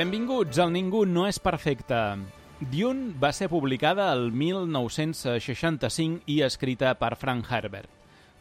Benvinguts al Ningú no és perfecte. Dune va ser publicada el 1965 i escrita per Frank Herbert.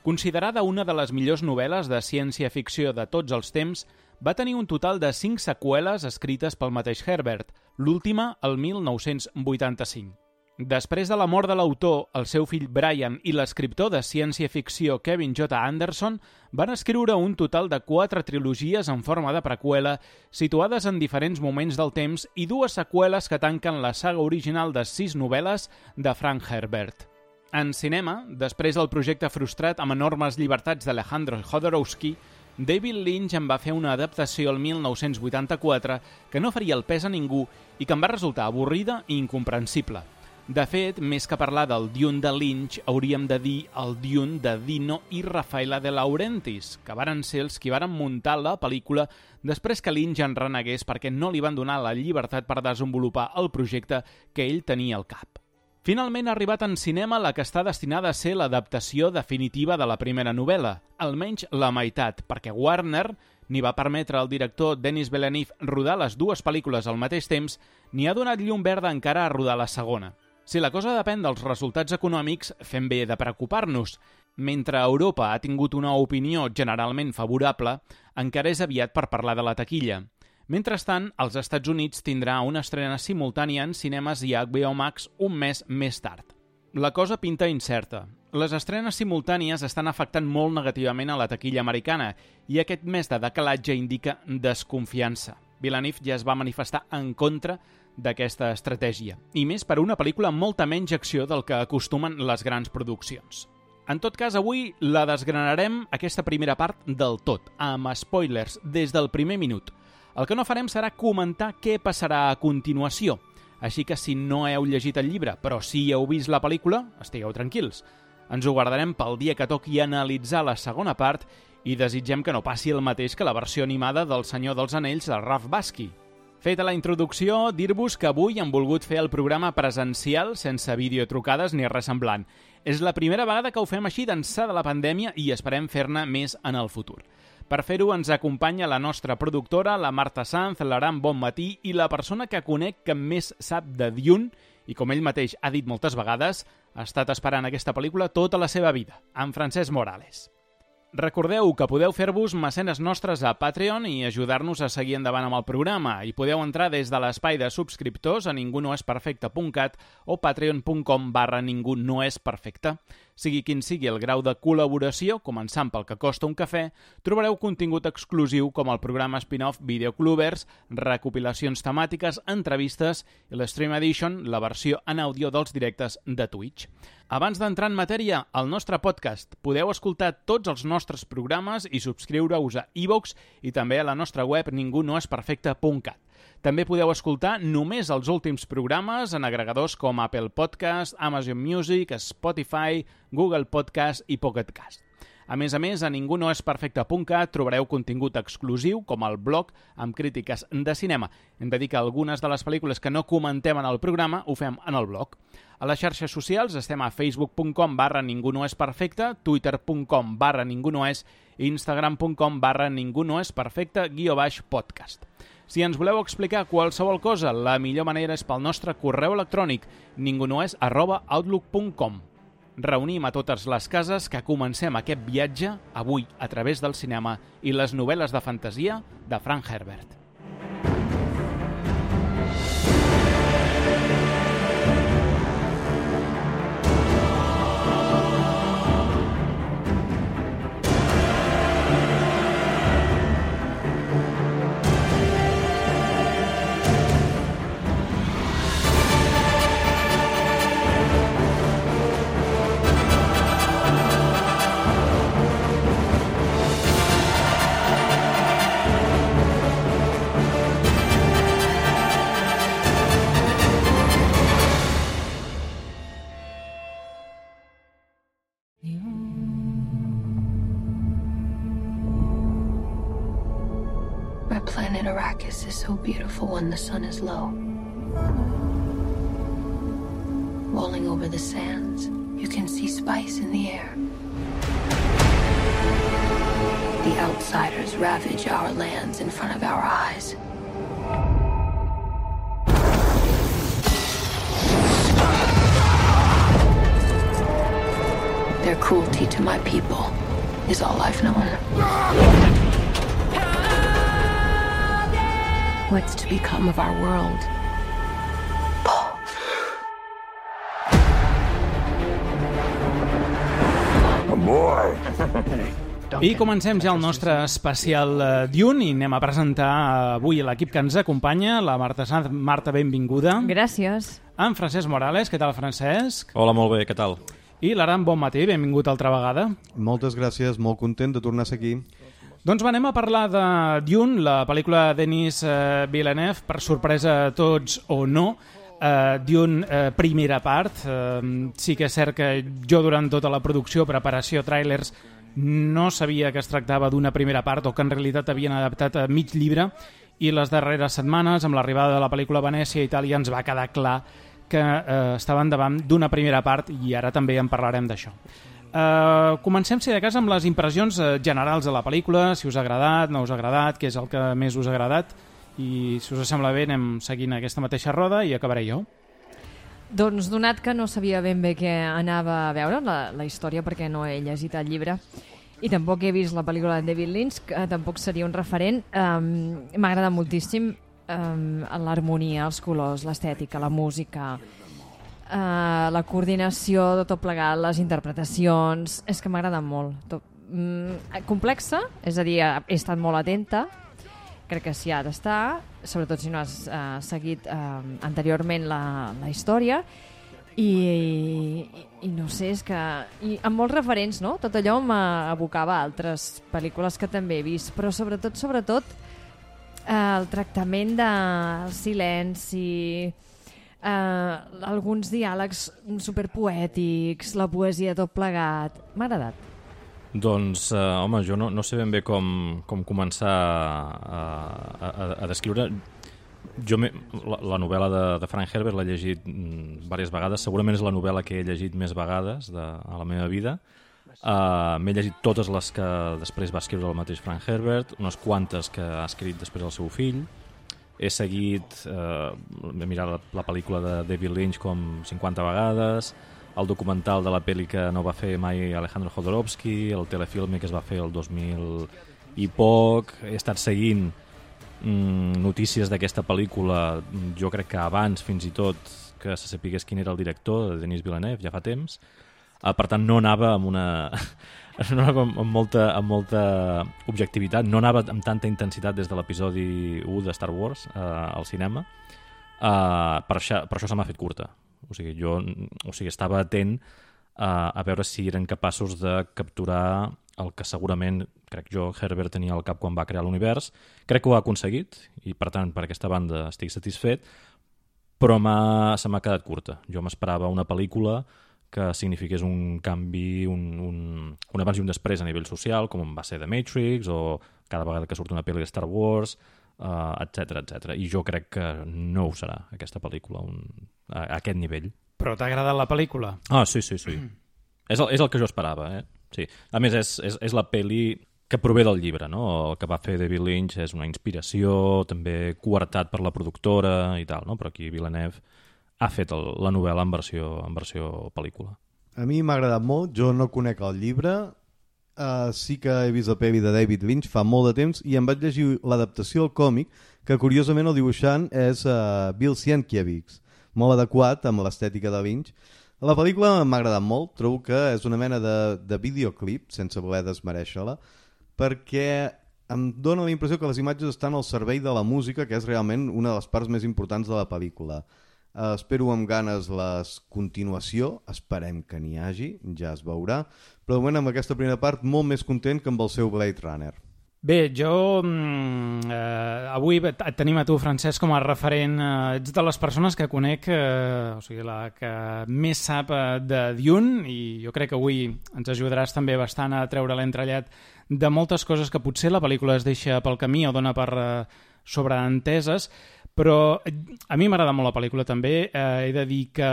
Considerada una de les millors novel·les de ciència-ficció de tots els temps, va tenir un total de 5 seqüeles escrites pel mateix Herbert, l'última el 1985. Després de la mort de l'autor, el seu fill Brian i l'escriptor de ciència-ficció Kevin J. Anderson van escriure un total de 4 trilogies en forma de preqüela situades en diferents moments del temps i 2 seqüeles que tanquen la saga original de 6 novel·les de Frank Herbert. En cinema, després del projecte frustrat amb enormes llibertats d'Alejandro Jodorowsky, David Lynch en va fer una adaptació el 1984 que no faria el pes a ningú i que en va resultar avorrida i incomprensible. De fet, més que parlar del Dune de Lynch, hauríem de dir el Dune de Dino i Rafaela De Laurentiis, que varen ser els qui varen muntar la pel·lícula després que Lynch en renegués perquè no li van donar la llibertat per desenvolupar el projecte que ell tenia al cap. Finalment ha arribat en cinema la que està destinada a ser l'adaptació definitiva de la primera novel·la, almenys la meitat, perquè Warner ni va permetre al director Denis Villeneuve rodar les 2 pel·lícules al mateix temps, ni ha donat llum verda encara a rodar la segona. Si la cosa depèn dels resultats econòmics, fem bé de preocupar-nos. Mentre Europa ha tingut una opinió generalment favorable, encara és aviat per parlar de la taquilla. Mentrestant, als Estats Units tindrà una estrena simultània en cinemes i HBO Max un mes més tard. La cosa pinta incerta. Les estrenes simultànies estan afectant molt negativament a la taquilla americana i aquest mes de decalatge indica desconfiança. Villeneuve ja es va manifestar en contra d'aquesta estratègia, i més per una pel·lícula amb molta menys acció del que acostumen les grans produccions. En tot cas, avui la desgranarem aquesta primera part del tot, amb spoilers des del primer minut. El que no farem serà comentar què passarà a continuació, així que si no heu llegit el llibre, però sí heu vist la pel·lícula, estigueu tranquils. Ens ho guardarem pel dia que toqui analitzar la segona part i desitgem que no passi el mateix que la versió animada del Senyor dels Anells de Ralph Bakshi. Feta la introducció, dir-vos que avui hem volgut fer el programa presencial sense videotrucades ni res semblant. És la primera vegada que ho fem així d'ençà de la pandèmia i esperem fer-ne més en el futur. Per fer-ho ens acompanya la nostra productora, la Marta Sanz, l'Aram Bonmatí i la persona que conec que més sap de Dune i, com ell mateix ha dit moltes vegades, ha estat esperant aquesta pel·lícula tota la seva vida, en Francesc Morales. Recordeu que podeu fer-vos mecenes nostres a Patreon i ajudar-nos a seguir endavant amb el programa i podeu entrar des de l'espai de subscriptors a ningunoesperfecte.cat o patreon.com/ningunoesperfecte. Sigui quin sigui el grau de col·laboració, començant pel que costa un cafè, trobareu contingut exclusiu com el programa spin-off Videoclubers, recopilacions temàtiques, entrevistes i l'Stream Edition, la versió en àudio dels directes de Twitch. Abans d'entrar en matèria, al nostre podcast podeu escoltar tots els nostres programes i subscriure-us a iVoox i també a la nostra web ningunoesperfecte.cat. També podeu escoltar només els últims programes en agregadors com Apple Podcast, Amazon Music, Spotify, Google Podcast i Pocket Cast. A més, a ningunoesperfecte.cat trobareu contingut exclusiu, com el blog amb crítiques de cinema. Hem de dir que algunes de les pel·lícules que no comentem en el programa ho fem en el blog. A les xarxes socials estem a facebook.com/ningunoesperfecte, twitter.com/ningunoes i instagram.com/ningunoesperfecte_podcast. Si ens voleu explicar qualsevol cosa, la millor manera és pel nostre correu electrònic ningunoes@outlook.com. Reunim a totes les cases que comencem aquest viatge avui a través del cinema i les novel·les de fantasia de Frank Herbert. Our planet Arrakis is so beautiful when the sun is low. Rolling over the sands, you can see spice in the air. The outsiders ravage our lands in front of our eyes. cruelty to my people is all I've known. What's to become of our world? Paul. Boy. I comencem ja el nostre especial Dune i anem a presentar avui l'equip que ens acompanya, la Marta Sanz. Marta, benvinguda. Gràcies. En Francesc Morales, què tal, Francesc? Hola, molt bé, què tal? I l'Aran, bon matí, benvingut altra vegada. Moltes gràcies, molt content de tornar a ser aquí. Doncs anem a parlar de Dune, la pel·lícula de Denis Villeneuve, per sorpresa a tots o no. Dune, primera part. Sí que és cert que jo durant tota la producció, preparació, tràilers, no sabia que es tractava d'una primera part o que en realitat havien adaptat a mig llibre, i les darreres setmanes, amb l'arribada de la pel·lícula a Venècia i Itàlia, ens va quedar clar que estaven davant d'una primera part i ara també en parlarem d'això. Comencem, si de cas, amb les impressions generals de la pel·lícula, si us ha agradat, no us ha agradat, què és el que més us ha agradat, i si us sembla bé anem seguint aquesta mateixa roda i acabaré jo. Doncs donat que no sabia ben bé què anava a veure la història, perquè no he llegit el llibre i tampoc he vist la pel·lícula de David Lynch, que tampoc seria un referent, m'ha agradat moltíssim l'harmonia, els colors, l'estètica, la música, la coordinació de tot plegat, les interpretacions, és que m'ha agradat molt. Complexa, és a dir, he estat molt atenta, crec que s'hi ha d'estar, sobretot si no has seguit anteriorment la història, i no sé, és que amb molts referents, no? Tot allò m'abocava a altres pel·lícules que també he vist, però sobretot el tractament del silenci, alguns diàlegs superpoètics, la poesia tot plegat, m'ha agradat. Doncs, home, jo no sé ben bé com començar a descriure. Jo la novel·la de Frank Herbert l'he llegit diverses vegades, segurament és la novel·la que he llegit més vegades a la meva vida. M'he llegit totes les que després va escriure el mateix Frank Herbert, unes quantes que ha escrit després el seu fill. He seguit, he mirat la pel·lícula de David Lynch com 50 vegades, el documental de la pel·li que no va fer mai Alejandro Jodorowsky, el telefilm que es va fer el 2000 i poc. He estat seguint notícies d'aquesta pel·lícula, jo crec que abans fins i tot que se sapigués quin era el director, de Denis Villeneuve, ja fa temps. Per tant, no anava amb molta objectivitat, no anava amb tanta intensitat des de l'episodi 1 de Star Wars al cinema. Per això se m'ha fet curta. O sigui, estava atent a veure si eren capaços de capturar el que segurament, crec jo, Herbert tenia al cap quan va crear l'univers. Crec que ho ha aconseguit i, per tant, per aquesta banda estic satisfet, però se m'ha quedat curta. Jo m'esperava una pel·lícula que signifiqués un canvi, un abans i un després a nivell social, com va ser The Matrix o cada vegada que surt una pel·li de Star Wars, etc. I jo crec que no ho serà, aquesta pel·lícula, a aquest nivell. Però t'ha agradat la pel·lícula? Sí. És el que jo esperava, Sí. A més, és la pel·li que prové del llibre, no? El que va fer David Lynch és una inspiració, també coartat per la productora i tal, no? Però aquí Villeneuve ha fet la novel·la en versió pel·lícula. A mi m'ha agradat molt, jo no conec el llibre, sí que he vist la pel·li de David Lynch fa molt de temps i em vaig llegir l'adaptació al còmic, que curiosament el dibuixant és Bill Sienkiewicz, molt adequat amb l'estètica de Lynch. La pel·lícula m'ha agradat molt, trobo que és una mena de videoclip, sense voler desmerèixer-la, perquè em dóna la impressió que les imatges estan al servei de la música, que és realment una de les parts més importants de la pel·lícula. Espero amb ganes la continuació, esperem que n'hi hagi, ja es veurà, però de moment amb aquesta primera part molt més content que amb el seu Blade Runner. Bé, jo avui et tenim a tu, Francesc, com a referent. Ets de les persones que conec, o sigui, la que més sap de Dune, i jo crec que avui ens ajudaràs també bastant a treure l'entrellat de moltes coses que potser la pel·lícula es deixa pel camí o dona per sobreenteses, però a mi m'agrada molt la pel·lícula també. He de dir que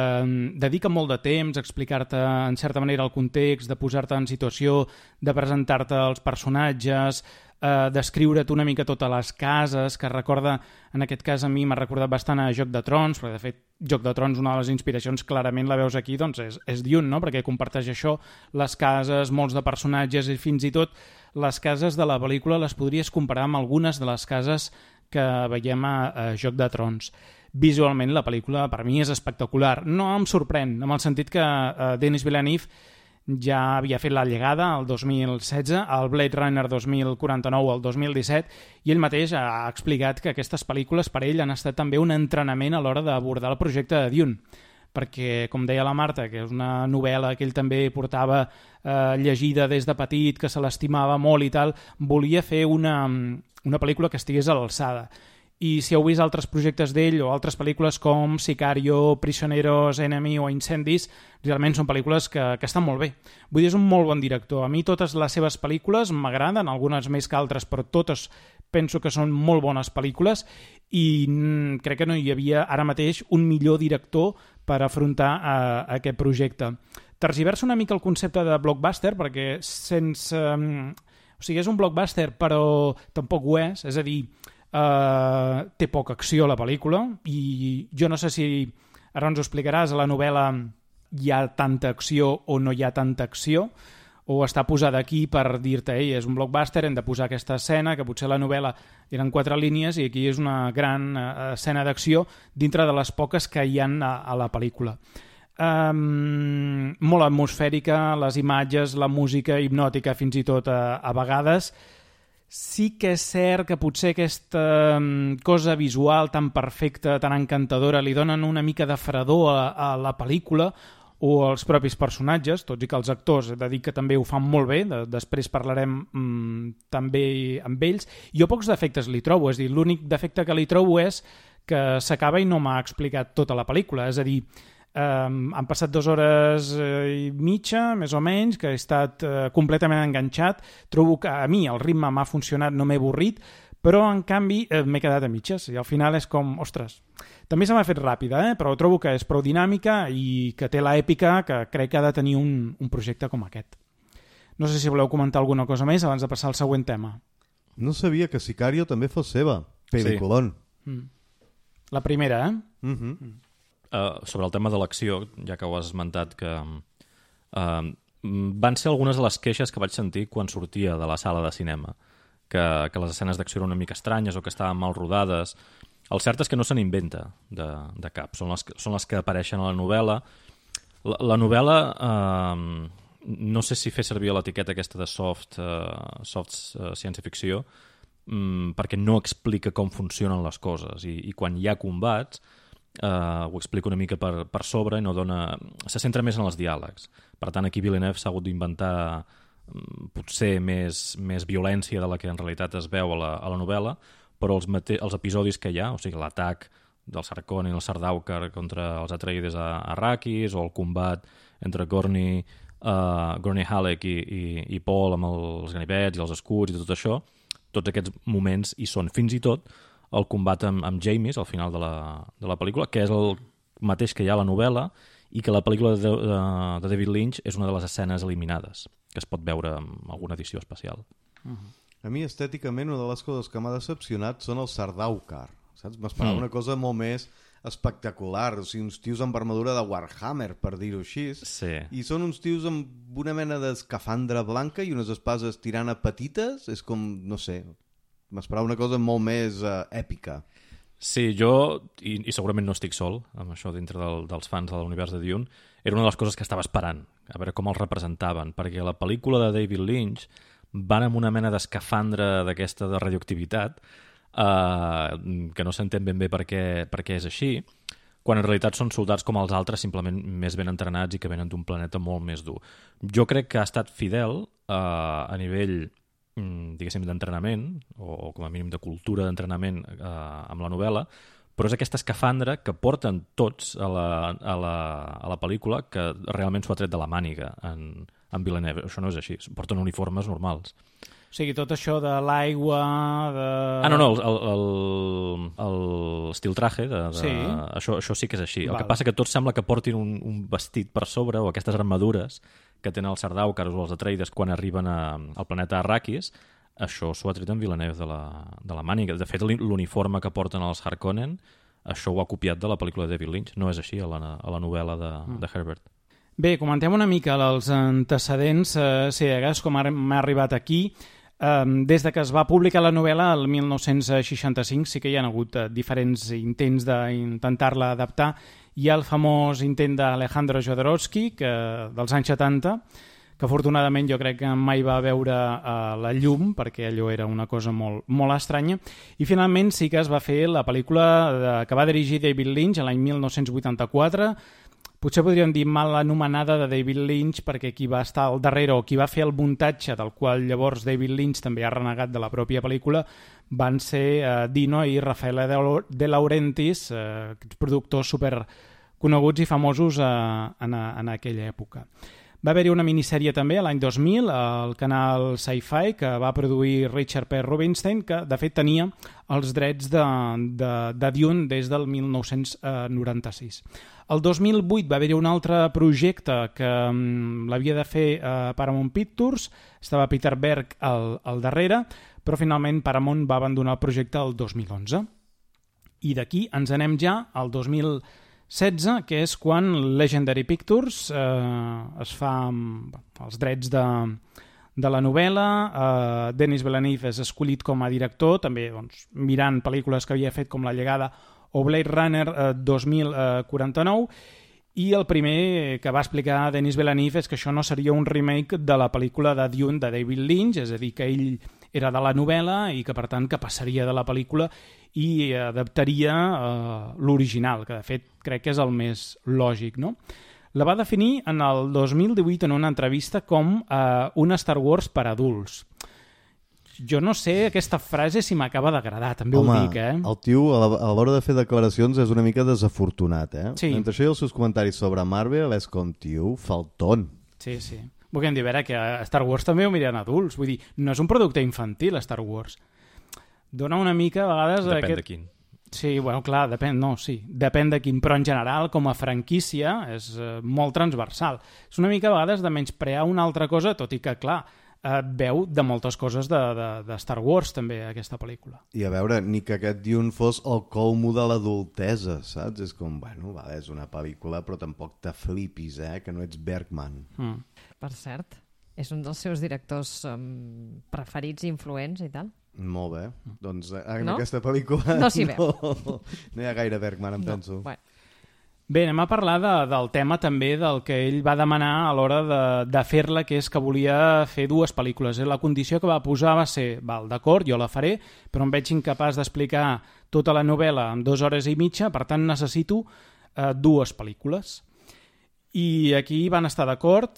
dedica molt de temps a explicar-te en certa manera el context, de posar-te en situació, de presentar-te els personatges, descriure't una mica totes les cases, que recorda, en aquest cas a mi m'ha recordat bastant a Joc de Trons, perquè de fet Joc de Trons, una de les inspiracions clarament la veus aquí, doncs és Dune, no? Perquè comparteix això, les cases, molts de personatges i fins i tot les cases de la pel·lícula les podries comparar amb algunes de les cases que veiem a Joc de Trons. Visualment la pel·lícula per mi és espectacular, no em sorprèn, en el sentit que Denis Villeneuve ja havia fet La llegada el 2016, el Blade Runner 2049 el 2017, i ell mateix ha explicat que aquestes pel·lícules per ell han estat també un entrenament a l'hora d'abordar el projecte de Dune, perquè, com deia la Marta, que és una novel·la que ell també portava llegida des de petit, que se l'estimava molt i tal, volia fer una pel·lícula que estigués a l'alçada. I si heu vist altres projectes d'ell o altres pel·lícules com Sicario, Prisioneros, Enemy o Incendis, realment són pel·lícules que estan molt bé. Vull dir, és un molt bon director. A mi totes les seves pel·lícules m'agraden, algunes més que altres, però totes penso que són molt bones pel·lícules i crec que no hi havia ara mateix un millor director per afrontar aquest projecte. Tergiversa una mica el concepte de blockbuster perquè sense... O sigui, és un blockbuster però tampoc ho és a dir, té poca acció a la pel·lícula i jo no sé si, ara ens ho explicaràs, a la novel·la hi ha tanta acció o no hi ha tanta acció, o està posada aquí per dir-te, és un blockbuster, hem de posar aquesta escena, que potser la novel·la eren 4 línies i aquí és una gran escena d'acció dintre de les poques que hi ha a la pel·lícula. Molt atmosfèrica, les imatges, la música hipnòtica fins i tot a vegades. Sí que és cert que potser aquesta cosa visual tan perfecta, tan encantadora, li donen una mica de fredor a la pel·lícula o als propis personatges, tots i que els actors, he de dir que també ho fan molt bé, després parlarem també amb ells. Jo pocs defectes li trobo, és a dir, l'únic defecte que li trobo és que s'acaba i no m'ha explicat tota la pel·lícula, és a dir, han passat 2 hores i mitja, més o menys, que he estat completament enganxat. Trobo que a mi el ritme m'ha funcionat, no m'he avorrit, però en canvi m'he quedat a mitges i al final és com, ostres, també se m'ha fet ràpida, però trobo que és prou dinàmica i que té l'èpica que crec que ha de tenir un projecte com aquest. No sé si voleu comentar alguna cosa més abans de passar al següent tema. No sabia que Sicario també fos seva. Peliculón. Sí. La primera, sobre el tema de l'acció, ja que ho has esmentat, que van ser algunes de les queixes que vaig sentir quan sortia de la sala de cinema, que les escenes d'acció eren una mica estranyes o que estaven mal rodades. El cert és que no se n'inventa de cap, són les que apareixen a la novel·la. La novel·la, no sé si fer servir l'etiqueta aquesta de soft ciència-ficció, perquè no explica com funcionen les coses i quan hi ha combats ho explica una mica per sobre i no dona... Se centra més en els diàlegs. Per tant, aquí Villeneuve s'ha hagut d'inventar potser més violència de la que en realitat es veu a la novel·la, però els episodis que hi ha, o sigui, l'atac del Sarkon i el Sardaukar contra els Atreides a Arrakis, o el combat entre Gurney Halleck i Paul amb els ganivets i els escuts i tot això, tots aquests moments hi són. Fins i tot el combat amb Jamies al final de la pel·lícula, que és el mateix que hi ha a la novel·la i que la pel·lícula de David Lynch és una de les escenes eliminades, que es pot veure en alguna edició especial. A mi, estèticament, una de les coses que m'ha decepcionat són els Sardaukar, saps? M'esperava una cosa molt més espectacular, o sigui, uns tios amb armadura de Warhammer, per dir-ho així, i són uns tios amb una mena d'escafandra blanca i unes espases tirant a petites, és com, no sé... M'esperava una cosa molt més èpica. Sí, jo, i segurament no estic sol amb això dintre dels fans de l'univers de Dune, era una de les coses que estava esperant, a veure com els representaven, perquè la pel·lícula de David Lynch van amb una mena d'escafandra d'aquesta de radioactivitat, que no s'entén ben bé per què és així, quan en realitat són soldats com els altres, simplement més ben entrenats i que venen d'un planeta molt més dur. Jo crec que ha estat fidel a nivell... diguéssim, d'entrenament, o com a mínim de cultura d'entrenament amb la novel·la, però és aquesta escafandra que porten tots a la pel·lícula que realment s'ho ha tret de la màniga en Villeneuve. Això no és així, porten uniformes normals. O sigui, tot això de l'aigua... El estil traje, sí. Això sí que és així. El que passa que tot sembla que portin un vestit per sobre, o aquestes armadures que tenen els Sardaukar o els Atreides quan arriben al planeta Arrakis, això s'ho ha tret en Villeneuve de la màniga. De fet, l'uniforme que porten els Harkonnen, això ho ha copiat de la pel·lícula de David Lynch. No és així a la novel·la de Herbert. Bé, comentem una mica els antecedents ciegues, com m'ha arribat aquí. Des de que es va publicar la novel·la el 1965 sí que hi ha hagut diferents intents d'intentar-la adaptar. Hi ha el famós intent d'Alejandro Jodorowsky dels anys 70, que afortunadament jo crec que mai va veure la llum, perquè allò era una cosa molt, molt estranya, i finalment sí que es va fer la pel·lícula que va dirigir David Lynch l'any 1984, potser podríem dir mal anomenada de David Lynch, perquè qui va estar al darrere o qui va fer el muntatge, del qual llavors David Lynch també ha renegat de la pròpia pel·lícula, van ser Dino i Rafael De Laurentiis, productors superconeguts i famosos en aquella època. Va haver-hi una minissèrie també l'any 2000 al canal Sci-Fi que va produir Richard P. Rubinstein, que de fet tenia els drets de Dune des del 1996. El 2008 va haver-hi un altre projecte que l'havia de fer Paramount Pictures, estava Peter Berg al darrere, però finalment Paramount va abandonar el projecte el 2011. I d'aquí ens anem ja al 2016, que és quan Legendary Pictures es fa els drets de la novel·la. Denis Villeneuve és escollit com a director, també mirant pel·lícules que havia fet com La llegada o Blade Runner 2049, i el primer que va explicar Denis Villeneuve és que això no seria un remake de la pel·lícula de Dune de David Lynch, és a dir, que ell era de la novel·la i que per tant que passaria de la pel·lícula i adaptaria l'original, que de fet crec que és el més lògic, no? La va definir en el 2018 en una entrevista com una Star Wars per adults. Jo no sé aquesta frase si m'acaba d'agradar, també ho dic, el tio a l'hora de fer declaracions és una mica desafortunat, Sí. Entre això i els seus comentaris sobre Marvel és com, tio, falton. Sí. Volguem dir, a veure, que a Star Wars també ho miren adults, vull dir, no és un producte infantil, Star Wars. Dona una mica, a vegades... Depèn de quin. Sí, bueno, clar, depèn de quin, però en general, com a franquícia, és molt transversal. És una mica, a vegades, de menysprear una altra cosa, tot i que, clar, veu de moltes coses de Star Wars, també, aquesta pel·lícula. I a veure, ni que aquest Dune fos el colmo de l'adultesa, saps? És com, bueno, vale, és una pel·lícula, però tampoc te flipis, que no ets Bergman. Per cert, és un dels seus directors preferits i influents i tal. Molt bé. Doncs en aquesta pel·lícula no s'hi veu. No hi ha gaire Bergman, penso. Bueno. Bé, anem a parlar del tema també del que ell va demanar a l'hora de fer-la, que és que volia fer dues pel·lícules. La condició que va posar va ser, d'acord, jo la faré, però em veig incapaç d'explicar tota la novel·la en 2 hores i mitja, per tant necessito dues pel·lícules. I aquí van estar d'acord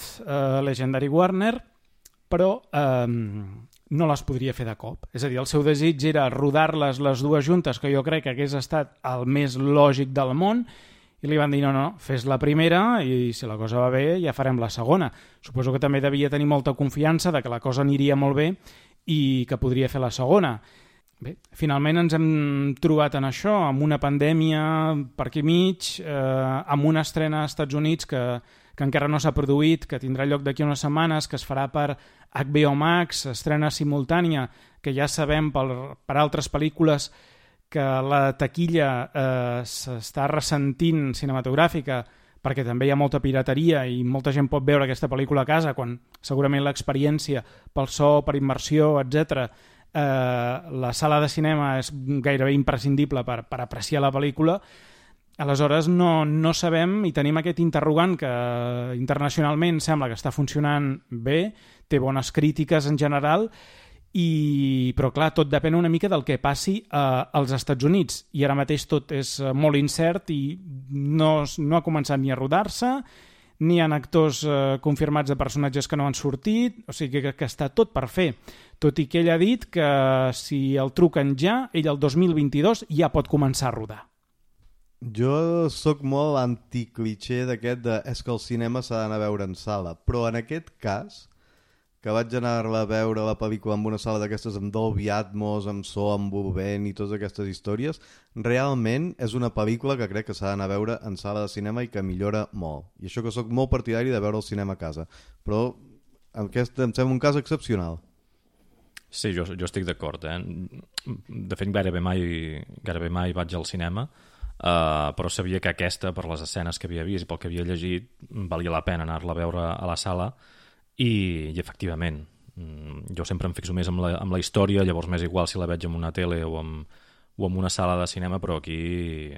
Legendary Warner, però no les podria fer de cop. És a dir, el seu desig era rodar-les les dues juntes, que jo crec que hagués estat el més lògic del món, i li van dir, no, fes la primera i si la cosa va bé ja farem la segona. Suposo que també devia tenir molta confiança de que la cosa aniria molt bé i que podria fer la segona. Bé, finalment ens hem trobat en això, amb una pandèmia per aquí mig, amb una estrena als Estats Units que encara no s'ha produït, que tindrà lloc d'aquí unes setmanes, que es farà per HBO Max, estrena simultània, que ja sabem per altres pel·lícules que la taquilla s'està ressentint cinematogràfica perquè també hi ha molta pirateria i molta gent pot veure aquesta pel·lícula a casa quan segurament l'experiència pel so, per immersió, etc. La sala de cinema és gairebé imprescindible per apreciar la pel·lícula. Aleshores no sabem i tenim aquest interrogant que internacionalment sembla que està funcionant bé, té bones crítiques en general, però clar, tot depèn una mica del que passi als Estats Units i ara mateix tot és molt incert i no ha començat ni a rodar-se, ni hi ha actors confirmats de personatges que no han sortit, o sigui que està tot per fer, tot i que ell ha dit que si el truquen ja, ell el 2022 ja pot començar a rodar. Jo sóc molt anticlitxer d'aquest de és que el cinema s'ha d'anar a veure en sala, però en aquest cas que vaig anar-la a veure la pel·lícula en una sala d'aquestes amb Dolby Atmos, amb so envolvent i totes aquestes històries, realment és una pel·lícula que crec que s'ha d'anar a veure en sala de cinema i que millora molt. I això que sóc molt partidari de veure el cinema a casa. Però aquest em sembla un cas excepcional. Sí, jo estic d'acord. De fet, gairebé mai vaig al cinema, però sabia que aquesta, per les escenes que havia vist i pel que havia llegit, valia la pena anar-la a veure a la sala i efectivament, jo sempre em fixo més amb la història, llavors m'és igual si la veig en una tele o en una sala de cinema, però aquí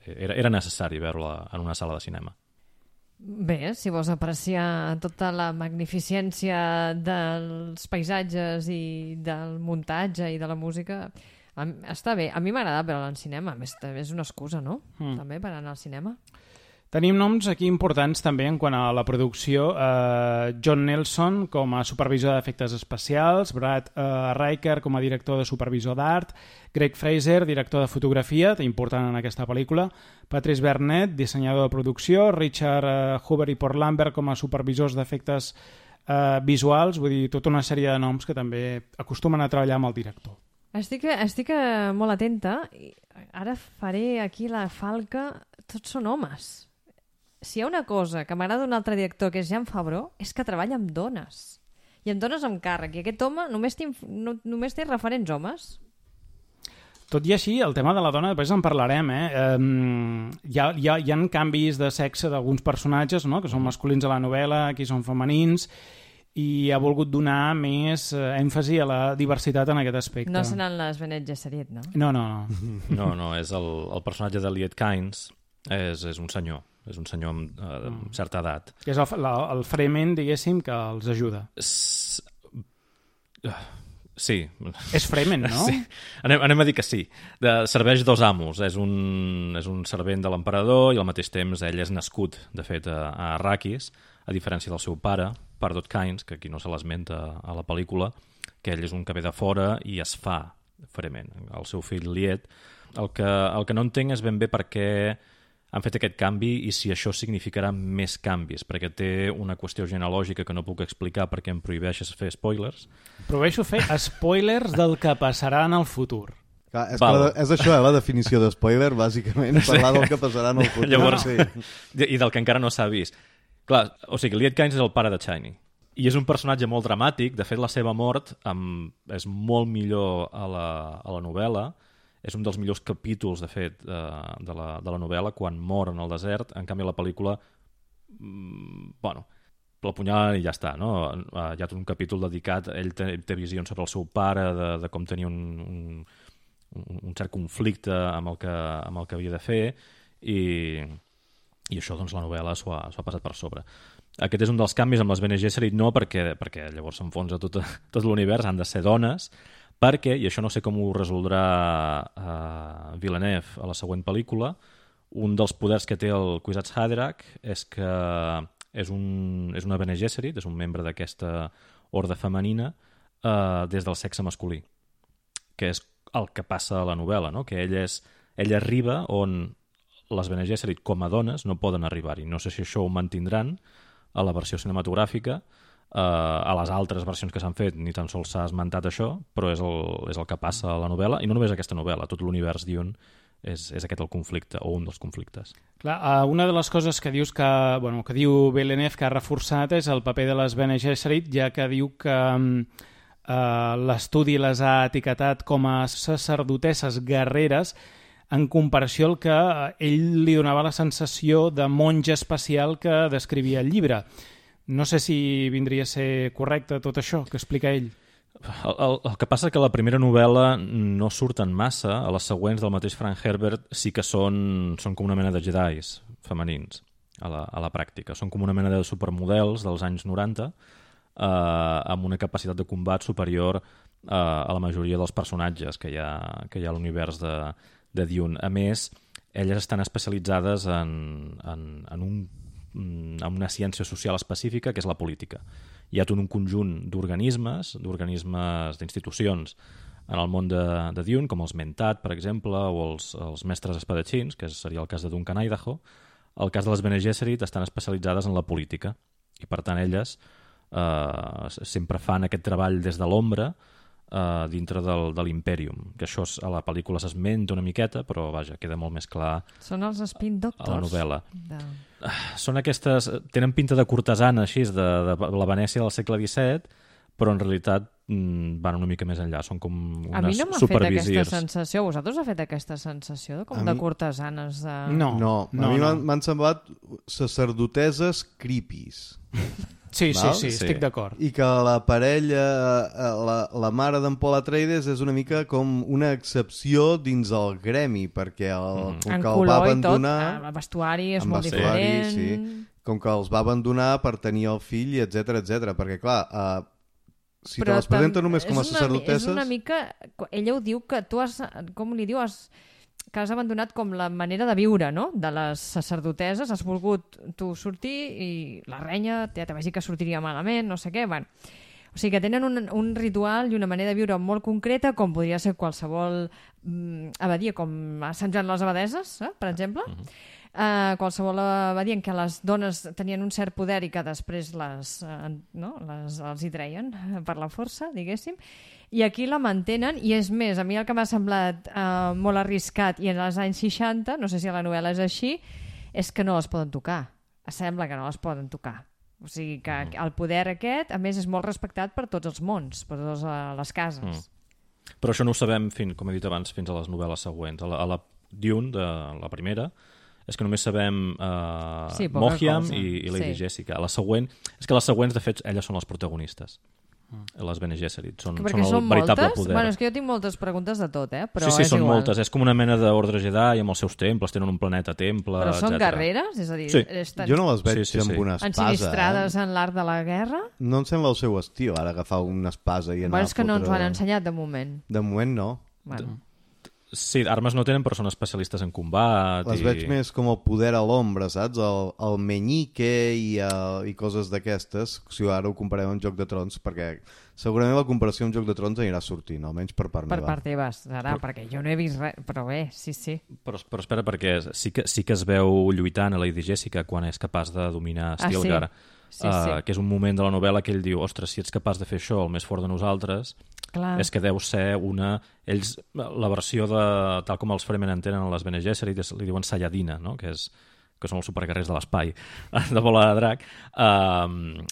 era necessari veure-la en una sala de cinema. Bé, si vols apreciar tota la magnificència dels paisatges i del muntatge i de la música, està bé. A mi m'agrada veure-la en cinema, a més és una excusa, no? També per anar al cinema. Tenim noms aquí importants també en quant a la producció. John Nelson com a supervisor d'efectes especials, Brad Riker com a director de supervisor d'art, Greg Fraser, director de fotografia, important en aquesta pel·lícula, Patrice Burnett, dissenyador de producció, Richard Hoover i Paul Lambert com a supervisors d'efectes visuals, vull dir, tota una sèrie de noms que també acostumen a treballar amb el director. Estic molt atenta. Ara faré aquí la falca. Tots són homes. Si hi ha una cosa que m'agrada d'un altre director, que és Jan Favreau, és que treballa amb dones. I amb dones amb càrrec. I aquest home només té referents homes. Tot i així, el tema de la dona, després en parlarem, hi ha canvis de sexe d'alguns personatges, no?, que són masculins a la novel·la, aquí són femenins, i ha volgut donar més èmfasi a la diversitat en aquest aspecte. No seran les Bene Gesserit, no? No, és el personatge de Liet Kynes, és un senyor. És un senyor amb certa edat. És el Fremen, diguéssim, que els ajuda. Sí. És Fremen, no? Sí. Anem a dir que sí. Serveix dos amos. És un servent de l'emperador i al mateix temps ell és nascut, de fet, a Arrakis, a diferència del seu pare, Pardot Kynes, que aquí no se l'esmenta a la pel·lícula, que ell és un que ve de fora i es fa Fremen. El seu fill Liet. El que no entenc és ben bé per què han fet aquest canvi i si això significarà més canvis, perquè té una qüestió genealògica que no puc explicar perquè em prohibeixes fer spoilers. Prohibeixo fer spoilers del que passarà en el futur. Clar, és això, la definició de spoiler, bàsicament, parlar del que passarà en el futur. Llavors, i del que encara no s'ha vist. Clar, o sigui, Liet Kynes és el pare de Chani. I és un personatge molt dramàtic. De fet, la seva mort és molt millor a la novel·la. És un dels millors capítols, de fet, de la novel·la, quan mor en el desert. En canvi, a la pel·lícula, l'apunyalen i ja està, no? Hi ha tot un capítol dedicat, ell té visions sobre el seu pare, de com tenia un cert conflicte amb el que havia de fer, i això, doncs, la novel·la s'ho ha passat per sobre. Aquest és un dels canvis amb les Bene Gesserit, no perquè llavors s'enfonsa tot l'univers, han de ser dones, perquè, i això no sé com ho resoldrà Villeneuve a la següent pel·lícula, un dels poders que té el Kwisatz Haderach és que és una Bene Gesserit, és un membre d'aquesta horda femenina des del sexe masculí, que és el que passa a la novel·la, no? Que ell arriba on les Bene Gesserit com a dones no poden arribar-hi. No sé si això ho mantindran a la versió cinematogràfica. A les altres versions que s'han fet ni tan sols s'ha esmentat això, però és el que passa a la novel·la, i no només aquesta novel·la, tot l'univers Dune és aquest el conflicte, o un dels conflictes. Clar, una de les coses que dius que diu Villeneuve que ha reforçat és el paper de les Bene Gesserit, ja que diu que l'estudi les ha etiquetat com a sacerdotesses guerreres en comparació al que ell li donava la sensació de monja espacial que descrivia el llibre. No sé si vindria a ser correcte tot això que explica ell. El que passa que la primera novel·la no surten massa, a les següents del mateix Frank Herbert sí que són com una mena de jedis femenins a la pràctica. Són com una mena de supermodels dels anys 90 amb una capacitat de combat superior a la majoria dels personatges que hi ha a l'univers de Dune. A més, elles estan especialitzades en una ciència social específica, que és la política. Hi ha tot un conjunt d'organismes, d'institucions en el món de Dune, com els Mentat, per exemple, o els mestres espadatxins, que seria el cas de Duncan Idaho. El cas de les Bene Gesserit estan especialitzades en la política, i per tant elles sempre fan aquest treball des de l'ombra dintre de l'Imperium, que això a la pel·lícula s'esmenta una miqueta, però vaja, queda molt més clar. Són els Spin Doctors a la novel·la. Són aquestes, tenen pinta de cortesana així, de la Venècia del segle XVII, però en realitat van una mica més enllà, són com A mi unes no m'ha fet supervisirs. aquesta sensació. Vosaltres ha fet aquesta sensació com de cortesanes? No. A mi m'han semblat sacerdoteses creepies. Sí, Val? estic d'acord. I que la parella, la mare d'en Paul Atreides és una mica com una excepció dins el gremi, perquè com En que el va color i tot, abandonar... el vestuari és amb molt vestuari, diferent. sí. Com que els va abandonar per tenir el fill, etc perquè clar, si te les presenta només com a sacerdotesses... És una mica... Ella ho diu que tu has... Com li diu? Que has abandonat com la manera de viure, no?, de les sacerdoteses, has volgut tu sortir i la renya ja te vagi que sortiria malament, no sé què, bueno. O sigui que tenen un ritual i una manera de viure molt concreta, com podria ser qualsevol abadia, com a Sant Joan les Abadeses, per exemple, qualsevol abadia en què les dones tenien un cert poder i que després els hi treien per la força, diguéssim. I aquí la mantenen, i és més, a mi el que m'ha semblat molt arriscat, i en els anys 60, no sé si a la novel·la és així, és que no les poden tocar. Sembla que no les poden tocar. O sigui que el poder aquest, a més, és molt respectat per tots els mons, per totes les cases. Però això no ho sabem, com he dit abans, fins a les novel·les següents. A la Dune, de la primera, és que només sabem Mohiam i Lady Jessica. A la següent, és que les següents, de fet, elles són les protagonistes. Les Bene Gesserit són el veritable poder. Bueno, és que jo tinc moltes preguntes de tot, però sí, és són igual. moltes. És com una mena d'ordre Jedi amb els seus temples, tenen un planeta temple, Però són etcètera. guerreres? És a dir, sí. Jo no les veig amb una espasa. Ensinistrades en l'art de la guerra? No em sembla el seu estil, ara agafar una espasa i anar Bueno, és que no ens ho han ensenyat de moment. De moment no. Bueno. Sí, armes no tenen, però són especialistes en combat. Les veig més com el poder a l'ombra, saps? El menyique i coses d'aquestes, si ara ho comparem amb Joc de Trons, perquè segurament la comparació amb Joc de Trons anirà sortint, almenys per part meva. Per part teva, serà, perquè jo no he vist res, però bé, sí. Però espera, perquè sí que es veu lluitant a Lady Jessica quan és capaç de dominar Stilgar. Sí. Que és un moment de la novel·la que ell diu, ostres, si ets capaç de fer això, el més fort de nosaltres, clar, és que deu ser ells, la versió de, tal com els Fremen entenen a les Bene Gesserit, li diuen Saiyadina, no?, que són els superguerrers de l'espai, de bola de drac,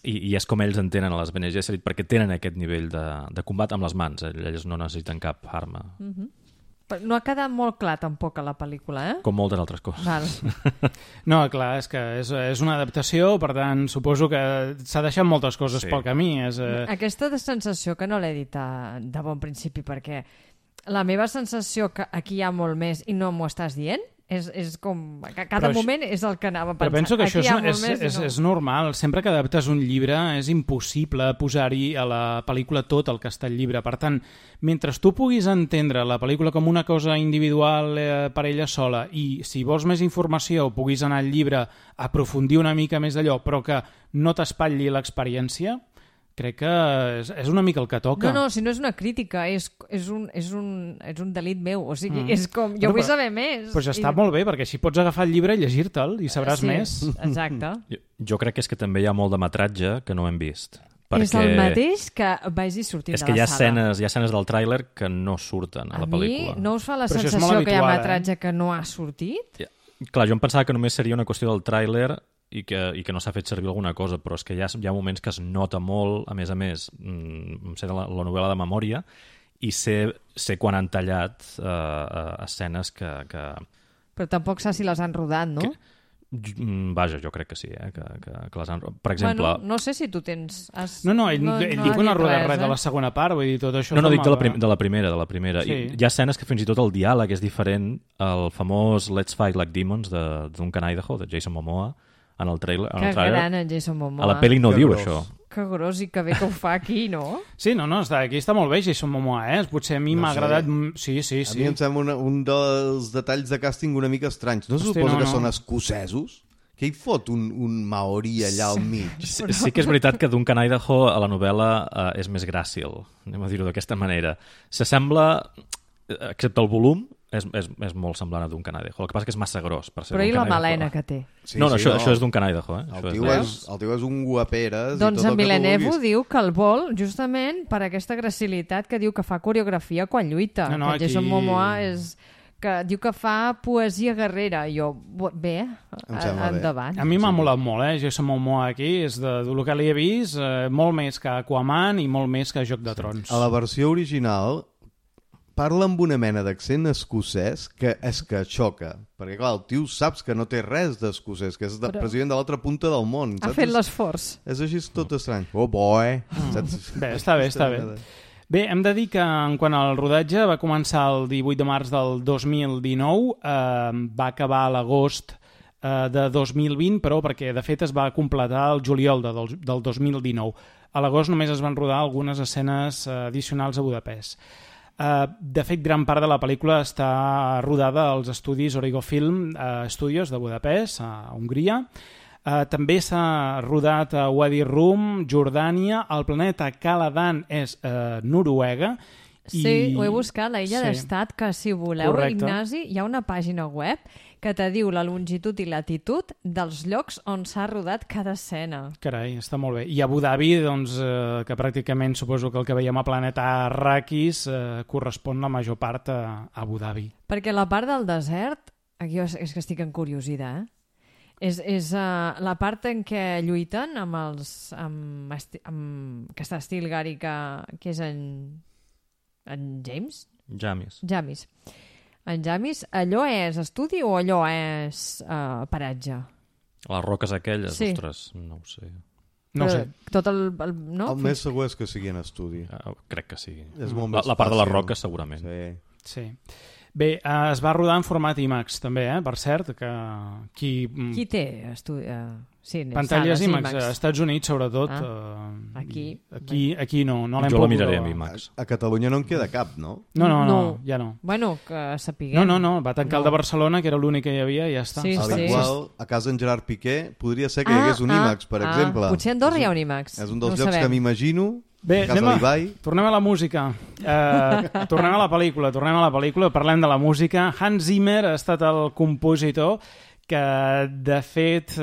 i és com ells entenen a les Bene Gesserit, perquè tenen aquest nivell de combat amb les mans, ells no necessiten cap arma. Però no ha quedat molt clar tampoc a la pel·lícula, Com moltes altres coses. Val. No, clar, és que és una adaptació, per tant, suposo que s'ha deixat moltes coses pel camí. Aquesta sensació que no l'he dit de bon principi, perquè la meva sensació que aquí hi ha molt més i no m'ho estàs dient, és com... Cada moment és el que anava pensant. Però penso que això és normal. Sempre que adaptes un llibre és impossible posar-hi a la pel·lícula tot el que està al llibre. Per tant, mentre tu puguis entendre la pel·lícula com una cosa individual per ella sola i si vols més informació puguis anar al llibre a aprofundir una mica més d'allò, però que no t'espatlli l'experiència, crec que és una mica el que toca. No, si no és una crítica, és un delit meu. O sigui, és com... Jo vull saber més. Però ja està molt bé, perquè així pots agafar el llibre i llegir-te'l i sabràs més. Exacte. Jo crec que és que també hi ha molt de metratge que no hem vist. Perquè... És el mateix que vagi sortint de la sala. És que hi ha escenes del tràiler que no surten a la pel·lícula. A mi no us fa la Però sensació que hi ha metratge que no ha sortit? Clar, jo em pensava que només seria una qüestió del tràiler i que no s'ha fet servir alguna cosa, però és que hi ha moments que es nota molt, a més, sé de la novel·la de memòria, i sé quan han tallat escenes que... Però tampoc saps si les han rodat, no? Vaja, jo crec que sí, que les han... Per exemple... Bueno, no sé si tu tens... No, ell diu que no ha rodat res de la segona part, vull dir, tot això... No, dic de la primera. Sí. I hi ha escenes que fins i tot el diàleg és diferent. El famós Let's Fight Like Demons de Duncan Idaho, de Jason Momoa, en el trailer. Que gran, en Jason Momoa. A la pel·li no diu això. Que gros i que bé que ho fa aquí, no? Sí, aquí està molt bé Jason Momoa, Potser a mi m'ha agradat... Sí. A mi em sembla un dels detalls de càsting una mica estranys. No se suposa que són escocesos? Que hi fot un maori allà al mig? Sí que és veritat que Duncan Idaho a la novel·la és més gràcil, anem a dir-ho d'aquesta manera. S'assembla, excepte el volum, és molt semblant a Duncan Idaho. El que passa que és massa gros per ser Però i la Duncan melena Idaho. que té? Sí, això és Duncan Idaho. El tio és un guaperes. Doncs en Villeneuve diu que el vol justament per aquesta gracilitat que diu que fa coreografia quan lluita. Que Jason Momoa és que diu que fa poesia guerrera. Jo, bé, endavant. A mi m'ha molat molt, Jason Momoa aquí, és del que li he vist, molt més que Aquaman i molt més que Joc de Trons. A la versió original parla amb una mena d'accent escocès que és que xoca, perquè clar, el tio saps que no té res d'escocès, que és president de l'altra punta del món. Ha fet l'esforç. És així tot estrany. Oh boy! Bé, està bé. Bé, hem de dir que en quant al rodatge va començar el 18 de març del 2019, va acabar a l'agost de 2020, però perquè de fet es va completar el juliol del 2019. A l'agost només es van rodar algunes escenes addicionals a Budapest. De fet, gran part de la pel·lícula està rodada als estudis Origo Film Studios de Budapest, a Hongria. També s'ha rodat a Wadi Rum, Jordània, el planeta Caladan és Noruega. Sí, ho he buscat, la illa d'estat, que si voleu, correcte. Ignasi, hi ha una pàgina web que te diu la longitud i latitud dels llocs on s'ha rodat cada escena. Carai, està molt bé. I Abu Dhabi, doncs, que pràcticament suposo que el que veiem a Planeta Arrakis correspon la major part a Abu Dhabi. Perquè la part del desert, aquí és que estic encuriosida, és la part en què lluiten amb que està Stilgar i que és en James? Jamis. En Jamis, allò és estudi o allò és paratge? Les roques aquelles, sí. Ostres, no ho sé. No ho sé. Tot el més segur és que sigui en estudi. Crec que sí. És molt més la part de les roques, segurament. Sí. Bé, es va rodar en format IMAX, també, per cert, que qui té pantalles IMAX? Als Estats Units, sobretot. Aquí no l'hem pogut. Jo la miraré amb IMAX. A Catalunya no en queda cap, no? No, ja no. Bueno, que sapiguem. No, va tancar el de Barcelona, que era l'únic que hi havia, i ja està. Sí. Igual, a casa en Gerard Piqué, podria ser que hi hagués un IMAX, per exemple. Potser a Andorra hi ha un IMAX. És un dels llocs que m'imagino. Bé, tornem a la música. Tornem a la pel·lícula, parlem de la música. Hans Zimmer ha estat el compositor que, de fet,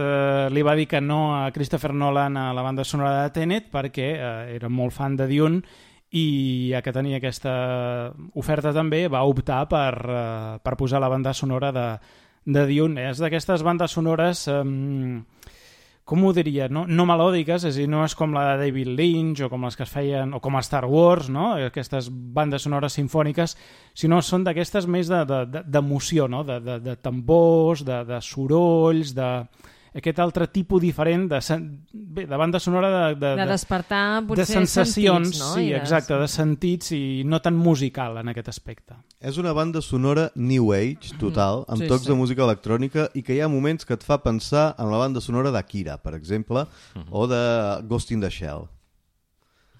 li va dir que no a Christopher Nolan a la banda sonora de Tenet perquè era molt fan de Dune i ja que tenia aquesta oferta també va optar per posar la banda sonora de Dune. És d'aquestes bandes sonores... com ho diria, no melòdiques, és a dir, no és com la de David Lynch o com les que es feien, o com a Star Wars, no? Aquestes bandes sonores sinfòniques, sinó són d'aquestes més d'emoció, no? De tambors, de sorolls, d'aquest altre tipus diferent de banda sonora de despertar potser de sensacions, sentits, no? Sí, exacte, de sentits i no tan musical en aquest aspecte. És una banda sonora New Age, total, amb tocs de música electrònica i que hi ha moments que et fa pensar en la banda sonora d'Akira, per exemple, o de Ghost in the Shell.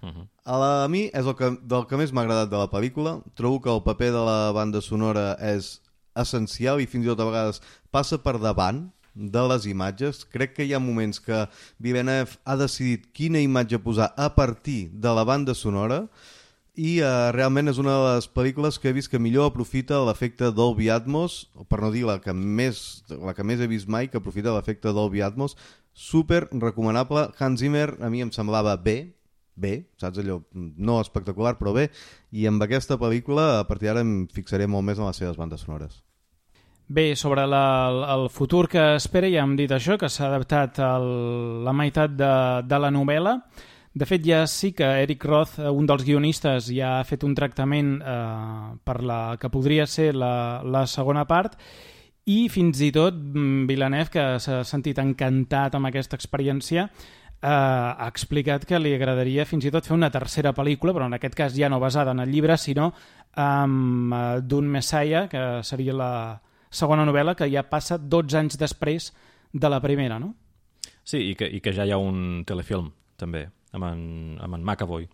A mi és del que més m'ha agradat de la pel·lícula. Trobo que el paper de la banda sonora és essencial i fins i tot a vegades passa per davant de les imatges. Crec que hi ha moments que Villeneuve ha decidit quina imatge posar a partir de la banda sonora i realment és una de les pel·lícules que he vist que millor aprofita l'efecte Dolby Atmos, per no dir la que més he vist mai que aprofita l'efecte Dolby Atmos. Super recomanable. Hans Zimmer a mi em semblava bé, saps allò? No espectacular, però bé, i amb aquesta pel·lícula a partir d'ara em fixaré molt més en les seves bandes sonores. Bé, sobre el futur que espera, ja hem dit això, que s'ha adaptat la meitat de la novel·la. De fet, ja sí que Eric Roth, un dels guionistes, ja ha fet un tractament per la que podria ser la segona part, i fins i tot Villeneuve, que s'ha sentit encantat amb aquesta experiència, ha explicat que li agradaria fins i tot fer una tercera pel·lícula, però en aquest cas ja no basada en el llibre, sinó amb Dune Messiah, que seria la segona novel·la, que ja passa 12 anys després de la primera, no? Sí, i que ja hi ha un telefilm, també, amb en McAvoy.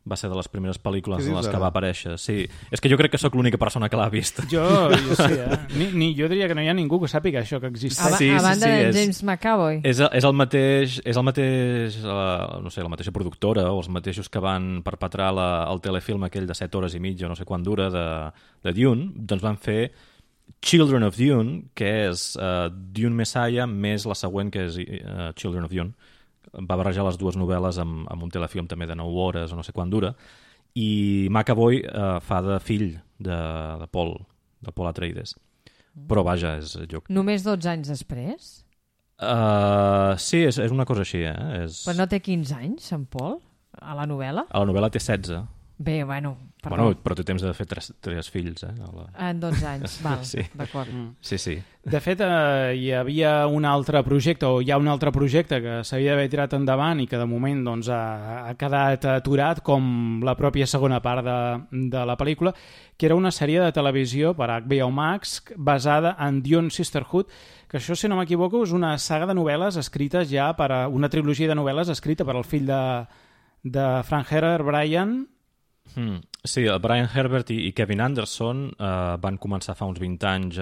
Va ser de les primeres pel·lícules en les que va aparèixer. Sí, és que jo crec que sóc l'única persona que l'ha vist. Jo sí, jo diria que no hi ha ningú que sàpiga això que existeix. A banda de James McAvoy. És el mateix, no sé, la mateixa productora o els mateixos que van perpetrar el telefilm aquell de 7 hores i mitja, no sé quant dura, de Dune, doncs van fer Children of Dune, que és Dune Messiah més la següent, que és Children of Dune. Va barrejar les dues novel·les amb un telefilm també de 9 hores o no sé quant dura, i McAvoy fa de fill de Paul Paul Atreides. Però vaja, és lloc. Només 12 anys després? Sí, és una cosa així, Però no té 15 anys, Sant Paul, a la novel·la? A la novel·la té 16. Bé, bueno... Però té temps de fer tres fills, En 12 anys, val, sí. d'acord. Sí. De fet, hi havia un altre projecte, o hi ha un altre projecte que s'havia d'haver tirat endavant i que de moment doncs, ha quedat aturat, com la pròpia segona part de la pel·lícula, que era una sèrie de televisió per HBO Max basada en Dune Sisterhood, que això, si no m'equivoco, és una saga de novel·les escrites ja per una trilogia de novel·les escrita per el fill de Frank Herbert, Brian. Sí, el Brian Herbert i Kevin Anderson van començar fa uns 20 anys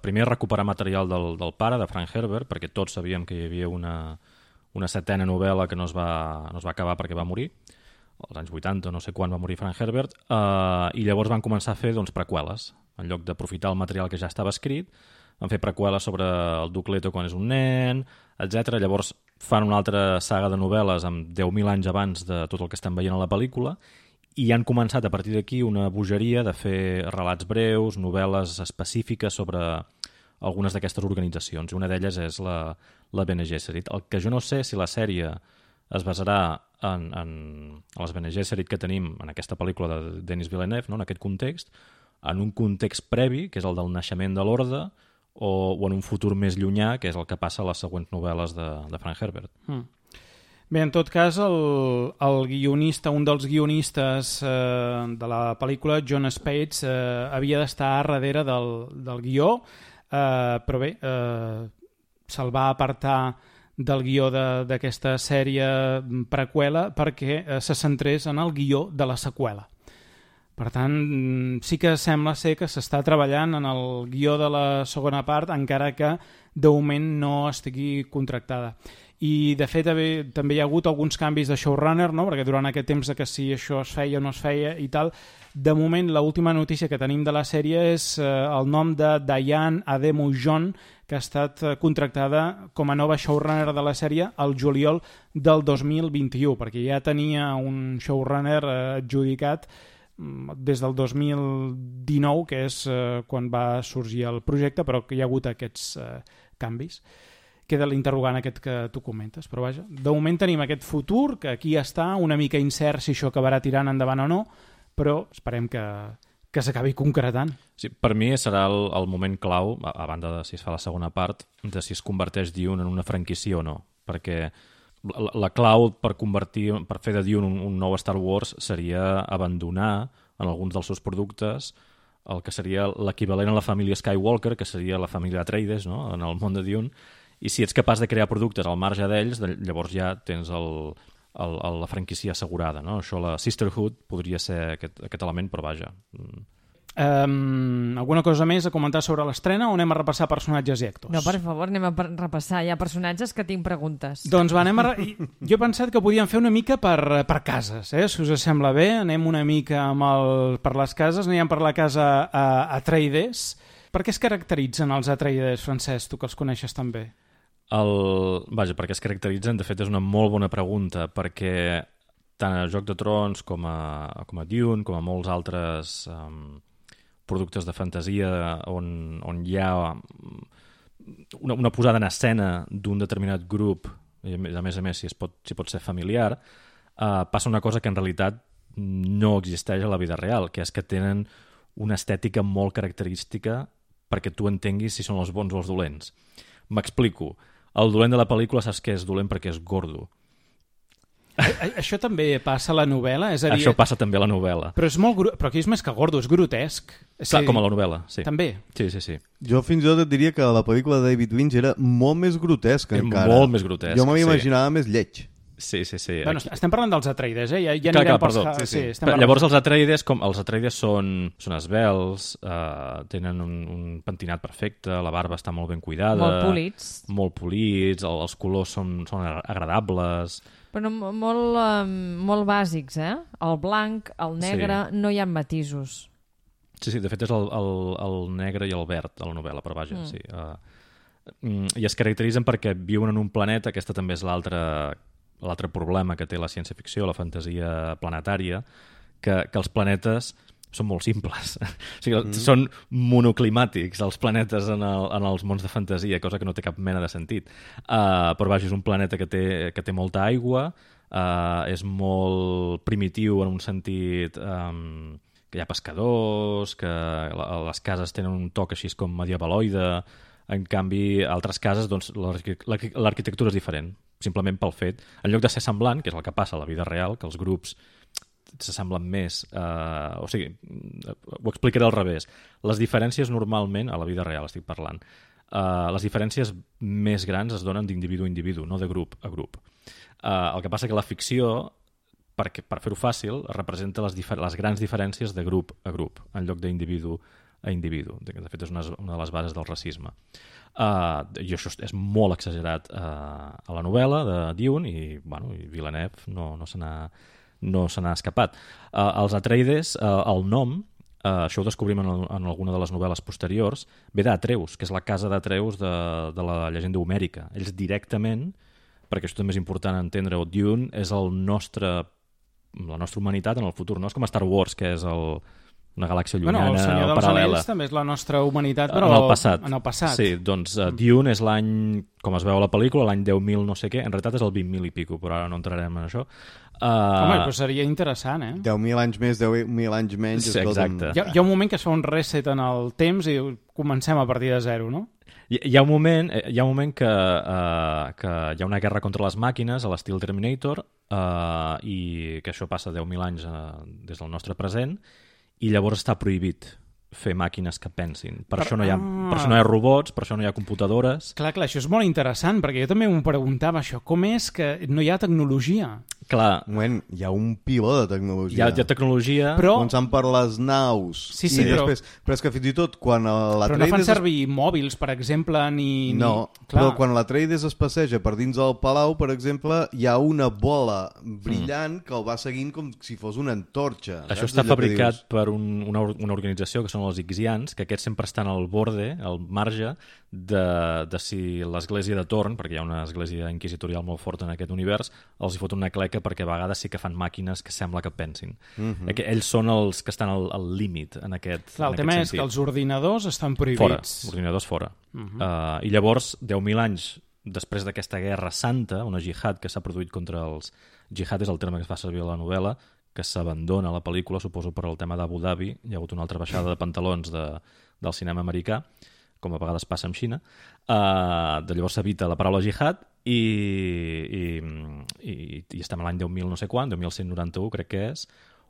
primer a recuperar material del pare, de Frank Herbert, perquè tots sabíem que hi havia una setena novel·la que no es va acabar perquè va morir, als anys 80, no sé quan va morir Frank Herbert, i llavors van començar a fer preqüeles. En lloc d'aprofitar el material que ja estava escrit, van fer preqüeles sobre el Duke Leto quan és un nen, etc. Llavors fan una altra saga de novel·les amb 10.000 anys abans de tot el que estem veient a la pel·lícula, i han començat a partir d'aquí una bogeria de fer relats breus, novel·les específiques sobre algunes d'aquestes organitzacions. Una d'elles és la Bene Gesserit. El que jo no sé si la sèrie es basarà en les Bene Gesserit que tenim en aquesta pel·lícula de Denis Villeneuve, no? En aquest context, en un context previ, que és el del naixement de l'Orde, o en un futur més llunyà, que és el que passa a les següents novel·les de Frank Herbert. Bé, en tot cas, el guionista, un dels guionistes de la pel·lícula, John Spates, havia d'estar darrere del guió, però bé, se'l va apartar del guió d'aquesta sèrie preqüela perquè se centrés en el guió de la seqüela. Per tant, sí que sembla ser que s'està treballant en el guió de la segona part, encara que de moment no estigui contractada. I de fet també hi ha hagut alguns canvis de showrunner, no? Perquè durant aquest temps que si això es feia o no es feia i tal, de moment l'última notícia que tenim de la sèrie és el nom de Diane Ademu-John, que ha estat contractada com a nova showrunner de la sèrie el juliol del 2021, perquè ja tenia un showrunner adjudicat des del 2019, que és quan va sorgir el projecte, però que hi ha hagut aquests canvis. Queda l'interrogant aquest que tu comentes, però vaja, de moment tenim aquest futur, que aquí està, una mica incert si això acabarà tirant endavant o no, però esperem que s'acabi concretant. Sí, per mi serà el moment clau, a banda de si es fa la segona part, de si es converteix Dune en una franquícia o no, perquè la clau per fer de Dune un nou Star Wars seria abandonar en alguns dels seus productes el que seria l'equivalent a la família Skywalker, que seria la família Atreides, no?, en el món de Dune, i si ets capaç de crear productes al marge d'ells, llavors ja tens la franquícia assegurada, no? Això, la Sisterhood, podria ser aquest element, però vaja. Alguna cosa més a comentar sobre l'estrena o anem a repassar personatges i actors? No, per favor, anem a repassar. Hi ha personatges que tinc preguntes. Doncs va, jo he pensat que podíem fer una mica per cases, si us sembla bé. Anem una mica per les cases, anem per la casa Atreides. Per què es caracteritzen els Atreides, Francesc, tu que els coneixes tan bé? Vaja, perquè es caracteritzen, de fet és una molt bona pregunta, perquè tant a Joc de Trons com a Dune, com a molts altres productes de fantasia on hi ha una posada en escena d'un determinat grup, i a més si pot ser familiar, passa una cosa que en realitat no existeix a la vida real, que és que tenen una estètica molt característica perquè tu entenguis si són els bons o els dolents. M'explico. El dolent de la pel·lícula saps que és dolent perquè és gordo. Això també passa a la novel·la? És a dir, això passa també a la novel·la. Però aquí és més que gordo, és grotesc. Clar, com a la novel·la, sí. També? Sí. Jo fins i tot et diria que la pel·lícula de David Lynch era molt més grotesca encara. Molt més grotesc, jo m'havia imaginava més lleig. Sí. Bueno, estem parlant dels Atreides, Ja anirem perdó. Sí. Llavors els Atreides són esvelts, tenen un pentinat perfecte, la barba està molt ben cuidada. Molt polits, els colors són agradables. Però molt bàsics, El blanc, el negre, no hi ha matisos. Sí, de fet és el negre i el verd de la novel·la, però vaja, sí. I es caracteritzen perquè viuen en un planeta, aquesta també és l'altre problema que té la ciència-ficció, la fantasia planetària, que els planetes són molt simples. O sigui, són monoclimàtics els planetes en els mons de fantasia, cosa que no té cap mena de sentit. Però vaja, és un planeta que té molta aigua, és molt primitiu en un sentit que hi ha pescadors, que les cases tenen un toc així com medievaloide. En canvi, a altres cases doncs, l'arquitectura és diferent, simplement pel fet, en lloc de ser semblant, que és el que passa a la vida real, que els grups s'assemblen més, o sigui, ho explicaré al revés. Les diferències normalment, a la vida real estic parlant, les diferències més grans es donen d'individu a individu, no de grup a grup. El que passa que la ficció, per fer-ho fàcil, representa les grans diferències de grup a grup, en lloc d'individu a individu. De fet, és una de les bases del racisme. I això és molt exagerat a la novel·la de Dune i Villeneuve no se n'ha escapat. Els Atreides, el nom, això ho descobrim en alguna de les novel·les posteriors, ve d'Atreus, que és la casa d'Atreus de la llegenda homèrica. Ells directament, perquè això també és important entendre-ho, Dune és la nostra humanitat en el futur, no és com Star Wars, que és una galàxia llunyana el Senyor dels paral·lela. Anells també és la nostra humanitat, però en el passat. Sí, doncs Dune és l'any, com es veu a la pel·lícula, l'any 10.000 no sé què, en realitat és el 20.000 i pico, però ara no entrarem en això. Home, però seria interessant, 10.000 anys més, 10.000 anys menys. Sí, exacte. Hi ha un moment que es fa un reset en el temps i comencem a partir de zero, no? Hi ha un moment que hi ha una guerra contra les màquines a l'estil Terminator i que això passa 10.000 anys des del nostre present i llavors està prohibit fer màquines que pensin. Per això no hi ha robots, per això no hi ha computadores. Clar, això és molt interessant, perquè jo també m'ho preguntava, això. Com és que no hi ha tecnologia? Clar. Un moment, hi ha un piló de tecnologia. Hi ha tecnologia... Però... Començant per les naus. Sí, però és que fins i tot quan l'Atreides... Però no fan servir mòbils, per exemple, ni... No, però quan l'Atreides es passeja per dins del palau, per exemple, hi ha una bola brillant que el va seguint com si fos una antorxa. Això està fabricat per una organització que són els Ixians, que aquests sempre estan al borde, al marge, de si l'església de Torn, perquè hi ha una església inquisitorial molt forta en aquest univers, els hi fot una cleca perquè a vegades sí que fan màquines que sembla que pensin. Ells són els que estan al límit en aquest sentit. El tema és que els ordinadors estan prohibits. Fora, ordinadors fora. I llavors, 10.000 anys després d'aquesta guerra santa, una jihad que s'ha produït contra els... Jihad és el terme que es fa servir a la novel·la, que s'abandona a la pel·lícula, suposo per el tema d'Abu Dhabi. Hi ha hagut una altra baixada de pantalons del cinema americà, com a vegades passa amb Xina. De llavors s'evita la paraula jihad i estem a l'any 10.000 no sé quant, 10.191 crec que és,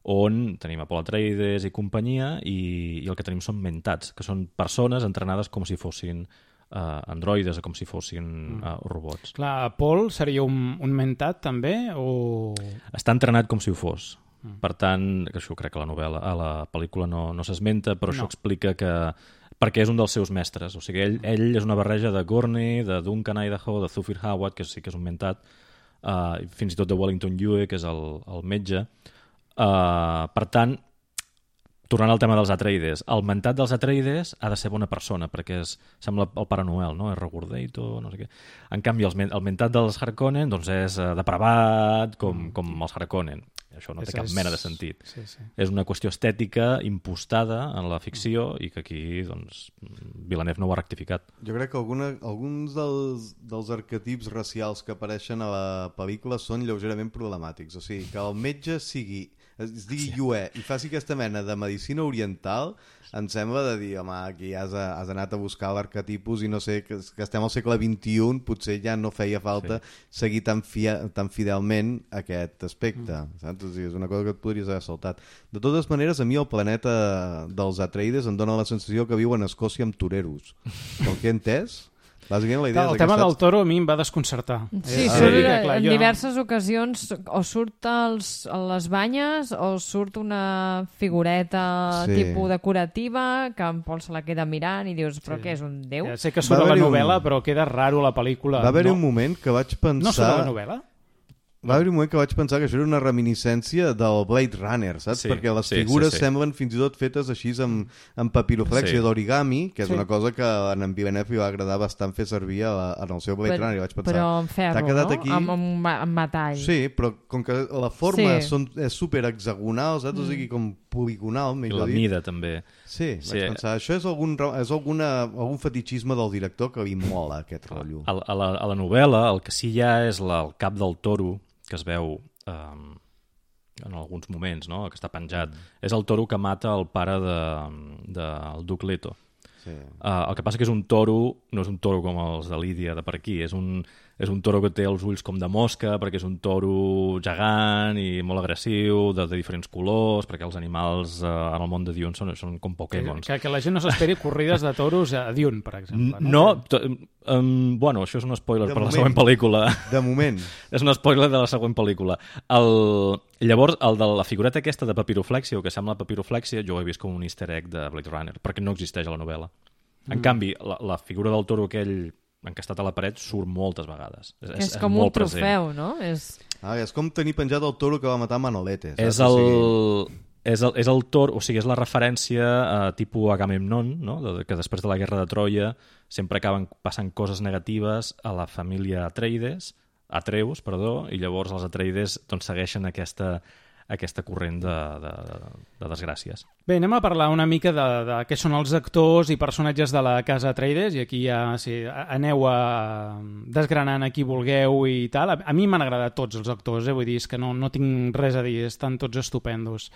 on tenim Apol Atreides i companyia i el que tenim són mentats, que són persones entrenades com si fossin androides o com si fossin robots. Clar, Paul seria un mentat també? O... Està entrenat com si ho fos. Per tant, que això crec que a la pel·lícula no s'esmenta, però això explica que perquè és un dels seus mestres. O sigui, ell és una barreja de Gurney, de Duncan Idaho, de Thufir Hawat, que sí que és un mentat, fins i tot de Wellington Yue, que és el metge. Per tant, tornant al tema dels Atreides, el mentat dels Atreides ha de ser bona persona, perquè sembla el Pare Noel, no? És regordeito, no sé què. En canvi, el mentat dels Harkonnen doncs és depravat, com els Harkonnen. Això no té cap mena de sentit. Sí. És una qüestió estètica impostada en la ficció i que aquí doncs, Villeneuve no ho ha rectificat. Jo crec que alguns dels arquetips racials que apareixen a la pel·lícula són lleugerament problemàtics. O sigui, que el metge es digui Yue i faci aquesta mena de medicina oriental, em sembla de dir, home, aquí has anat a buscar l'arquetipus i no sé, que estem al segle XXI, potser ja no feia falta seguir tan fidelment aquest aspecte, saps? O sigui, és una cosa que et podries haver saltat. De totes maneres, a mi el planeta dels Atreides em dóna la sensació que viuen a Escòcia amb toreros. El que he entès... Bàsicament, la idea el tema del toro a mi em va desconcertar. Sí, en diverses ocasions o surt a les banyes o surt una figureta tipus decorativa que en Pol se la queda mirant i dius, però què és, un déu? Ja sé que surt a la novel·la, però queda raro a la pel·lícula. Va haver-hi un moment que vaig pensar... No surt a la novel·la? Va haver un moment que vaig pensar que això era una reminiscència del Blade Runner, saps? Perquè les figures semblen fins i tot fetes així amb papiroflexia d'origami, que és una cosa que en Villeneuve li va agradar bastant fer servir en el seu Blade Runner. I vaig pensar, però en ferro, no? Aquí... Amb metall. Sí, però com que la forma és super hexagonal, saps? O sigui, com poligonal, I millor la dit. mida, també. Sí, vaig pensar, això és algun fetichisme del director que li mola, aquest rotllo. A la novel·la, el que sí hi ha és el cap del toro, que es veu en alguns moments, no? Que està penjat. És el toro que mata el pare del Duc Leto. Sí. El que passa que és un toro, no és un toro com els de Lídia de per aquí, és un toro que té els ulls com de mosca, perquè és un toro gegant i molt agressiu, de diferents colors, perquè els animals en el món de Dune són com Pokémons. Que la gent no s'esperi corrides de toros a Dune, per exemple. Bueno, això és un spoiler De per la moment. següent pel·lícula. De moment. És un spoiler de la següent pel·lícula. Llavors, el de la figureta aquesta de papiroflèxia, o que sembla papiroflèxia, jo ho he vist com un easter egg de Blade Runner, perquè no existeix a la novel·la. En canvi, la figura del toro aquell encastat a la paret surt moltes vegades. És com un trofeu, no? És com tenir penjat el toro que va matar Manolete. És el toro, o sigui, és la referència a tipus Agamemnon, no? Que després de la guerra de Troia sempre acaben passant coses negatives a la família Atreus, i llavors els Atreides doncs, segueixen aquesta corrent de desgràcies. Bé, anem a parlar una mica de què són els actors i personatges de la casa Atreides, i aquí ja aneu desgranant a qui vulgueu i tal. A mi m'han agradat tots els actors, vull dir, és que no tinc res a dir, estan tots estupendos.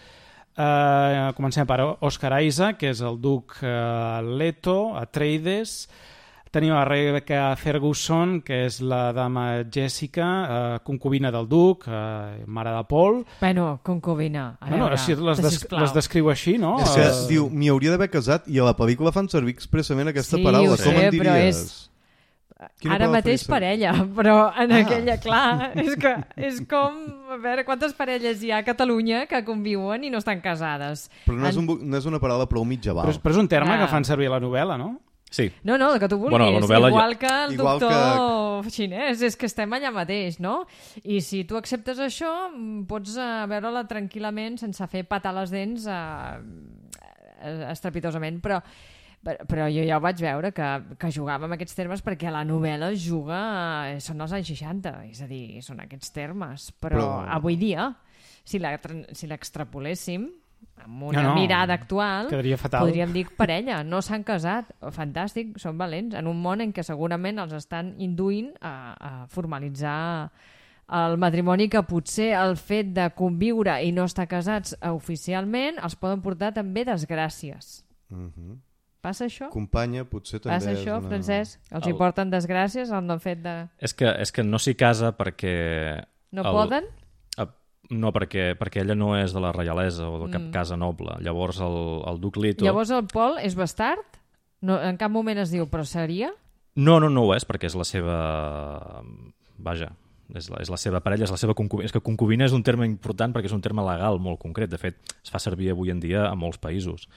Comencem per Oscar Isaac, que és el duc Leto, Atreides. Tenim a Rebecca Ferguson, que és la dama Jessica, concubina del duc, mare de Paul. Bueno, concubina. Si les descriu així, no? És que diu, m'hi hauria d'haver casat, i a la pel·lícula fan servir expressament aquesta paraula. Sí, com en diries? Ara mateix parella, però en aquella, clar, és com, a veure, quantes parelles hi ha a Catalunya que conviuen i no estan casades. Però no és una paraula prou mitjaval. Però és un terme que fan servir a la novel·la, no? Sí. No, el que tu vulguis, igual que el doctor xinès, és que estem allà mateix, no? I si tu acceptes això, pots veure-la tranquil·lament sense fer patar les dents estrepitosament, però jo ja ho vaig veure, que jugava amb aquests termes perquè a la novel·la són els anys 60, és a dir, són aquests termes, però avui dia, si l'extrapoléssim, amb una mirada actual, podríem dir parella, no s'han casat, fantàstic, són valents, en un món en què segurament els estan induint a formalitzar el matrimoni, que potser el fet de conviure i no estar casats oficialment els poden portar també desgràcies. Passa això? Companya, potser també passa això, Francesc? Els hi porten desgràcies el fet de... És que no s'hi casa perquè... No poden? No, perquè ella no és de la reialesa o de cap casa noble. Llavors el duc Leto... Llavors el Paul és bastard? No, en cap moment es diu, però seria? No ho és, perquè és la seva... Vaja, és la seva parella, és la seva concubina. És que concubina és un terme important perquè és un terme legal molt concret. De fet, es fa servir avui en dia a molts països.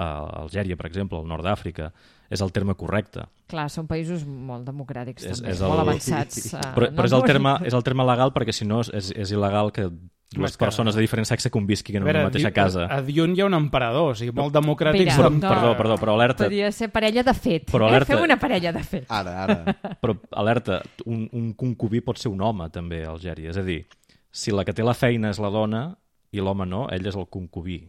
Algèria, per exemple, al nord d'Àfrica, és el terme correcte. Clar, són països molt democràtics, també, molt avançats. Però és el terme legal perquè, si no, és il·legal que dues persones de diferent sexe convisquin en una mateixa casa. A Dune hi ha un emperador, o sigui, molt democràtic. Perdó, però alerta... Podria ser parella de fet. Fem una parella de fet. Ara. Però alerta, un concubí pot ser un home, també, a Algèria. És a dir, si la que té la feina és la dona i l'home no, ell és el concubí.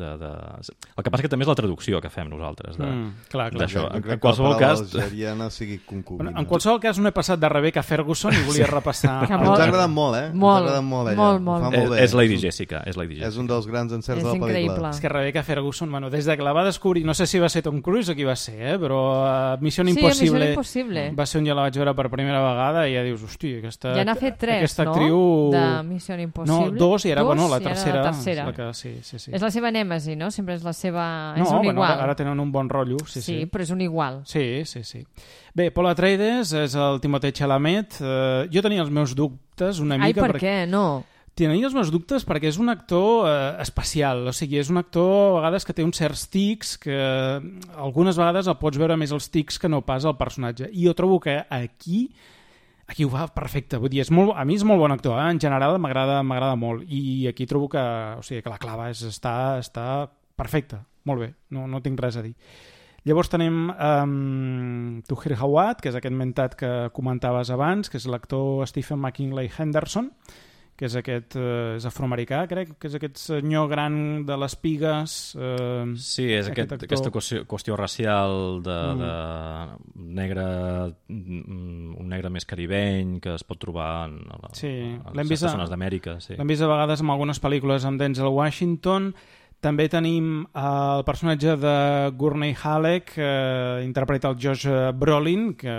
El que passa que també és la traducció que fem nosaltres d'això. En qualsevol cas sigui concubina. En qualsevol cas no he passat de Rebecca Ferguson i volia repassar. Ens ha agradat molt, Molt. És Lady Jessica. És un dels grans encerts de la pel·lícula. És que Rebecca Ferguson, des de que la va descobrir, no sé si va ser Tom Cruise o qui va ser, però Missió Impossible va ser on jo la vaig veure per primera vegada i ja dius, hosti, aquesta ja n'ha fet 3, actriu... de Missió Impossible. No, 2 i era la tercera. És la seva nèmesi, no? Sempre és la seva... No, és un igual. Ara tenen un bon rotllo. Sí, però és un igual. Sí. Bé, Paul Atreides és el Timothée Chalamet. Jo tenia els meus dubtes una mica... Per què? No. Tenia els meus dubtes perquè és un actor especial. O sigui, és un actor a vegades que té uns certs tics que algunes vegades el pots veure més els tics que no pas el personatge. I jo trobo que aquí ho fa perfecte, vull dir, a mi és molt bon actor, en general m'agrada molt, i aquí trobo que la clava està perfecta, molt bé, no tinc res a dir. Llavors tenim Tuher Hawat, que és aquest mentat que comentaves abans, que és l'actor Stephen McKinley Henderson, que és aquest és afroamericà, crec, que és aquest senyor gran de les pigues. Sí, és aquesta qüestió racial de negre, un negre més caribeny que es pot trobar en certes zones d'Amèrica. Sí. L'hem vist a vegades en algunes pel·lícules amb Denzel Washington. També tenim el personatge de Gurney Halleck, que interpreta el Josh Brolin, que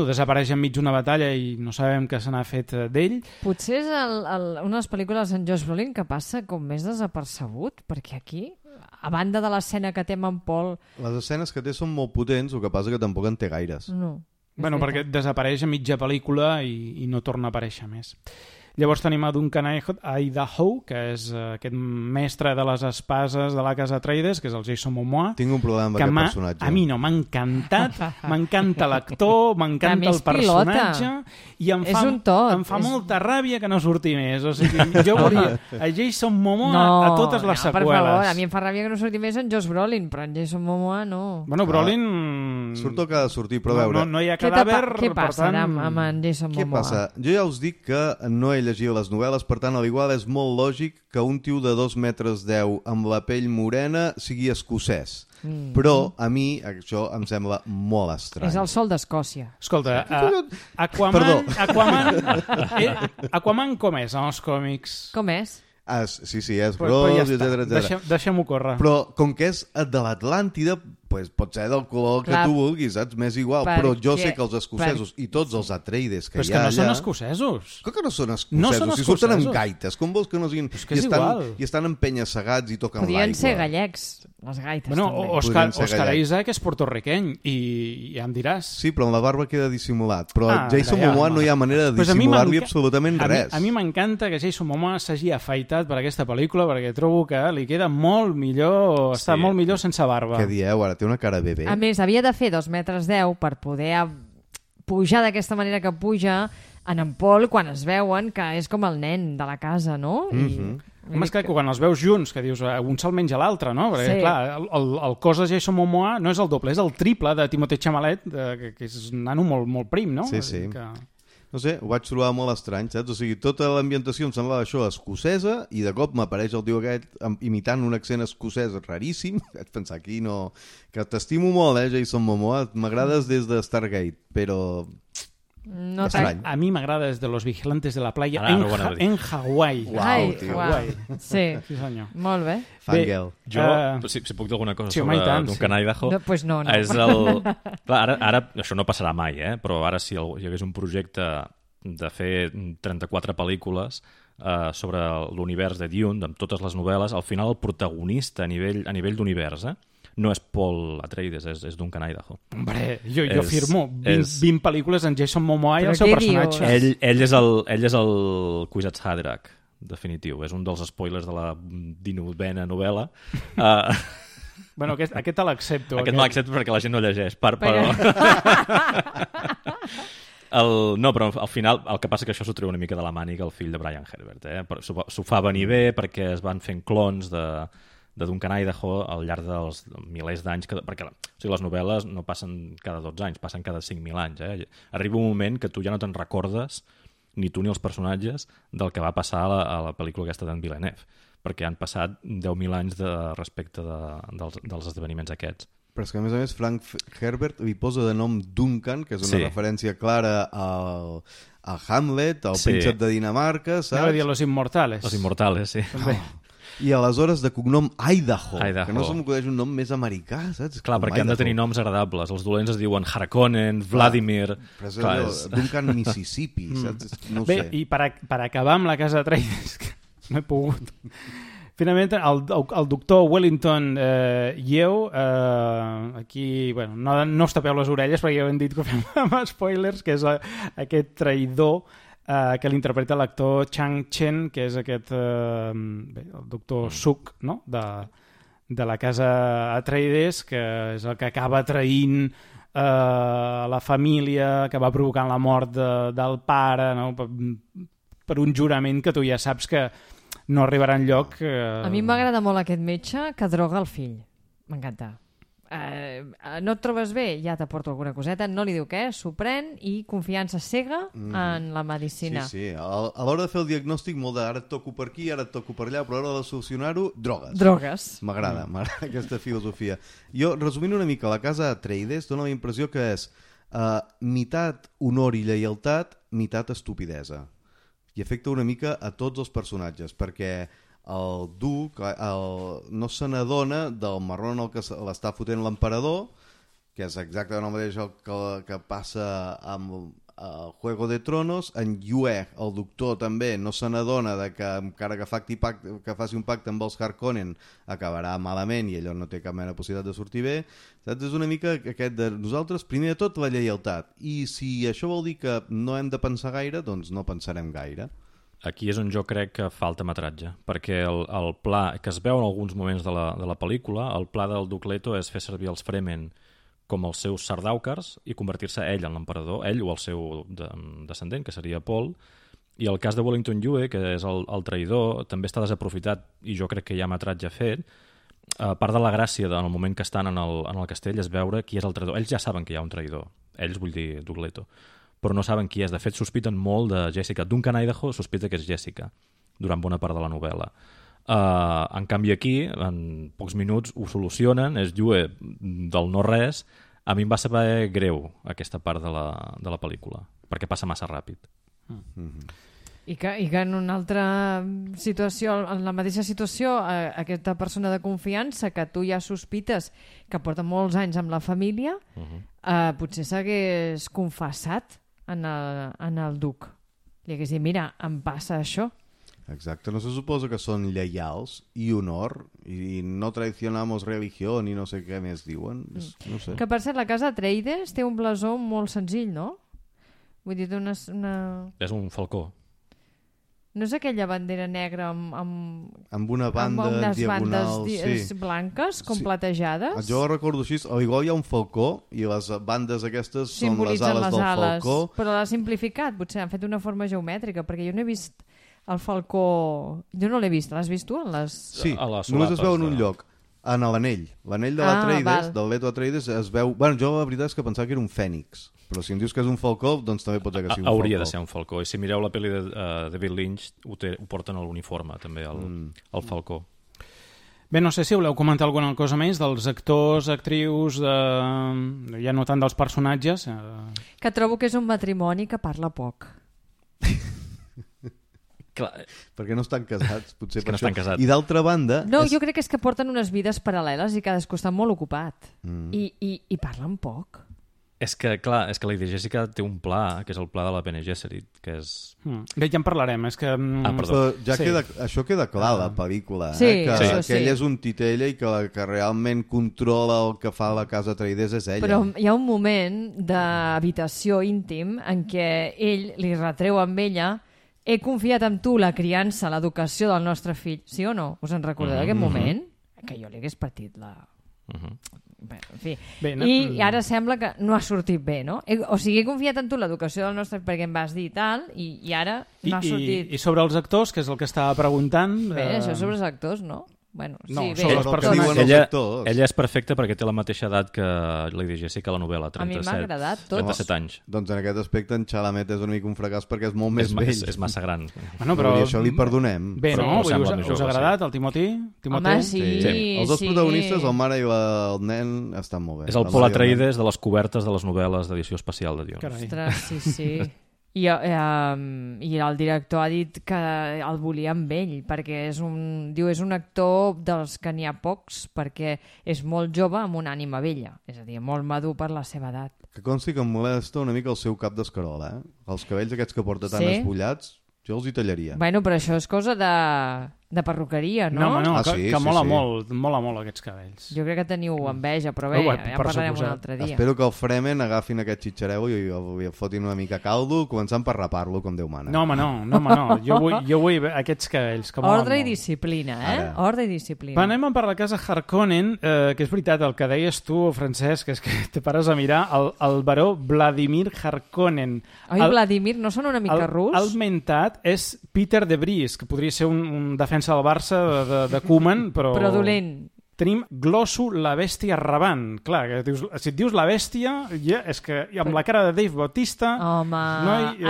desapareix enmig d'una batalla i no sabem què se n'ha fet d'ell. Potser és una de les pel·lícules en Josh Brolin que passa com més desapercebut, perquè aquí, a banda de l'escena que té amb en Paul... Les escenes que té són molt potents, el que passa que tampoc en té gaires. No. Perquè desapareix a mitja pel·lícula i no torna a aparèixer més. Llavors tenim a Duncan Idaho, que és aquest mestre de les espases de la casa Atreides, que és el Jason Momoa. Tinc un problema amb aquest personatge. A mi no, m'ha encantat, m'encanta l'actor, m'encanta el personatge, i em fa molta ràbia que no surti més. O sigui, jo volia a Jason Momoa a totes les seqüeles. Per favor, a mi em fa ràbia que no surti més en Josh Brolin, però en Jason Momoa no. Brolin... Surt el que ha de sortir, però a veure... No hi ha cadàver, Què passa amb en Jason Momoa? Què passa? Jo ja us dic que no he llegit les novel·les, per tant, a l'igual és molt lògic que un tio de 2 metres 10 amb la pell morena sigui escocès. Però a mi això em sembla molt estrany. És el sol d'Escòcia. Escolta, Aquaman com és en els còmics? Com és? Sí, és gros, etc. Deixem-ho córrer. Però com que és de l'Atlàntida, pot ser del color que tu vulguis, saps? M'és igual, però jo sé que els escocesos i tots els Atreides que hi ha allà... Però és que no són escocesos. Com que no són escocesos? Si surten amb gaites, com vols que no siguin... I estan en penya-segats i toquen l'aigua. Podrien ser gallecs, les gaites també. Oscar Isaac és porto-riqueny i ja em diràs. Sí, però amb la barba queda dissimulat. Però Jason Momoa no hi ha manera de dissimular-li absolutament res. A mi m'encanta que Jason Momoa s'hagi afaitat per aquesta pel·lícula perquè trobo que li queda molt millor, està molt millor sense barba. Què dieu ara? Té una cara bebè. A més, havia de fer 2 metres 10 per poder pujar d'aquesta manera que puja en Paul quan es veuen que és com el nen de la casa, no? Home, és que quan els veus junts, que dius, un se'l menja l'altre, no? Perquè, clar, el cos de Jason Momoa no és el doble, és el triple de Timothée Chalamet, que és un nano molt prim, no? Sí. No sé, ho vaig trobar molt estrany, saps? O sigui, tota l'ambientació em semblava això escocesa i de cop m'apareix el tio aquest imitant un accent escocès raríssim. Vaig pensar aquí, no... Que t'estimo molt, Jason Momoa. M'agrades des de Stargate, però... No a mi m'agrada des de Los Vigilantes de la Playa en Hawaii. Uau. Sí, senyor. Molt bé. Fangirl. Jo, si puc dir alguna cosa sobre Duncan Idaho... Pues no. És el... Clar, ara això no passarà mai, però ara si hi hagués un projecte de fer 34 pel·lícules sobre l'univers de Dune, amb totes les novel·les, al final el protagonista a nivell d'univers, no és Paul Atreides, és Duncan Idaho. Hombre, jo firmo 20 pel·lícules en Jason Momoa i el seu personatge. Ell és el Kwisatz Haderach, definitiu. És un dels spoilers de la 19a novel·la. Bueno, aquest te l'accepto. Aquest me l'accepto perquè la gent no llegeix. No, però al final el que passa que això s'ho treu una mica de la màniga el fill de Brian Herbert. S'ho fa venir bé perquè es van fent clons de Duncan Idaho al llarg dels milers d'anys, perquè les novel·les no passen cada 12 anys, passen cada 5.000 anys. Arriba un moment que tu ja no te'n recordes, ni tu ni els personatges, del que va passar a la pel·lícula aquesta d'en Villeneuve, perquè han passat 10.000 anys respecte dels esdeveniments aquests. Però és que, a més, Frank Herbert li posa de nom Duncan, que és una referència clara al Hamlet, al príncep de Dinamarca, saps? Anava a dir Los Immortales. Los Immortales, sí. I aleshores de cognom Idaho, que no se m'acudeix un nom més americà, saps? Clar, perquè han de tenir noms agradables. Els dolents es diuen Harkonnen, Vladimir... Però és Duncan Mississippi, saps? No ho sé. Bé, i per acabar amb la casa Atreides, que no he pogut... Finalment, el doctor Wellington Yeo, aquí, bueno, no us tapeu les orelles perquè ja ho hem dit que fem amb spoilers, que és aquest traïdor que l'interpreta l'actor Chang Chen, que és aquest el doctor Suk, no? de la casa Atreides, que és el que acaba traint la família, que va provocant la mort del pare, no? Per un jurament que tu ja saps que no arribarà enlloc. A mi m'agrada molt aquest metge que droga el fill. M'encanta. no et trobes bé, ja t'aporto alguna coseta, no li diu què, s'ho pren i confiança cega en la medicina. Sí. A l'hora de fer el diagnòstic, molt de ara et toco per aquí, ara et toco per allà, però a l'hora de solucionar-ho, drogues. M'agrada aquesta filosofia. Jo, resumint una mica, la casa Atreides dona la impressió que és mitat honor i lleialtat, mitat estupidesa. I afecta una mica a tots els personatges, perquè el duc no se n'adona del marró en el que l'està fotent l'emperador, que és exactament el mateix que passa amb el Juego de Tronos. En Yue, el doctor, també no se n'adona de que encara que faci un pacte amb els Harkonnen acabarà malament i allò no té cap mena de possibilitat de sortir bé. Saps? És una mica aquest de nosaltres, primer de tot la lleialtat, i si això vol dir que no hem de pensar gaire, doncs no pensarem gaire. Aquí és on jo crec que falta metratge, perquè el pla que es veu en alguns moments de la pel·lícula, el pla del Duc Leto és fer servir els Fremen com els seus sardàukers i convertir-se ell en l'emperador, ell o el seu descendent, que seria Paul. I el cas de Wellington Yue, que és el traïdor, també està desaprofitat i jo crec que hi ha metratge fet. Part de la gràcia en el moment que estan en el castell és veure qui és el traïdor. Ells ja saben que hi ha un traïdor, ells vull dir Duc Leto, però no saben qui és. De fet, sospiten molt de Jessica. Duncan Idaho sospita que és Jessica durant bona part de la novel·la. En canvi aquí, en pocs minuts, ho solucionen, és Yue del no-res. A mi em va saber greu aquesta part de la pel·lícula, perquè passa massa ràpid. I que en una altra situació, en la mateixa situació, aquesta persona de confiança que tu ja sospites que porta molts anys amb la família, potser s'hagués confessat en el duc. Li hagués dit, mira, em passa això. Exacte, no se suposa que són lleials i honor i no traicionamos religió ni no sé què més diuen. No sé. Que per cert, la casa Atreides té un blasó molt senzill, no? Vull dir, És un falcó. No és aquella bandera negra amb una banda amb unes diagonal, bandes blanques com platejades? Jo ho recordo així, igual hi ha un falcó i les bandes aquestes són les simbolitzen ales del falcó. Però l'ha simplificat, potser han fet una forma geomètrica, perquè jo no he vist el falcó... Jo no l'he vist, l'has vist tu? Sí, només es veu en un lloc, en l'anell. L'anell de l'Atreides, del Leto Atreides, es veu... Bueno, jo la veritat és que pensava que era un fènix, però si em dius que és un falcó, doncs també pot ser que sigui un falcó. Hauria de ser un falcó. I si mireu la pel·li de David Lynch, ho porten a l'uniforme, també, el falcó. Bé, no sé si voleu comentar alguna cosa més dels actors, actrius, ja no tant dels personatges. Que trobo que és un matrimoni que parla poc. Clar, perquè no estan casats, potser per no això. Casats. I d'altra banda... No, jo crec que és que porten unes vides paral·leles i cadascú està molt ocupat. I parlen poc. És que, clar, la Jessica té un pla, que és el pla de la Bene Gesserit, que és... Bé, ja en parlarem, és que... perdó. Ja això queda clar a la pel·lícula, sí, que ell és un titella i que realment controla el que fa la casa Atreides és ella. Però hi ha un moment d'habitació íntim en què ell li retreu amb ella: he confiat en tu la criança, l'educació del nostre fill. Sí o no? Us en recordeu d'aquest moment? Que jo li hagués partit la... Bé, en fi. Bé, no? I ara sembla que no ha sortit bé, no? O sigui, he confiat en tu l'educació del nostre... perquè em vas dir tal, i ara no ha sortit... I sobre els actors, que és el que estava preguntant... Bé, això sobre els actors, no? Bueno, no, sí, bé, sobre les persones. Ella és perfecta perquè té la mateixa edat que Lady Jessica a la novel·la, 37. A mi m'ha agradat tot. 37 anys. Doncs en aquest aspecte en Chalamet és una mica un fracàs perquè és molt més vell. És massa gran. Bueno, però i això li perdonem. Bé, no? Us ha agradat el Timothy? Home, sí. Els dos protagonistes, el mare i el nen, estan molt bé. És el Paul Atreides de les cobertes de les novel·les d'edició especial de Dune. Ostres, sí. I el director ha dit que el volia amb ell perquè és un actor dels que n'hi ha pocs, perquè és molt jove amb una ànima vella, és a dir, molt madur per la seva edat. Que consti que em molesta una mica el seu cap d'escarola, els cabells aquests que porta tan esbullats, jo els hi tallaria. Bueno, però això és cosa de perruqueria, no? No, que mola molt aquests cabells. Jo crec que teniu enveja, però bé, ja parlarem un altre dia. Espero que el Fremen agafin aquest xitxareu i el fotin una mica caldo, començant per rapar-lo, com Déu mana. No, home, no. Jo vull aquests cabells, que molen Ordre molt. I disciplina, Ordre i disciplina. Anem per la casa Harkonnen, que és veritat, el que deies tu, Francesc, és que te pares a mirar el baró Vladimir Harkonnen. Vladimir, no sona una mica rus? El mentat és Peter de Vries, que podria ser un defensa del Barça de Koeman, però... Però dolent. tenim Glossu, la bèstia rabant. Clar, que dius, si et dius la bèstia, ja, és que amb la cara de Dave Bautista... Home,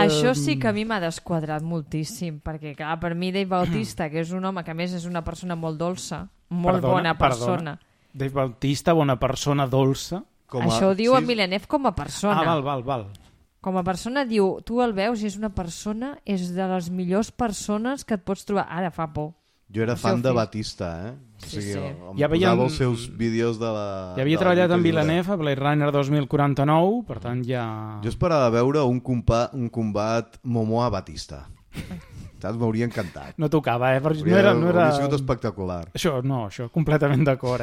això sí que a mi m'ha desquadrat moltíssim, perquè clar, per mi Dave Bautista, que és un home que a més és una persona molt dolça, molt bona persona. Dave Bautista, bona persona, dolça. Això ho diu en Villeneuve com a persona. Val. Com a persona diu, tu el veus i és una persona, és de les millors persones que et pots trobar. Ara fa por. Jo era fan de Batista, O sigui, ja posava els seus vídeos de la... Ja havia treballat amb Villeneuve a Blade Runner 2049, per tant ja... Jo esperava veure un combat Momoa-Batista. Saps? M'hauria encantat. No tocava, No era... Hauria sigut espectacular. Això, completament d'acord,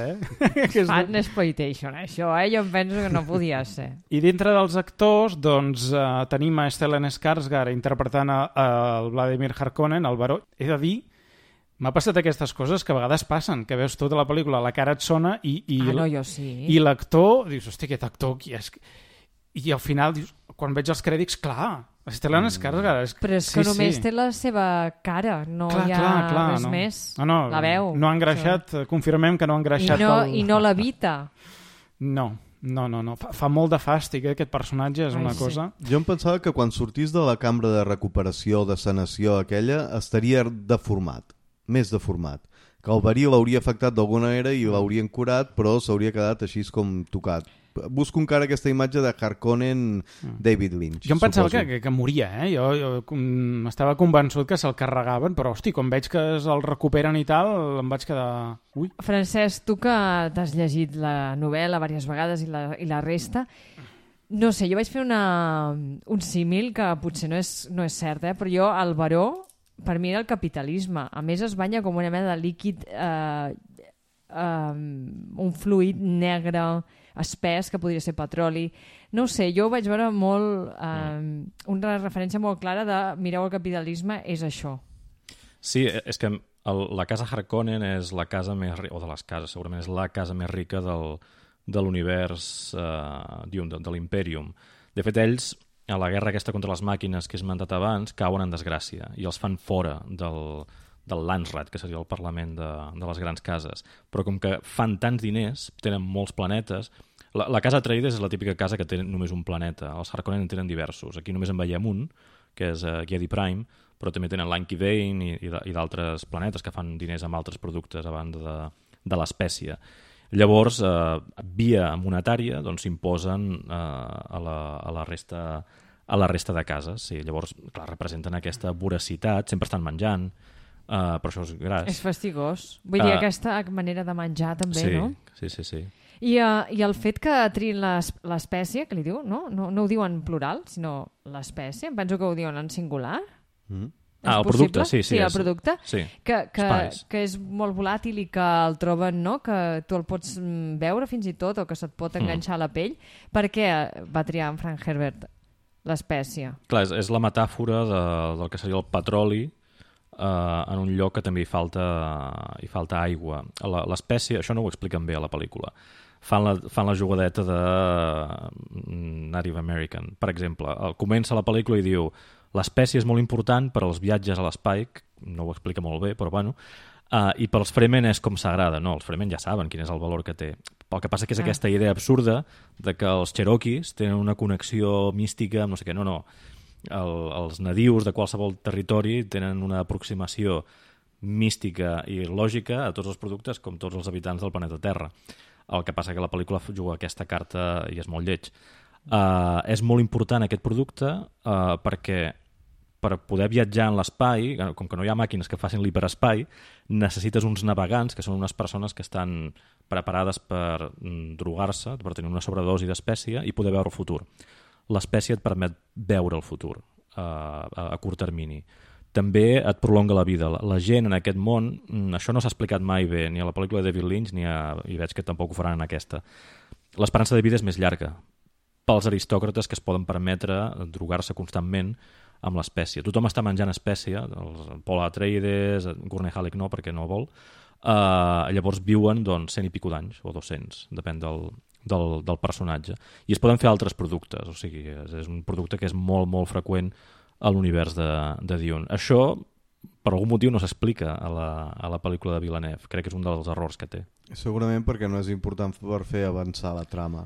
Fan exploitation, això, Jo em penso que no podia ser. I dintre dels actors, doncs, tenim a Stellan Skarsgård interpretant el Vladimir Harkonnen, el baró. He de dir, m'ha passat aquestes coses que a vegades passen, que veus tota la pel·lícula, la cara et sona i jo sí. I l'actor, dius, hòstia, aquest actor qui és? I al final, dius, quan veig els crèdits, clar, Stellan Skarsgård... Però és que només té la seva cara, no hi ha res més. La veu. No ha engreixat, confirmem que no ha engreixat. I no l'evita. No. Fa molt de fàstic, aquest personatge, és una cosa... Jo em pensava que quan sortís de la cambra de recuperació, de sanació aquella, estaria deformat, més deformat. Que el verí l'hauria afectat d'alguna manera i l'haurien curat, però s'hauria quedat així com tocat. Busco encara aquesta imatge de Harkonnen David Lynch. Jo em pensava que moria, Jo estava convençut que se'l carregaven, però hosti, quan veig que el recuperen i tal, em vaig quedar... Ui. Francesc, tu que t'has llegit la novel·la diverses vegades i la resta, no sé, jo vaig fer un símil que potser no és cert, però jo, el baró, per mi era el capitalisme. A més, es banya com una mena de líquid, un fluid negre, espès, que podria ser petroli. No ho sé, jo vaig veure molt una referència molt clara de mireu el capitalisme, és això. Sí, és que la casa Harkonnen és la casa més rica, o de les cases segurament és la casa més rica de l'univers de l'Imperium. De fet, ells, a la guerra aquesta contra les màquines que he esmentat abans, cauen en desgràcia i els fan fora del Landsrat, que seria el Parlament de les grans cases. Però com que fan tants diners, tenen molts planetes... La casa Atreides és la típica casa que té només un planeta. Els Harkonnen en tenen diversos. Aquí només en veiem un, que és Giedi Prime, però també tenen l'Anki Vane i d'altres planetes que fan diners amb altres productes a banda de l'espècie. Llavors, via monetària, doncs s'imposen a la resta de cases. Sí, llavors, clar, representen aquesta voracitat, sempre estan menjant, però això és gras. És fastigós. Vull dir, aquesta manera de menjar també, no? Sí. I el fet que triïn l'espècie, que li diu, no ho diuen en plural, sinó l'espècie, em penso que ho diuen en singular. El producte, sí. Sí, el producte, sí. Que és molt volàtil i que el troben, no? Que tu el pots veure fins i tot o que se't pot enganxar a la pell. Per què va triar en Frank Herbert l'espècie? Clar, és la metàfora del que seria el petroli en un lloc que també hi falta aigua. L'espècie, això no ho expliquen bé a la pel·lícula. Fan la jugadeta de Native American. Per exemple, comença la pel·lícula i diu l'espècie és molt important per als viatges a l'espai, no ho explica molt bé, però bueno, i pels Fremen és com sagrada. No, els Fremen ja saben quin és el valor que té. El que passa que és aquesta idea absurda de que els Cherokees tenen una connexió mística amb no sé què. No. Els nadius de qualsevol territori tenen una aproximació mística i lògica a tots els productes com tots els habitants del planeta Terra. El que passa que la pel·lícula juga aquesta carta i és molt lleig. És molt important aquest producte perquè per poder viatjar en l'espai, com que no hi ha màquines que facin l'hiperespai, necessites uns navegants, que són unes persones que estan preparades per drogar-se, per tenir una sobredosi d'espècie i poder veure el futur. L'espècie et permet veure el futur a curt termini. També et prolonga la vida. La gent en aquest món, això no s'ha explicat mai bé, ni a la pel·lícula de David Lynch, i veig que tampoc ho faran en aquesta. L'esperança de vida és més llarga pels aristòcrates que es poden permetre drogar-se constantment amb l'espècie. Tothom està menjant espècie, el Paul Atreides, Gurney Halleck no, perquè no vol, llavors viuen 100 i pico d'anys, o 200, depèn del personatge. I es poden fer altres productes, o sigui, és un producte que és molt, molt freqüent a l'univers de Dune. Això per algun motiu no s'explica a la pel·lícula de Villeneuve. Crec que és un dels errors que té. Segurament perquè no és important per fer avançar la trama.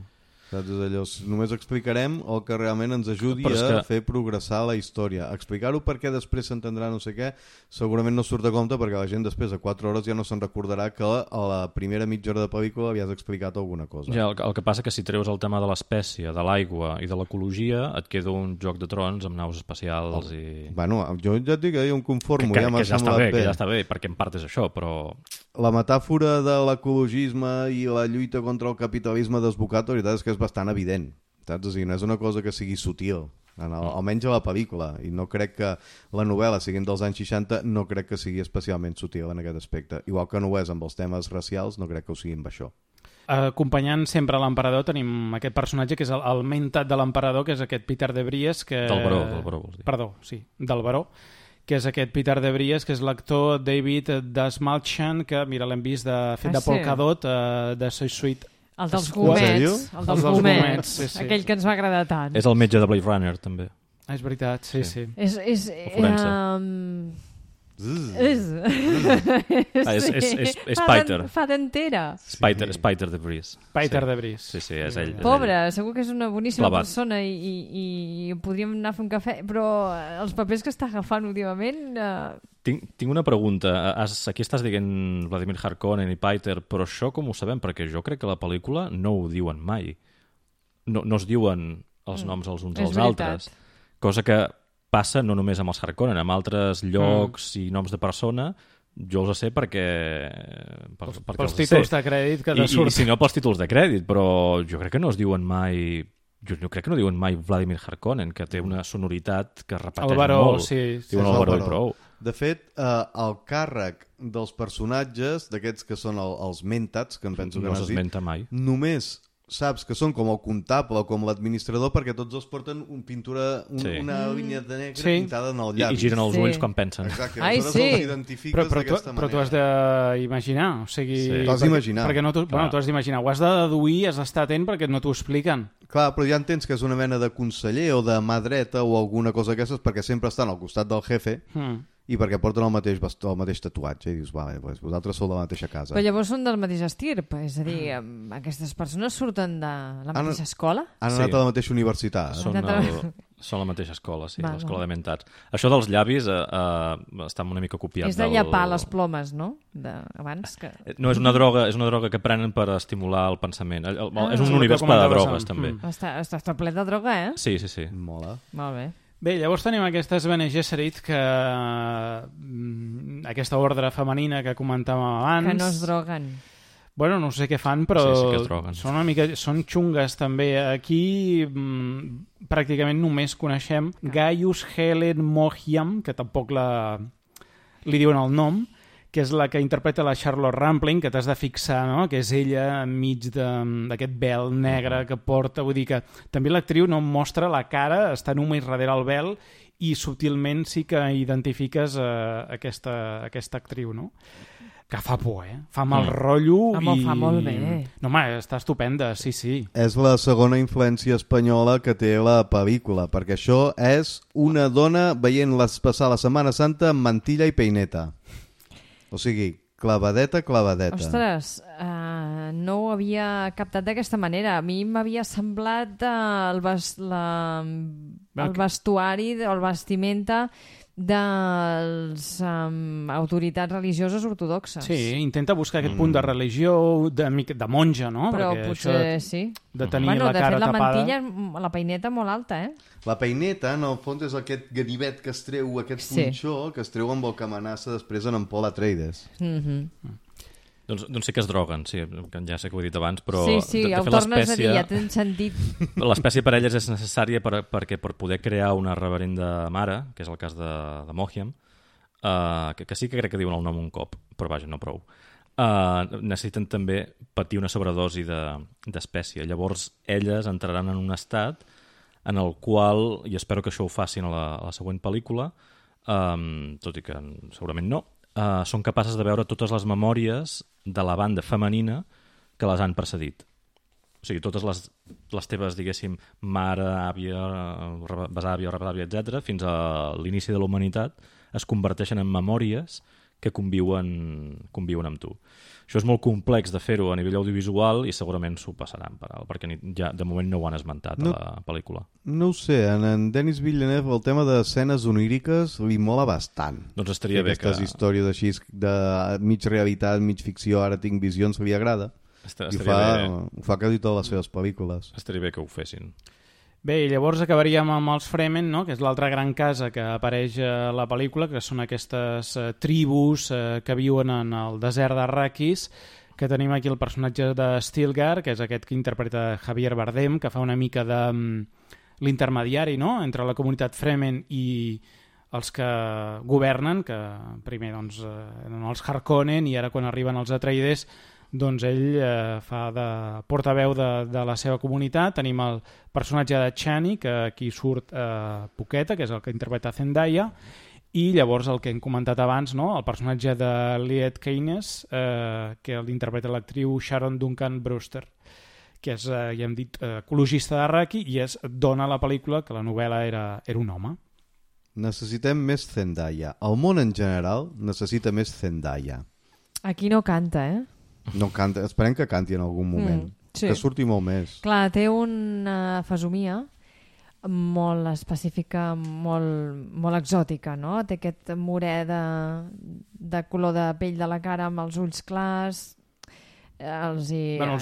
Saps? És allò, només explicarem el que realment ens ajudi a fer progressar la història. Explicar-ho perquè després s'entendrà no sé què, segurament no surt a compte perquè la gent després de 4 hores ja no se'n recordarà que a la primera mitja hora de pel·lícula havies explicat alguna cosa. Ja, el que passa que si treus el tema de l'espècie, de l'aigua i de l'ecologia, et queda un Joc de Trons amb naus espacials i... Bueno, jo ja et dic que jo em conformo, que ja m'ha semblat bé. Que ja està bé, perquè en part és això, però... La metàfora de l'ecologisme i la lluita contra el capitalisme desbocat, la veritat és que és bastant evident, saps? O sigui, no és una cosa que sigui sutil, almenys a la pel·lícula, i no crec que la novel·la, siguin dels anys 60, no crec que sigui especialment sutil en aquest aspecte. Igual que no ho és amb els temes racials, no crec que ho sigui amb això. Acompanyant sempre l'emperador tenim aquest personatge que és el mentat de l'emperador, que és aquest Peter de Vries, que... Del baró, vols dir. Perdó, sí, del baró, que és aquest Peter de Vries, que és l'actor David Dastmalchian, que, mira, l'hem vist fet de Polkadot, de Soy Sweet. El dels gomets. El dels gomets. Sí, sí. Aquell que ens va agradar tant. És el metge de Blade Runner, també. És veritat, sí. És Peter. Fa d'entera. Peter de Vries. Peter de Vries. Sí, és ell. Pobre, segur que és una boníssima persona i podríem anar a fer un cafè, però els papers que està agafant últimament... Tinc una pregunta. Aquí estàs dient Vladimir Harkonnen i Peter, però això com ho sabem? Perquè jo crec que a la pel·lícula no ho diuen mai. No es diuen els noms els uns als altres. Cosa que passa no només amb els Harkonnen, amb altres llocs i noms de persona, jo els sé perquè pels títols de crèdit que surt. I si no pels títols de crèdit, però jo crec que no es diuen mai... Jo crec que no diuen mai Vladimir Harkonnen, que té una sonoritat que repeteix molt. Diuen el baró i prou. De fet, el càrrec dels personatges, d'aquests que són els mentats, que em penso que no n'has dit, s'esmenta mai. Només saps que són com el comptable o com l'administrador perquè tots els porten una línia de negre pintada en el llavi. I giren els ulls quan pensen. Exacte, aleshores els identifiques d'aquesta manera. Però t'ho has d'imaginar, o sigui... T'ho has d'imaginar. T'ho has d'imaginar, ho has de deduir, has d'estar atent perquè no t'ho expliquen. Clar, però ja entens que és una mena de conseller o de mà dreta o alguna cosa d'aquestes perquè sempre estan al costat del jefe i perquè porten el mateix tatuatge i dius, vale, pues vosaltres sou de la mateixa casa. Però llavors són del mateix estirp, és a dir, aquestes persones surten de la mateixa escola? Han anat a la mateixa universitat. Són la mateixa escola, sí, l'escola de mentats. Això dels llavis està una mica copiat. És de llapar les plomes, no? Abans que... No, és una droga que prenen per estimular el pensament. És un univers ple de drogues, també. Està ple de droga, eh? Sí. Mola. Molt bé. Bé, llavors tenim aquestes Bene Gesserit, que aquesta ordre femenina que comentàvem abans... Que no es droguen. Bueno, no sé què fan, però sí que es droguen. Són xungues també. Aquí pràcticament només coneixem Gaius Helen Mohiam, que tampoc li diuen el nom, que és la que interpreta la Charlotte Rampling, que t'has de fixar, no? Que és ella enmig d'aquest vel negre que porta. Vull dir que també l'actriu no mostra la cara, està només darrere el vel i subtilment sí que identifiques aquesta actriu, no? Que fa por, Fa mal rotllo i... Fa molt bé. No, home, està estupenda, sí. És la segona influència espanyola que té la pel·lícula, perquè això és una dona veient-les passar la Setmana Santa amb mantilla i peineta. O sigui, clavadeta. Ostres, no ho havia captat d'aquesta manera. A mi m'havia semblat el vestuari o el vestimenta de les autoritats religioses ortodoxes. Sí, intenta buscar aquest punt de religió, de monja, no? Però perquè potser sí. De tenir la cara tapada... De fet, la mantilla, la peineta molt alta, La peineta, en el fons, és aquest ganivet que es treu, aquest punxó, que es treu amb el que amenaça després en Paul Atreides. Doncs sí que es droguen, sí, ja sé que ho he dit abans, però... Sí, ho tornes a dir, ja tens sentit. L'espècie per elles és necessària perquè per poder crear una reverenda mare, que és el cas de Mohiam, que sí que crec que diuen el nom un cop, però vaja, no prou. Necessiten també patir una sobredosi d'espècie. Llavors, elles entraran en un estat en el qual, i espero que això ho facin a la següent pel·lícula, tot i que segurament no, són capaces de veure totes les memòries de la banda femenina que les han precedit. O sigui, totes les teves, diguéssim, mare, àvia, besàvia, retàvia, etc., fins a l'inici de la humanitat, es converteixen en memòries que conviuen amb tu. Això és molt complex de fer-ho a nivell audiovisual i segurament s'ho passaran per alt, perquè ja de moment no ho han esmentat a la pel·lícula. No ho sé, en Denis Villeneuve el tema d'escenes oníriques li mola bastant. Doncs estaria bé que... Aquestes històries així de mig realitat, mig ficció, ara tinc visions, li agrada. Ho fa quasi totes les seves pel·lícules. Estaria bé que ho fessin. Bé, i llavors acabaríem amb els Fremen, no? Que és l'altra gran casa que apareix a la pel·lícula, que són aquestes tribus que viuen en el desert d'Arrakis, que tenim aquí el personatge de Stilgar, que és aquest que interpreta Javier Bardem, que fa una mica de l'intermediari, no?, entre la comunitat Fremen i els que governen, que primer doncs, eren els Harkonnen i ara quan arriben els Atreides doncs ell fa de portaveu de la seva comunitat. Tenim el personatge de Chani, que aquí surt poqueta, que és el que interpreta Zendaya, i llavors el que hem comentat abans, no? El personatge de Liet Kynes, que l'interpreta l'actriu Sharon Duncan Brewster, que és, ja hem dit, ecologista d'Arraki, i dona a la pel·lícula que la novel·la era un home. Necessitem més Zendaya. El món en general necessita més Zendaya. Aquí no canta, No canta, esperem que canti en algun moment. Sí. Que surti molt més. Clar, té una fesomia molt específica, molt exòtica, no? Té aquest morè de color de pell de la cara amb els ulls clars. Els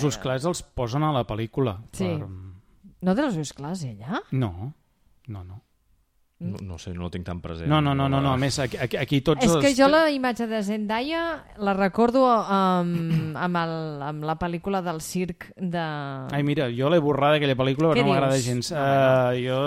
ulls clars els posen a la pel·lícula. Sí. No té els ulls clars, ella? No. No sé, no ho tinc tan present. No. A més, aquí tots... És que jo la imatge de Zendaya la recordo amb la pel·lícula del circ de... Ai, mira, jo l'he borrada aquella pel·lícula, però no m'agrada gens. Jo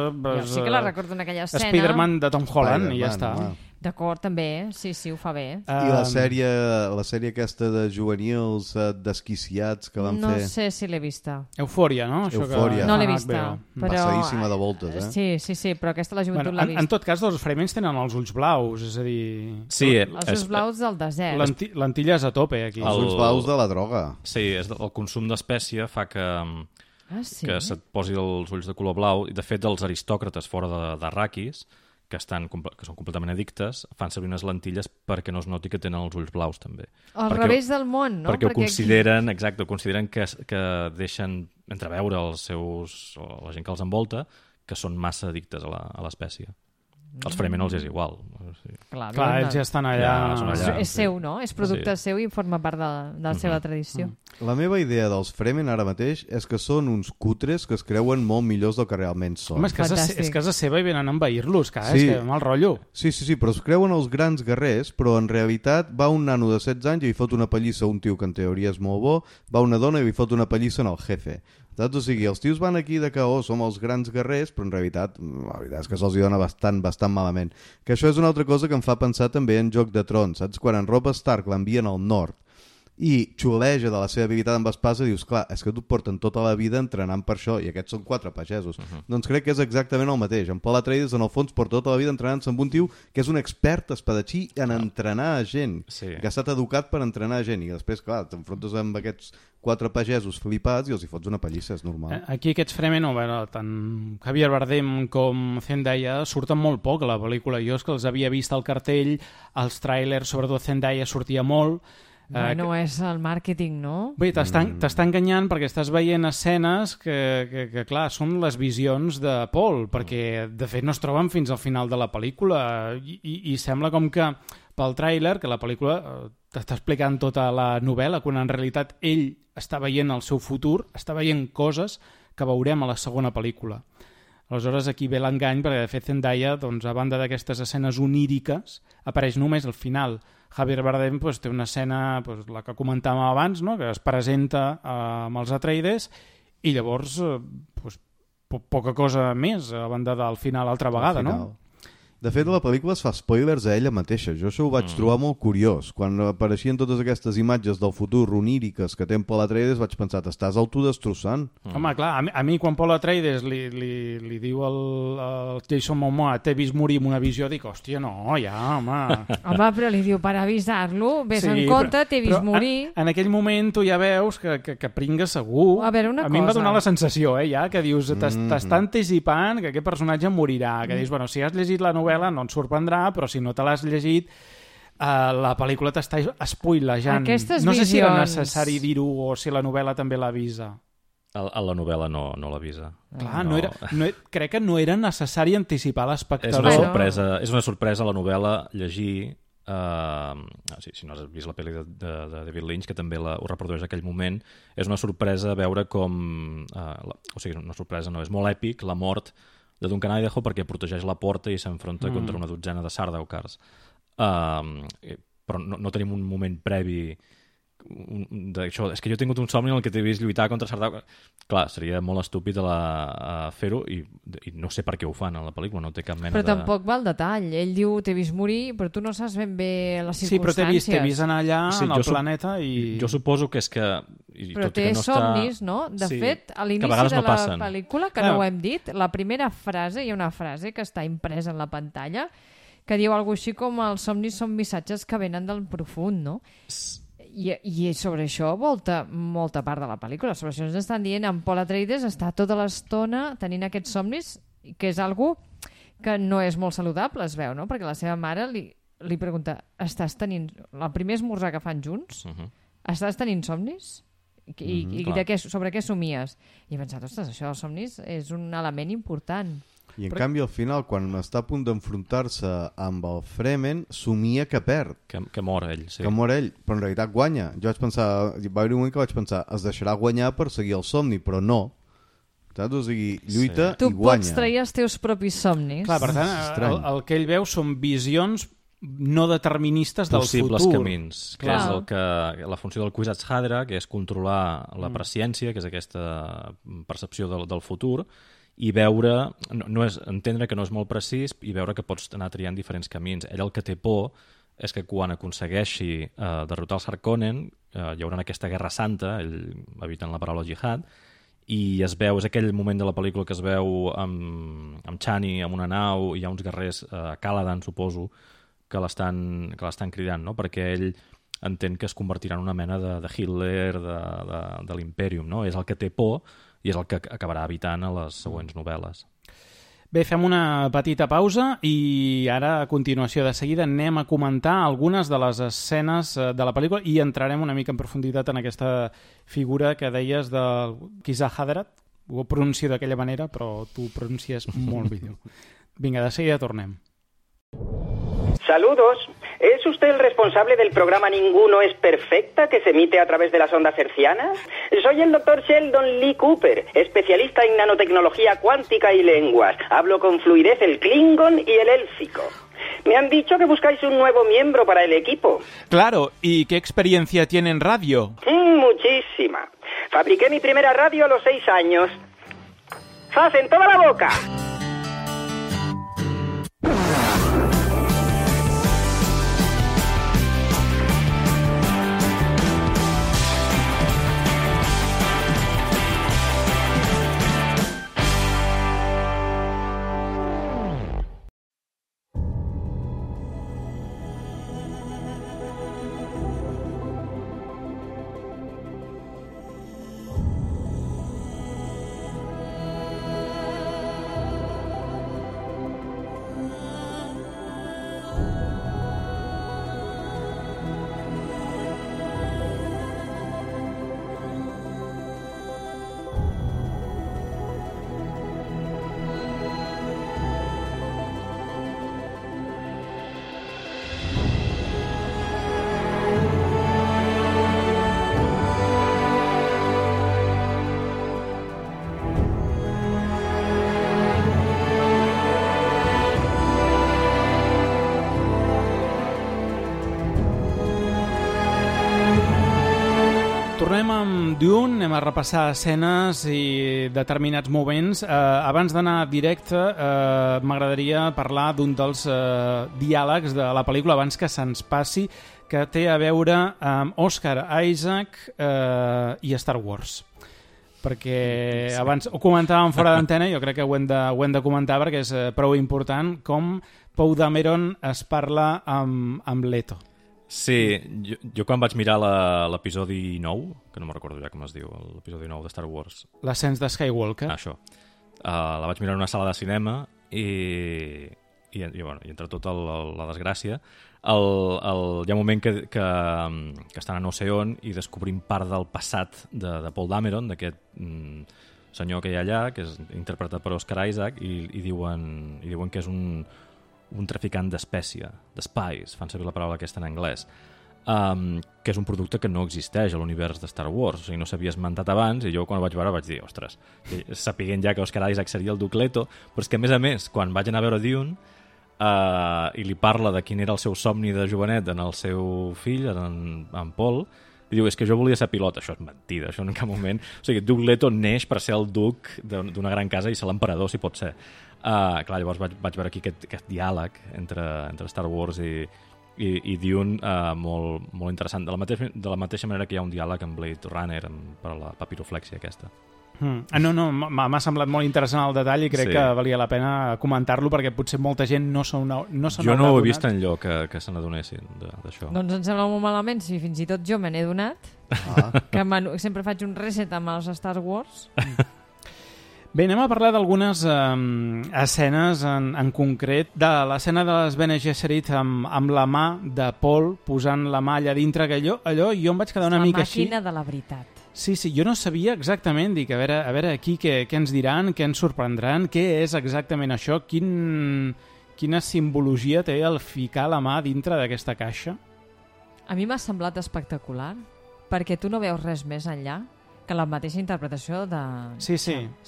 sí que la recordo en aquella escena. Spider-Man de Tom Holland, i ja està. D'acord, també, sí, ho fa bé. I la sèrie aquesta de juvenils desquiciats que van fer... No sé si l'he vista. Eufòria, no? Eufòria. No l'he vista. Passadíssima de voltes, Sí, però aquesta la joventut l'ha vist. En tot cas, els Fremens tenen els ulls blaus, és a dir... Sí, els ulls blaus del desert. Lentilles a tope, aquí. Els ulls blaus de la droga. Sí, el consum d'espècie fa que se't posi els ulls de color blau. I, de fet, els aristòcrates fora d'Arrakis, que són completament addictes, fan servir unes lentilles perquè no es noti que tenen els ulls blaus, també. Al revés del món, no? Perquè ho consideren, exacte, consideren que deixen entreveure la gent que els envolta, que són massa addictes a l'espècie. Els Fremen els és igual. Clar, ells ja estan allà. És seu, no? És producte seu i forma part de la seva tradició. La meva idea dels Fremen ara mateix és que són uns cutres que es creuen molt millors del que realment són. Home, és casa seva i venen a envair-los, és que mal rotllo. Sí, però es creuen els grans guerrers, però en realitat va un nano de 16 anys i li fot una pallissa a un tio que en teoria és molt bo, va una dona i li fot una pallissa en el jefe. Saps? O sigui, els tios van aquí de que som els grans guerrers, però en realitat la veritat és que se'ls dona bastant malament. Que això és una altra cosa que em fa pensar també en Joc de Trons, saps? Quan en Robb Stark l'envien al nord i xuleja de la seva habilitat amb espasa, dius, clar, és que tu porten tota la vida entrenant per això, i aquests són 4 pagesos. Doncs crec que és exactament el mateix. En Paul Atreides, en el fons, porta tota la vida entrenant-se amb un tio que és un expert espadatxí en entrenar a gent, que ha estat educat per entrenar a gent, i després, clar, t'enfrontes amb aquests 4 pagesos flipats i els hi fots una pallissa, és normal. Aquí aquests Fremen, tant Javier Bardem com Zendaya surten molt poc a la pel·lícula. Jo és que els havia vist al cartell, als tràilers, sobretot Zendaya sortia molt. Bueno, és el màrqueting, no? Bé, t'està enganyant perquè estàs veient escenes que, clar, són les visions de Paul, perquè, de fet, no es troben fins al final de la pel·lícula i sembla com que pel tràiler, que la pel·lícula t'està explicant tota la novel·la, quan en realitat ell està veient el seu futur, està veient coses que veurem a la segona pel·lícula. Aleshores, aquí ve l'engany, perquè, de fet, Zendaya, doncs, a banda d'aquestes escenes oníriques, apareix només al final. Javier Bardem té una escena, la que comentàvem abans, no? Que es presenta amb els Atreides i llavors poca cosa més a banda del final altra vegada, no? De fet, la pel·lícula es fa spoilers a ella mateixa. Jo això ho vaig trobar molt curiós. Quan apareixien totes aquestes imatges del futur oníriques que té en Paul Atreides, vaig pensar, t'estàs autodestrossant. Home, clar, a mi quan Paul Atreides li diu al Jason Momoa t'he vist morir amb una visió, dic, hòstia, no, ja, home. Home, però li diu, per avisar-lo, ves en compte, t'he vist morir. En aquell moment tu ja veus que pringa segur. A veure, una cosa. A mi em va donar la sensació, ja, que dius, t'està anticipant que aquest personatge morirà, que dius, bueno, si has llegit la novel·la novel·la no et sorprendrà, però si no te l'has llegit, la pel·lícula t'està spoilejant. Aquestes no sé si era visions- necessari dir-ho o si la novel·la també l'avisa. A la novel·la no l'avisa. Clar, crec que no era necessari anticipar És l'espectador. és una sorpresa la novel·la llegir. Si no has vist la pel·li de David Lynch, que també ho reprodueix aquell moment, és una sorpresa veure com... o sigui, una sorpresa no, és molt èpic la mort de Duncan Idaho perquè protegeix la porta i s'enfronta contra una dotzena de Sardaukars. Però no tenim un moment previ d'això. És que jo he tingut un somni en el que t'he vist lluitar contra Sardaukar. Clar, seria molt estúpid fer-ho i no sé per què ho fan a la pel·lícula, no té cap mena Però tampoc va al detall. Ell diu, t'he vist morir, però tu no saps ben bé les Sí, però circumstàncies. t'he vist anar allà en el planeta i... Jo suposo que és que... Però té somnis, no? De fet, a l'inici de la pel·lícula, que no ho hem dit, la primera frase, hi ha una frase que està impresa en la pantalla, que diu alguna cosa així com els somnis són missatges que venen del profund, no? I sobre això molta part de la pel·lícula. Sobre això ens estan dient en Paul Atreides està tota l'estona tenint aquests somnis, que és algo que no és molt saludable, es veu, no? Perquè la seva mare li pregunta, estàs tenint... El primer esmorzar que fan junts? Estàs tenint somnis? I sobre què somies? I he pensat, ostres, això dels somnis és un element important. I en canvi al final, quan està a punt d'enfrontar-se amb el Fremen, somia que perd. Que mor ell, sí. Que mor ell, però en realitat guanya. Jo vaig pensar, va haver un moment que vaig pensar, es deixarà guanyar per seguir el somni, però no. Saps? O sigui, lluita i guanya. Tu pots trair els teus propis somnis. Clar, per tant, el que ell veu són visions no deterministes del futur. Possibles camins, que és la funció del Kwisatz Haderach, que és controlar la presciència, que és aquesta percepció del futur, i veure, entendre que no és molt precís i veure que pots anar triant diferents camins. Ell el que té por és que quan aconsegueixi derrotar els Harkonnen hi haurà aquesta guerra santa, ell eviten la paraula jihad, i es veu, és aquell moment de la pel·lícula que es veu amb Chani, amb una nau, i hi ha uns guerrers, Caladan, suposo, que l'estan cridant, no? Perquè ell entén que es convertirà en una mena de Hitler, de l'Imperium, no? És el que té por i és el que acabarà evitant a les següents novel·les. Bé, fem una petita pausa i ara, a continuació, de seguida, anem a comentar algunes de les escenes de la pel·lícula i entrarem una mica en profunditat en aquesta figura que deies del Kwisatz Haderach. Ho pronuncio d'aquella manera, però tu pronuncies molt millor. Vinga, de seguida tornem. Saludos. ¿Es usted el responsable del programa Ninguno es Perfecta que se emite a través de las ondas hercianas? Soy el doctor Sheldon Lee Cooper, especialista en nanotecnología cuántica y lenguas. Hablo con fluidez el klingon y el élfico. Me han dicho que buscáis un nuevo miembro para el equipo. Claro, ¿y qué experiencia tiene en radio? Muchísima. Fabriqué mi primera radio a los 6 años. ¡Zas en toda la boca! Tornem amb Dune, anem a repassar escenes i determinats moments. Abans d'anar directe, m'agradaria parlar d'un dels diàlegs de la pel·lícula abans que se'ns passi, que té a veure amb Oscar Isaac i Star Wars. Perquè abans ho comentàvem fora d'antena, jo crec que ho hem de comentar perquè és prou important com Poe Dameron es parla amb Leto. Sí, jo quan vaig mirar l'episodi 9, que no me'n recordo ja com es diu, l'episodi 9 de Star Wars. L'ascens de Skywalker. Això. La vaig mirar en una sala de cinema i i entre tota la desgràcia, hi ha un moment que estan a no sé on i descobrim part del passat de Paul Dameron, d'aquest senyor que hi ha allà, que és interpretat per Oscar Isaac, i diuen que és un traficant d'espècie, d'spice, fan servir la paraula aquesta en anglès, que és un producte que no existeix a l'univers de Star Wars, o sigui, no s'havia esmentat abans, i jo quan ho vaig veure vaig dir, ostres, sapiguent ja que Oscar Isaac seria el Duke Leto, però és que a més, quan vaig anar a veure Dune i li parla de quin era el seu somni de jovenet en el seu fill, en Paul, i diu, és que jo volia ser pilot. Això és mentida, això en cap moment. O sigui, Duke Leto neix per ser el duc d'una gran casa i ser l'emperador, si pot ser. Clar, llavors vaig veure aquí aquest diàleg entre Star Wars i Dune, molt interessant. De la mateixa manera que hi ha un diàleg amb Blade Runner per la papiroflèxia aquesta. No, m'ha semblat molt interessant el detall i crec que valia la pena comentar-lo perquè potser molta gent no se n'ha Jo no ho he vist enlloc que se n'adonessin d'això. Doncs em sembla molt malament si fins i tot jo me n'he donat, que sempre faig un reset amb els Star Wars. Bé, anem a parlar d'algunes escenes en concret, de l'escena de les Bene Gesserit amb la mà de Paul posant la mà allà dintre, que allò jo em vaig quedar una mica així. La màquina de la veritat. Sí, jo no sabia exactament, dic, a veure aquí què ens diran, què ens sorprendran, què és exactament això, quina simbologia té el ficar la mà dintre d'aquesta caixa. A mi m'ha semblat espectacular, perquè tu no veus res més enllà que la mateixa interpretació de... Sí,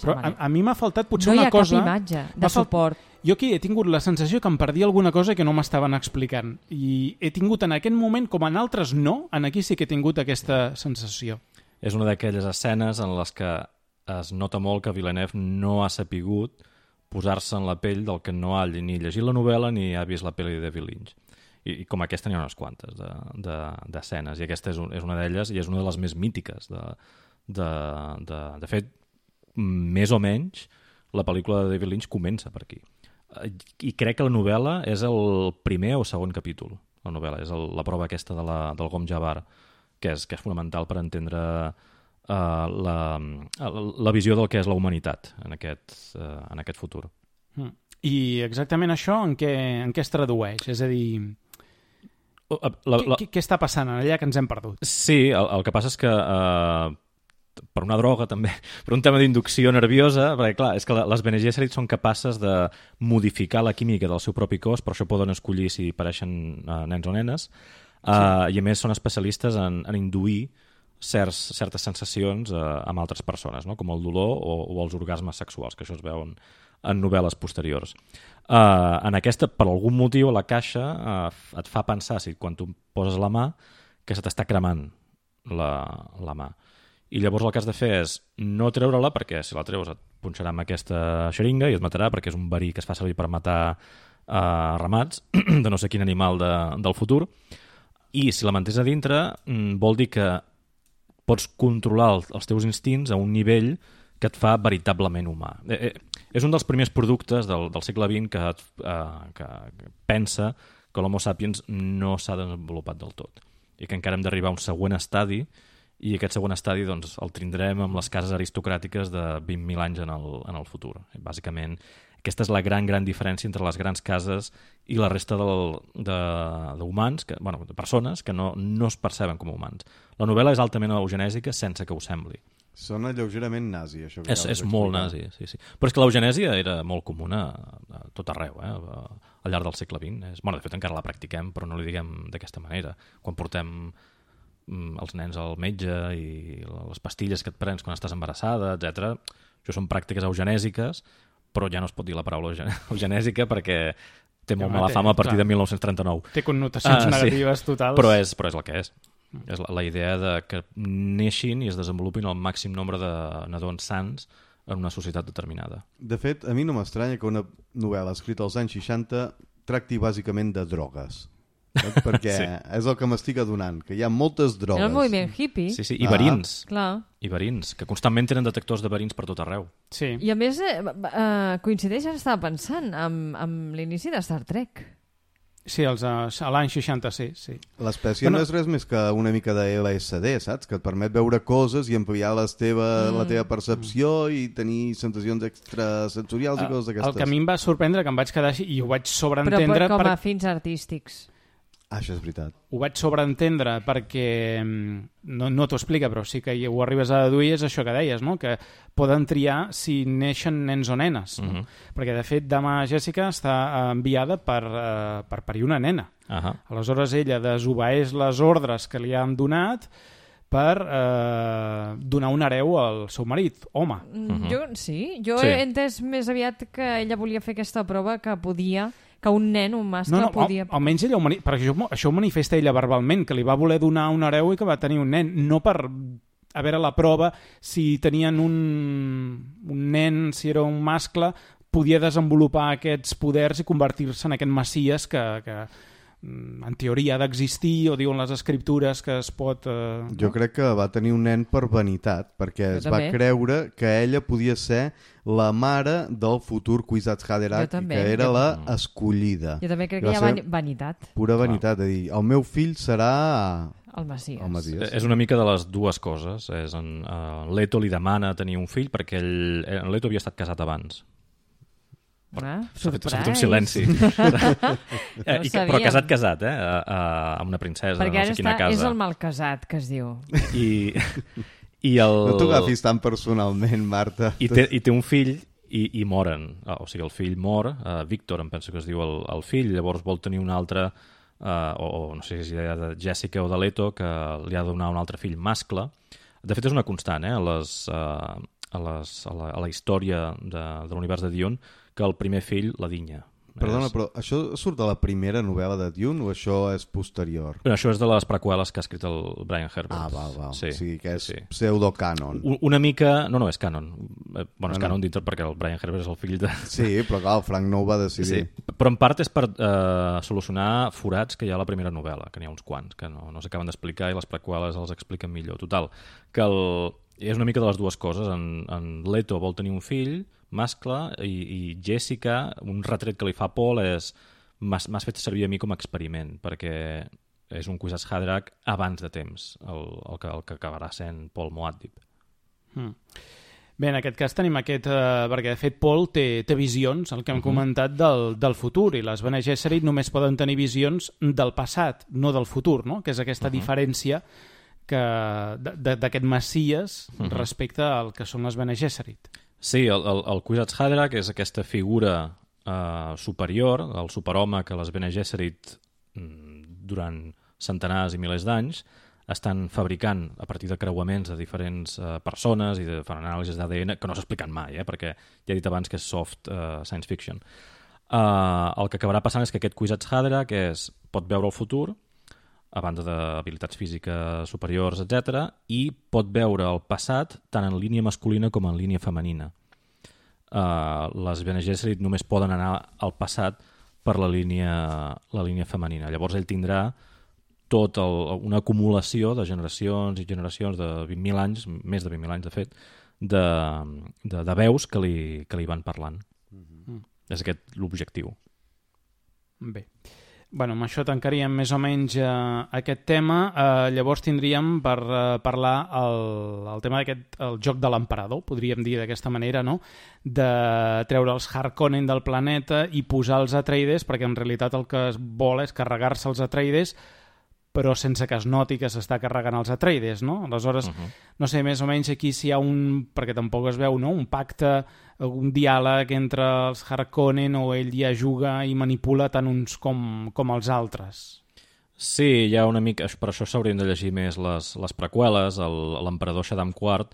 però a mi m'ha faltat potser una cosa... No hi ha cap imatge de suport. Jo aquí he tingut la sensació que em perdia alguna cosa que no m'estaven explicant. I he tingut en aquest moment, com en altres no, en aquí sí que he tingut aquesta sensació. És una d'aquelles escenes en les que es nota molt que Villeneuve no ha sapigut posar-se en la pell del que no ha ni llegit la novel·la ni ha vist la pel·li de David Lynch. I com aquesta n'hi ha unes quantes d'escenes, i aquesta és una d'elles i és una de les més mítiques. De fet, més o menys, la pel·lícula de David Lynch comença per aquí. I crec que la novel·la és el primer o segon capítol. La novel·la és la prova aquesta del Gom Jabbar, que és fonamental per entendre la visió del que és la humanitat en aquest futur. I exactament això en què es tradueix? És a dir, què està passant allà que ens hem perdut? Sí, el que passa és que per una droga també, per un tema d'inducció nerviosa, perquè clar, és que les Bene Gesserit són capaces de modificar la química del seu propi cos, per això poden escollir si pareixen nens o nenes, i a més són especialistes en induir certes sensacions amb altres persones, no? Com el dolor o els orgasmes sexuals, que això es veuen en novel·les posteriors. En aquesta, per algun motiu, la caixa et fa pensar, si quan tu poses la mà, que se t'està cremant la mà. I llavors el que has de fer és no treure-la, perquè si la treus et punxarà amb aquesta xeringa i et matarà, perquè és un verí que es fa servir per matar ramats de no sé quin animal del futur. I si la mantens a dintre, vol dir que pots controlar els teus instints a un nivell que et fa veritablement humà. És un dels primers productes del segle XX que pensa que l'Homo sapiens no s'ha desenvolupat del tot i que encara hem d'arribar a un següent estadi, i aquest següent estadi doncs, el tindrem amb les cases aristocràtiques de 20.000 anys en el futur. Bàsicament, aquesta és la gran diferència entre les grans cases i la resta d'humans, de persones que no es perceben com a humans. La novel·la és altament eugenèsica sense que ho sembli. Sona lleugerament nazi, això. És molt nazi, sí. Però és que l'eugenèsia era molt comuna a tot arreu, al llarg del segle XX. De fet, encara la practiquem, però no li diguem d'aquesta manera. Quan portem els nens al metge i les pastilles que et prens quan estàs embarassada, etc. Això són pràctiques eugenèsiques, però ja no es pot dir la paraula eugenèsica perquè té molt mala fama a partir de 1939. Té connotacions negatives totals. Però és el que és. És la idea de que neixin i es desenvolupin el màxim nombre de nadons sants en una societat determinada. De fet, a mi no m'estranya que una novel·la escrita als anys 60 tracti bàsicament de drogues. Perquè és el que m'estic adonant, que hi ha moltes drogues. Era el moviment hippie. Sí, i verins. Clar. I verins, que constantment tenen detectors de verins per tot arreu. Sí. I a més, coincideix, estava pensant, amb l'inici de Star Trek. Sí, a l'any 66, sí. L'espècie no és res més que una mica de LSD, saps? Que et permet veure coses i ampliar la teva percepció i tenir sensacions extrasensorials i coses d'aquestes. El que a mi em va sorprendre, que em vaig quedar així i ho vaig sobreentendre... Però com a fins artístics. Això és veritat. Ho vaig sobreentendre perquè no t'ho explica, però sí que ho arribes a deduir, és això que deies, no? Que poden triar si neixen nens o nenes. No? Perquè, de fet, Dama Jessica està enviada per parir una nena. Aleshores, ella desobeeix les ordres que li han donat per donar un hereu al seu marit, home. Jo he entès més aviat que ella volia fer aquesta prova que un nen, un mascle, podia... Almenys ella perquè això ho manifesta ella verbalment, que li va voler donar un hereu i que va tenir un nen, no per a veure la prova si tenien un nen, si era un mascle, podia desenvolupar aquests poders i convertir-se en aquest messies que en teoria ha d'existir, o diuen les escriptures que es pot... Jo crec que va tenir un nen per vanitat, perquè es va creure que ella podia ser la mare del futur Kwisatz Haderach, que era la escollida. Jo també crec que hi ha vanitat. Pura vanitat, de dir, el meu fill serà... El Messies. És una mica de les dues coses. Leto li demana tenir un fill perquè Leto havia estat casat abans. S'ha fet un silenci. Però casat, amb una princesa, perquè no sé quina casa. Perquè ara és el mal casat, que es diu. No t'ho agafis tan personalment, Marta. I té un fill i moren. O sigui, el fill mor, Víctor, em penso que es diu el fill, llavors vol tenir un altre, o no sé si és idea de Jessica o de Leto, que li ha de donar un altre fill mascle. De fet, és una constant, a la història de l'univers de Dune, que el primer fill la dinya. Perdona, però això surt de la primera novel·la de Dune o això és posterior? Bueno, això és de les preqüeles que ha escrit el Brian Herbert. Val. Sí. O sigui que és pseudo-canon. Una mica... No, és canon. És canon dintre perquè el Brian Herbert és el fill de... Sí, però clar, el Frank no ho va decidir. Sí. Però en part és per solucionar forats que hi ha a la primera novel·la, que n'hi ha uns quants, que no s'acaben d'explicar i les preqüeles els expliquen millor. Total, que és una mica de les dues coses. En Leto vol tenir un fill mascle i Jessica, un retret que li fa Paul és m'has fet servir a mi com a experiment perquè és un Kwisatz Haderach abans de temps el que acabarà sent Paul Muad'Dib. Bé, en aquest cas tenim perquè de fet Paul té visions, el que hem comentat del futur, i les Bene Gesserit només poden tenir visions del passat, no del futur, no? Que és aquesta diferència d'aquest Messies respecte al que són les Bene Gesserit. Sí, el Kwisatz Haderach és aquesta figura superior, el superhome que les Bene Gesserit durant centenars i milers d'anys estan fabricant a partir de creuaments de diferents persones i fan anàlisis d'ADN que no s'expliquen mai, perquè ja he dit abans que és soft science fiction. El que acabarà passant és que aquest Kwisatz Haderach pot veure el futur, a banda d'habilitats físiques superiors, etc., i pot veure el passat tant en línia masculina com en línia femenina. Les Bene Gesserit només poden anar al passat per la línia femenina. Llavors ell tindrà tota una acumulació de generacions i generacions de 20.000 anys, més de 20.000 anys de fet, de veus que li van parlant. És aquest l'objectiu. Bé. Bueno, amb això tancaríem més o menys aquest tema. Llavors tindríem per parlar el tema d'aquest el joc de l'emperador, podríem dir d'aquesta manera, no? De treure els Harkonnen del planeta i posar els Atreides, perquè en realitat el que es vol és carregar-se els Atreides, però sense que es noti que s'està carregant els Atreides, no? Aleshores, no sé, més o menys aquí si hi ha perquè tampoc es veu, no? Un pacte, un diàleg entre els Harkonnen o ell ja juga i manipula tant uns com els altres. Sí, hi ha una mica... Per això s'haurien de llegir més les preqüeles. L'emperador Shaddam IV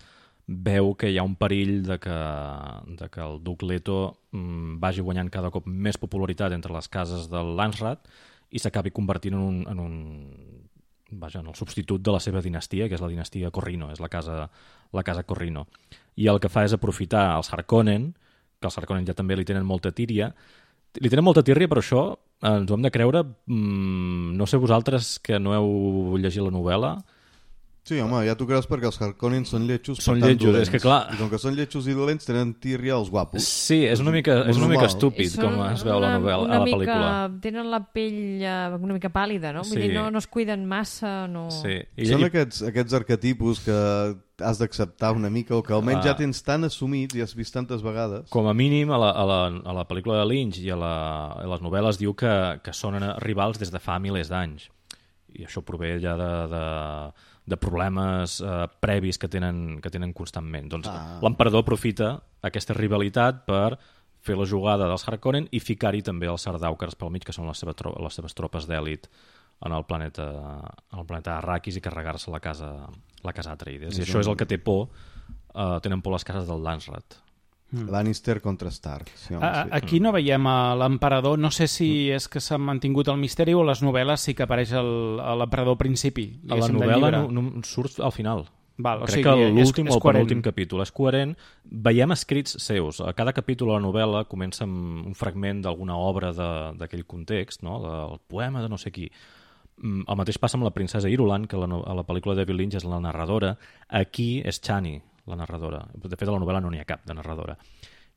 veu que hi ha un perill de que el duc Leto vagi guanyant cada cop més popularitat entre les cases de Landsraad i s'acabi convertint en el substitut de la seva dinastia, que és la dinastia Corrino, és la casa Corrino. I el que fa és aprofitar els Harkonnen, que els Harkonnen ja també li tenen molta tírria. Li tenen molta tírria, però això ens ho hem de creure. No sé vosaltres que no heu llegit la novel·la, Sí, home, ja t'ho creus perquè els Harkonnen són lletjos, Són per tant lletjos, dolents. és que clar- I com que són lletjos i dolents, tenen tírria els guapos. Sí, és una mica normal. estúpid com es veu la novel·la, a la pel·lícula. Tenen la pell una mica pàl·lida, no? Vull Sí. dir, no es cuiden massa, no... Sí. Són aquests arquetipus que has d'acceptar una mica o que almenys ja tens tan assumits i has vist tantes vegades. Com a mínim, a la pel·lícula de Lynch i a les novel·les diu que són rivals des de fa milers d'anys. I això prové ja de problemes previs que tenen constantment. Doncs l'emperador aprofita aquesta rivalitat per fer la jugada dels Harkonnen i ficar-hi també els Sardaukars pel mig, que són les seves tropes d'èlit en el planeta Arrakis, i carregar-se la casa Atreides. I això és el que té por, tenen por les cases del Landsrat. Lannister contra Stark. Sí, home, sí. Aquí no veiem l'emperador, no sé si és que s'ha mantingut el misteri o a les novel·les sí que apareix l'emperador al principi. A la novel·la no surt al final. Val, Crec que l'últim o el penúltim capítol és coherent. Veiem escrits seus. A cada capítol de la novel·la comença amb un fragment d'alguna obra d'aquell context, no? Del poema de no sé qui. El mateix passa amb la princesa Irulan, que a la pel·lícula de David Lynch és la narradora. Aquí és Chani, la narradora. De fet, a la novel·la no n'hi ha cap de narradora.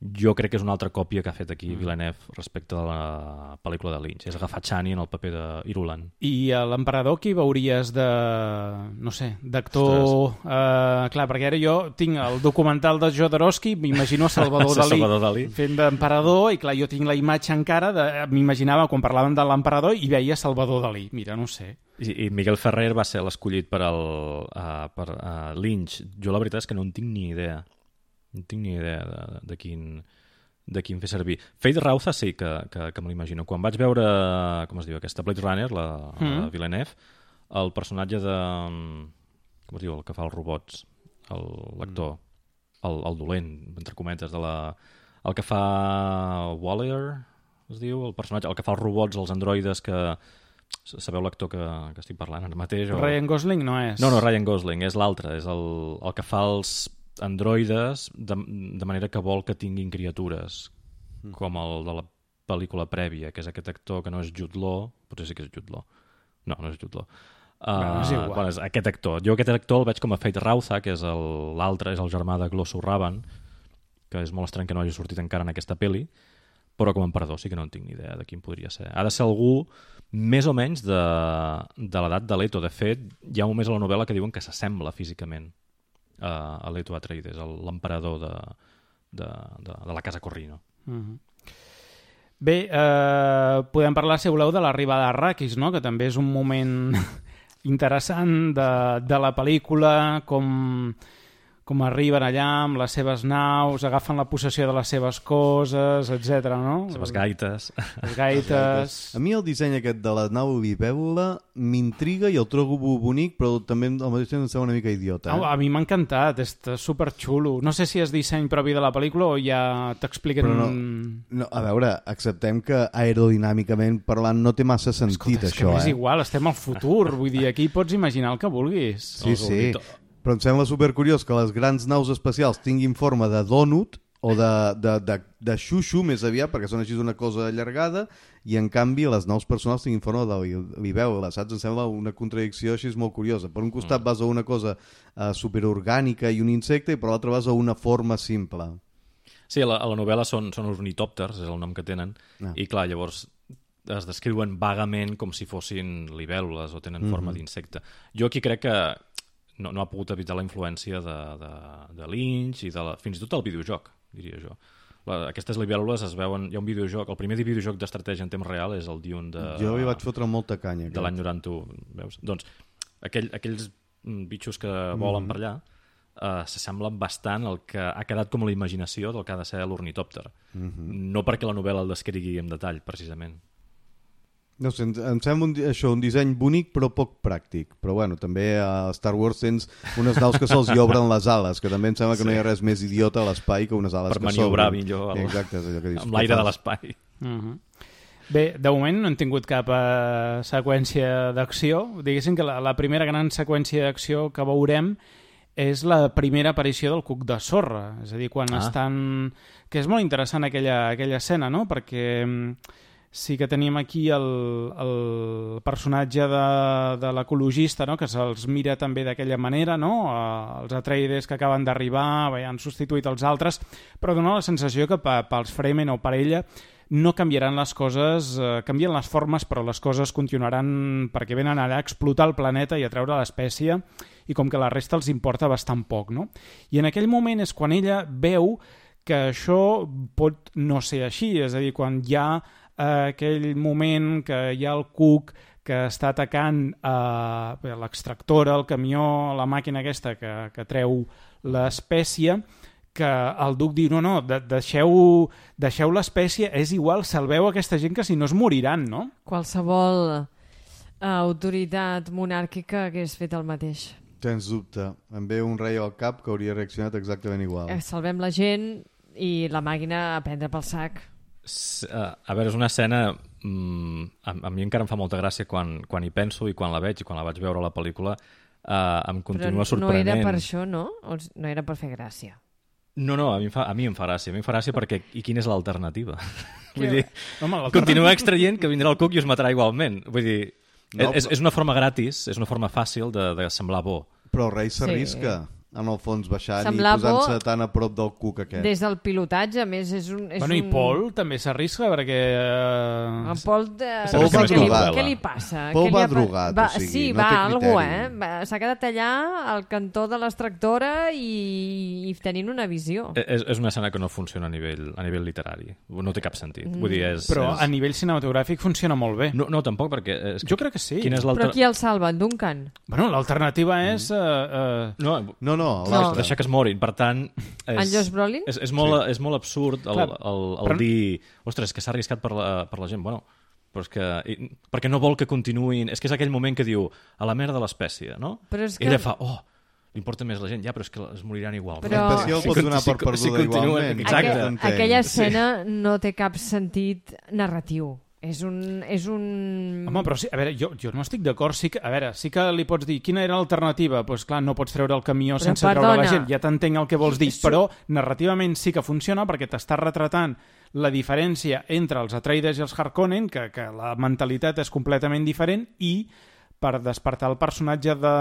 Jo crec que és una altra còpia que ha fet aquí Villeneuve respecte a la pel·lícula de Lynch. És agafar Chani en el paper d'Irulan. I a l'emperador qui veuries d'actor... clar, perquè ara jo tinc el documental de Jodorowsky, m'imagino Salvador Dalí fent d'emperador, i clar, jo tinc la imatge encara, m'imaginava quan parlaven de l'emperador i veia Salvador Dalí. Mira, no sé. I Miguel Ferrer va ser l'escollit per Lynch. Jo la veritat és que no en tinc ni idea. No tinc ni idea de quin fer servir. Fate Rauza sí que me l'imagino. Quan vaig veure, com es diu, aquesta Blade Runner, la Villeneuve, el personatge de... com es diu, el que fa els robots, l'actor, el dolent, entre cometes, el que fa Waller, es diu, el personatge, el que fa els robots, els androides que... Sabeu l'actor que estic parlant ara mateix? Ryan Gosling no és? No, Ryan Gosling, és l'altre, és el que fa els androides de manera que vol que tinguin criatures, com el de la pel·lícula prèvia, que és aquest actor que no és Jude Law, potser sí que és Jude Law. No és Jude Law. És igual. És aquest actor. Jo aquest actor el veig com a Fate Rauza, que és l'altre, és el germà de Glossu Ravan, que és molt estrany que no hagi sortit encara en aquesta pel·li, però com a emperador sí que no en tinc ni idea de quin podria ser. Ha de ser algú més o menys de l'edat de Leto. De fet, hi ha moments a la novel·la que diuen que s'assembla físicament a Leto Atreides, l'emperador de la casa Corrino. Bé, podem parlar, si voleu, de l'arribada a Arrakis, no? Que també és un moment interessant de la pel·lícula, com arriben allà amb les seves naus, agafen la possessió de les seves coses, etc. no? Les seves gaites. Les gaites. A mi el disseny aquest de la nau libèl·lula m'intriga i el trobo bonic, però també al mateix temps em sembla una mica idiota. A mi m'ha encantat, és superxulo. No sé si és disseny propi de la pel·lícula o ja t'expliquen... No, a veure, acceptem que aerodinàmicament parlant no té massa sentit. Escolta, és això, que és igual, estem al futur, vull dir, aquí pots imaginar el que vulguis. Sí. Però em sembla supercuriós que les grans naus espacials tinguin forma de dònut o de xuxu més aviat, perquè són així una cosa allargada, i en canvi les naus personals tinguin forma de libèl·lula, saps? Em sembla una contradicció així molt curiosa. Per un costat vas a una cosa superorgànica i un insecte, i per l'altre vas a una forma simple. Sí, a la novel·la són ornitòpters, és el nom que tenen, i clar, llavors es descriuen vagament com si fossin libèl·lules o tenen forma d'insecte. Jo aquí crec que no ha pogut evitar la influència de Lynch i fins i tot del videojoc, diria jo. Aquestes libèl·lules es veuen... Hi ha un videojoc, el primer videojoc d'estratègia en temps real és el Dune de... Jo li vaig fotre molta canya. De l'any 91, veus? Doncs aquells bitxos que volen per allà s'assemblen bastant al que ha quedat com la imaginació del que ha de ser l'ornitòpter. No perquè la novel·la el descrigui en detall, precisament. No sé, em sembla un disseny bonic però poc pràctic. Però bueno, també a Star Wars tens unes naus que se'ls hi obren les ales, que també em sembla que no hi ha res més idiota a l'espai que unes ales per que s'obren. maniobrar millor Exacte, és allò que dius, amb l'aire de l'espai. Bé, de moment no hem tingut cap seqüència d'acció. Diguéssim que la primera gran seqüència d'acció que veurem és la primera aparició del cuc de sorra. És a dir, quan estan... Que és molt interessant aquella escena, no? Perquè sí que tenim aquí el personatge de l'ecologista, no? Que se'ls mira també d'aquella manera, no? Els Atreides que acaben d'arribar han substituït els altres, però dona la sensació que pels Fremen o per ella no canviaran les coses, canvien les formes, però les coses continuaran perquè venen allà a explotar el planeta i a treure l'espècie, i com que la resta els importa bastant poc, no? I en aquell moment és quan ella veu que això pot no ser així, és a dir, quan hi ha aquell moment que hi ha el Cook que està atacant l'extractora, el camió, la màquina aquesta que treu l'espècie, que el duc diu, no, deixeu l'espècie, és igual, salveu aquesta gent que si no es moriran, no? Qualsevol autoritat monàrquica hagués fet el mateix. Sens dubte. Em ve un rei al cap que hauria reaccionat exactament igual. Salvem la gent i la màquina a prendre pel sac. A veure, és una escena... a mi encara em fa molta gràcia quan hi penso i quan la veig, i quan la vaig veure a la pel·lícula em continua sorprenent. Però no era per això, no? O no era per fer gràcia? No, a mi em fa gràcia. A mi em fa gràcia perquè... I quina és l'alternativa? Vull dir, Home, continua extraient que vindrà el Cook i us matarà igualment. Vull dir, és una forma gratis, és una forma fàcil de semblar bo. Però el rei s'arrisca. En el fons baixant Semblar i posant-se tan a prop del Cook aquest. Des del pilotatge, a més, és i Paul també s'arrisca perquè... En Paul, va drogat. Què li passa? Paul va drogat, o sigui, sí, no té algú, criteri. s'ha quedat allà al cantó de l'extractora i tenint una visió. És una escena que no funciona a nivell literari. No té cap sentit. Vull dir, Però a nivell cinematogràfic funciona molt bé. No, tampoc, perquè... Jo crec que sí. Però qui el salva, en Duncan? Bueno, l'alternativa és... No, deixar que es morin. Per tant, en Josh Brolin? És molt absurd el dir, ostres, que s'ha arriscat per la gent. Bueno, però és que... perquè no vol que continuïn... És que és aquell moment que diu, a la merda de l'espècie, no? I ella fa, l'importa més la gent, ja, però és que es moriran igual. Però... L'espècie el pot donar per perduda igualment. Exacte. Aquella escena no té cap sentit narratiu. És un... Home, però sí, a veure, jo no estic d'acord. Sí que li pots dir, quina era l'alternativa? Doncs pues, clar, no pots treure el camió sense treure la gent. Ja t'entenc el que vols dir, però narrativament sí que funciona perquè t'està retratant la diferència entre els Atreides i els Harkonnen, que la mentalitat és completament diferent, i per despertar el personatge de...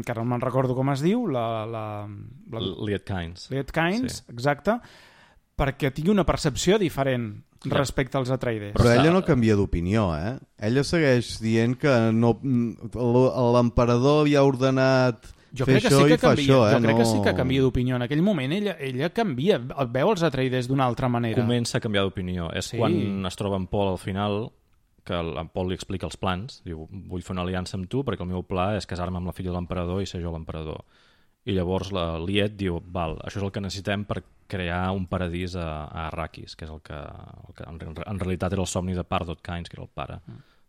que ara no me'n recordo com es diu, Liet Kynes. Liet Kynes, sí. Exacte, perquè tingui una percepció diferent respecte als Atreides. Però ella no canvia d'opinió, Ella segueix dient que l'emperador havia ordenat fer això i fa això, Jo crec que sí que canvia d'opinió. En aquell moment ella canvia, veu els Atreides d'una altra manera. Comença a canviar d'opinió. És quan es troba en Paul al final, que en Paul li explica els plans. Diu, vull fer una aliança amb tu perquè el meu pla és casar-me amb la filla de l'emperador i ser jo l'emperador. I llavors la Liet diu, val, això és el que necessitem per crear un paradís a Arrakis, que és el que en realitat era el somni de Pardot Kynes, que era el pare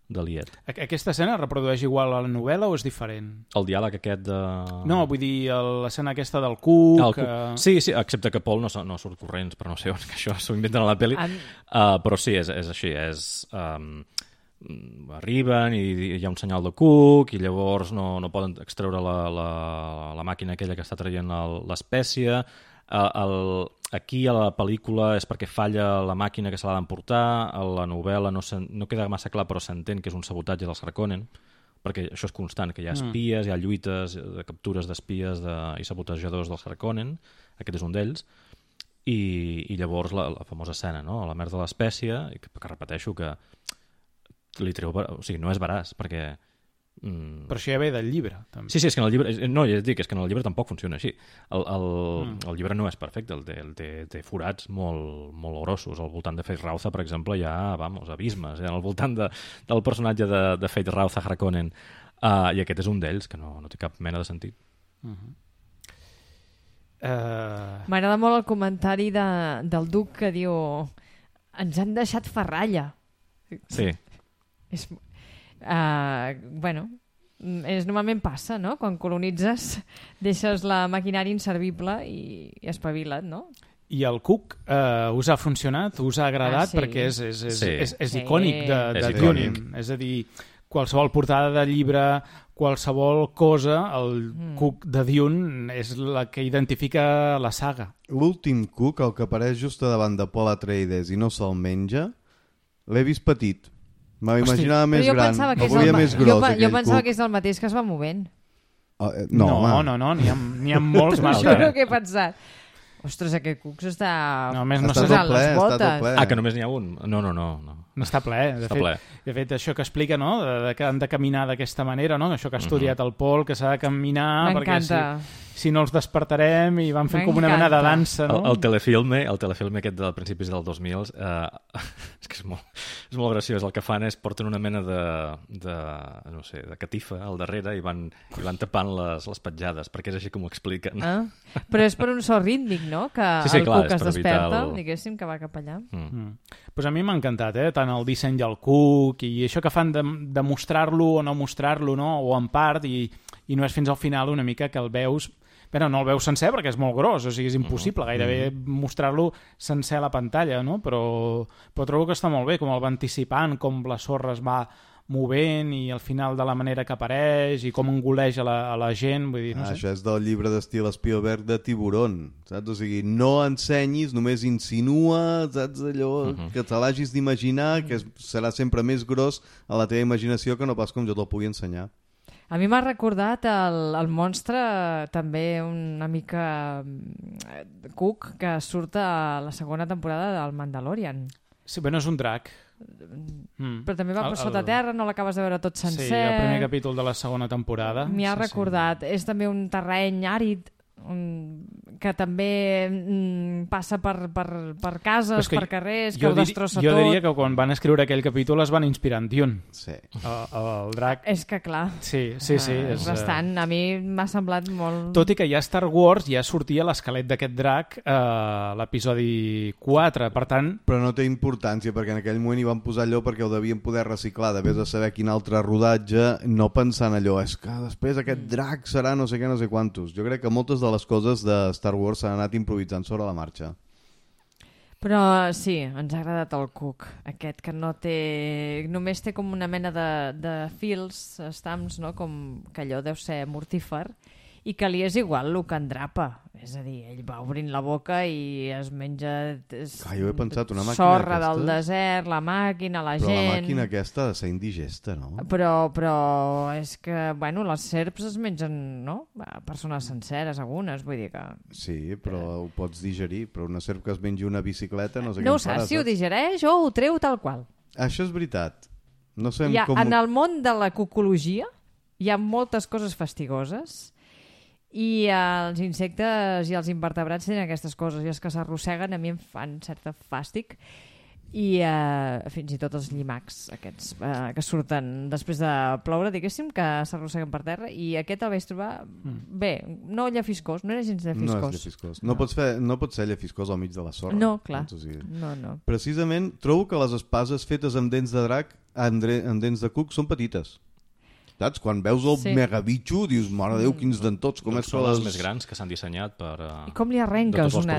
de Liet. Aquesta escena es reprodueix igual a la novel·la o és diferent? El diàleg aquest de... No, vull dir, l'escena aquesta del Cook... Sí, excepte que Paul no surt corrents, però no sé on, que això s'ho inventen a la pel·li. Però sí, és així, arriben i hi ha un senyal de Cook i llavors no poden extreure la màquina aquella que està traient l'espècie. Aquí a la pel·lícula és perquè falla la màquina que se l'ha d'emportar. A la novel·la no queda massa clar, però s'entén que és un sabotatge dels Harkonnen, perquè això és constant, que hi ha espies, hi ha lluites de captures d'espies i sabotejadors dels Harkonnen. Aquest és un d'ells. I llavors la famosa escena, no? La merda de l'espècie, que repeteixo que li treu... O sigui, no és veraç, perquè... Però això ja ve del llibre, també. Sí, és que en el llibre... No, ja et dic, és que en el llibre tampoc funciona així. El llibre no és perfecte, té forats molt grossos. Al voltant de Feyd Rautha, per exemple, hi ha, abismes, al voltant del personatge de Feyd Rautha Harkonnen. I aquest és un d'ells, que no té cap mena de sentit. M'agrada molt el comentari del Duc que diu ens han deixat ferralla. Sí. Normalment passa, no? Quan colonitzes deixes la maquinària inservible i espavila't, no? I el Cook us ha funcionat? Us ha agradat? Perquè és icònic de Dune. És a dir, qualsevol portada de llibre, qualsevol cosa, el Cook de Dune és la que identifica la saga. L'últim Cook, el que apareix just davant de Paul Atreides i no se'l menja, L'he vist petit. M'imaginava més jo gran. pensava que El volia més gros, jo pensava cuc. que és el mateix que es va movent. No, no, n'hi ha molts Això massa. és el que he pensat. Ostres, aquest cuc s'està... No, més no Està sé, tot ple, està tot ple. que només n'hi ha un? No. no està ple. Està ple. De fet, això que explica, no?, que han de caminar d'aquesta manera, no?, això que ha estudiat el Pol, que s'ha de caminar perquè si no els despertarem i van fent com una mena de dansa, no? El telefilme aquest dels principis del 2000 és que és molt graciós. El que fan és porten una mena no sé, de catifa al darrere i van tapant les petjades, perquè és així com ho expliquen. Però és per un so rítmic, no?, que sí, el clar, cuc es desperta, diguéssim, que va cap allà. Pues a mi m'ha encantat, tant el disseny del cuc i això que fan de mostrar-lo o no mostrar-lo, no?, o en part, i no és fins al final una mica que el veus. Però no el veus sencer perquè és molt gros, o sigui, és impossible gairebé mostrar-lo sencer a la pantalla, no? Però trobo que està molt bé, com el va anticipant, com la sorra es va movent i al final de la manera que apareix i com engoleix a la gent, vull dir, no sé. Això és del llibre d'estil Spielberg de Tiburón, saps? O sigui, no ensenyis, només insinua, saps, allò que te l'hagis d'imaginar, que serà sempre més gros a la teva imaginació que no pas com jo te'l pugui ensenyar. A mi m'ha recordat el monstre també una mica cuc que surt a la segona temporada del Mandalorian. Sí, però no és un drac. Però també va per sota terra, no l'acabes de veure tot sencer. Sí, el primer capítol de la segona temporada. M'hi ha recordat. És també un terreny àrid que també passa per cases, per carrers, que ho destrossa tot. Jo diria que quan van escriure aquell capítol es van inspirar en Dune. Sí. El drac. És que clar. Sí. És bastant. A mi m'ha semblat molt... Tot i que ja a Star Wars ja sortia l'esquelet d'aquest drac a l'episodi 4, per tant... Però no té importància, perquè en aquell moment hi van posar allò perquè ho devien poder reciclar, de vés a saber quin altre rodatge, no pensant allò, és que després aquest drac serà no sé què, no sé quantos. Jo crec que moltes de les coses de Star Wars s'han anat improvisant sobre la marxa. Però sí, ens ha agradat el cuc, aquest que no té... Només té com una mena de fils, estamps, no? Com que allò deu ser mortífer, i que li és igual el que endrapa. És a dir, ell va obrint la boca i es menja jo he pensat, una màquina sorra d'aquestes... del desert, la màquina, la gent... Però la màquina aquesta ha de ser indigesta, no? Però és que, bueno, les serps es mengen, no? Persones senceres, algunes, vull dir que... Sí, però ho pots digerir, però una serp que es mengi una bicicleta no sé no què en farà, saps si ho digereix o ho treu tal qual. Això és veritat. No sabem com... En el món de la cucologia hi ha moltes coses fastigoses i els insectes i els invertebrats tenen aquestes coses i els que s'arrosseguen a mi em fan certa fàstic i fins i tot els llimacs aquests que surten després de ploure, diguéssim, que s'arrosseguen per terra, i aquest el vaig trobar bé, no llefiscós, no era gens llefiscós. No és llefiscós. No pot ser llefiscós al mig de la sorra. No, clar. O sigui, no. Precisament trobo que les espases fetes amb dents de drac, amb dents de cuc, són petites. Saps? Quan veus el megabitxo dius, mare Déu, quins dentots, com és que són les més grans que s'han dissenyat per... I com li arrenques una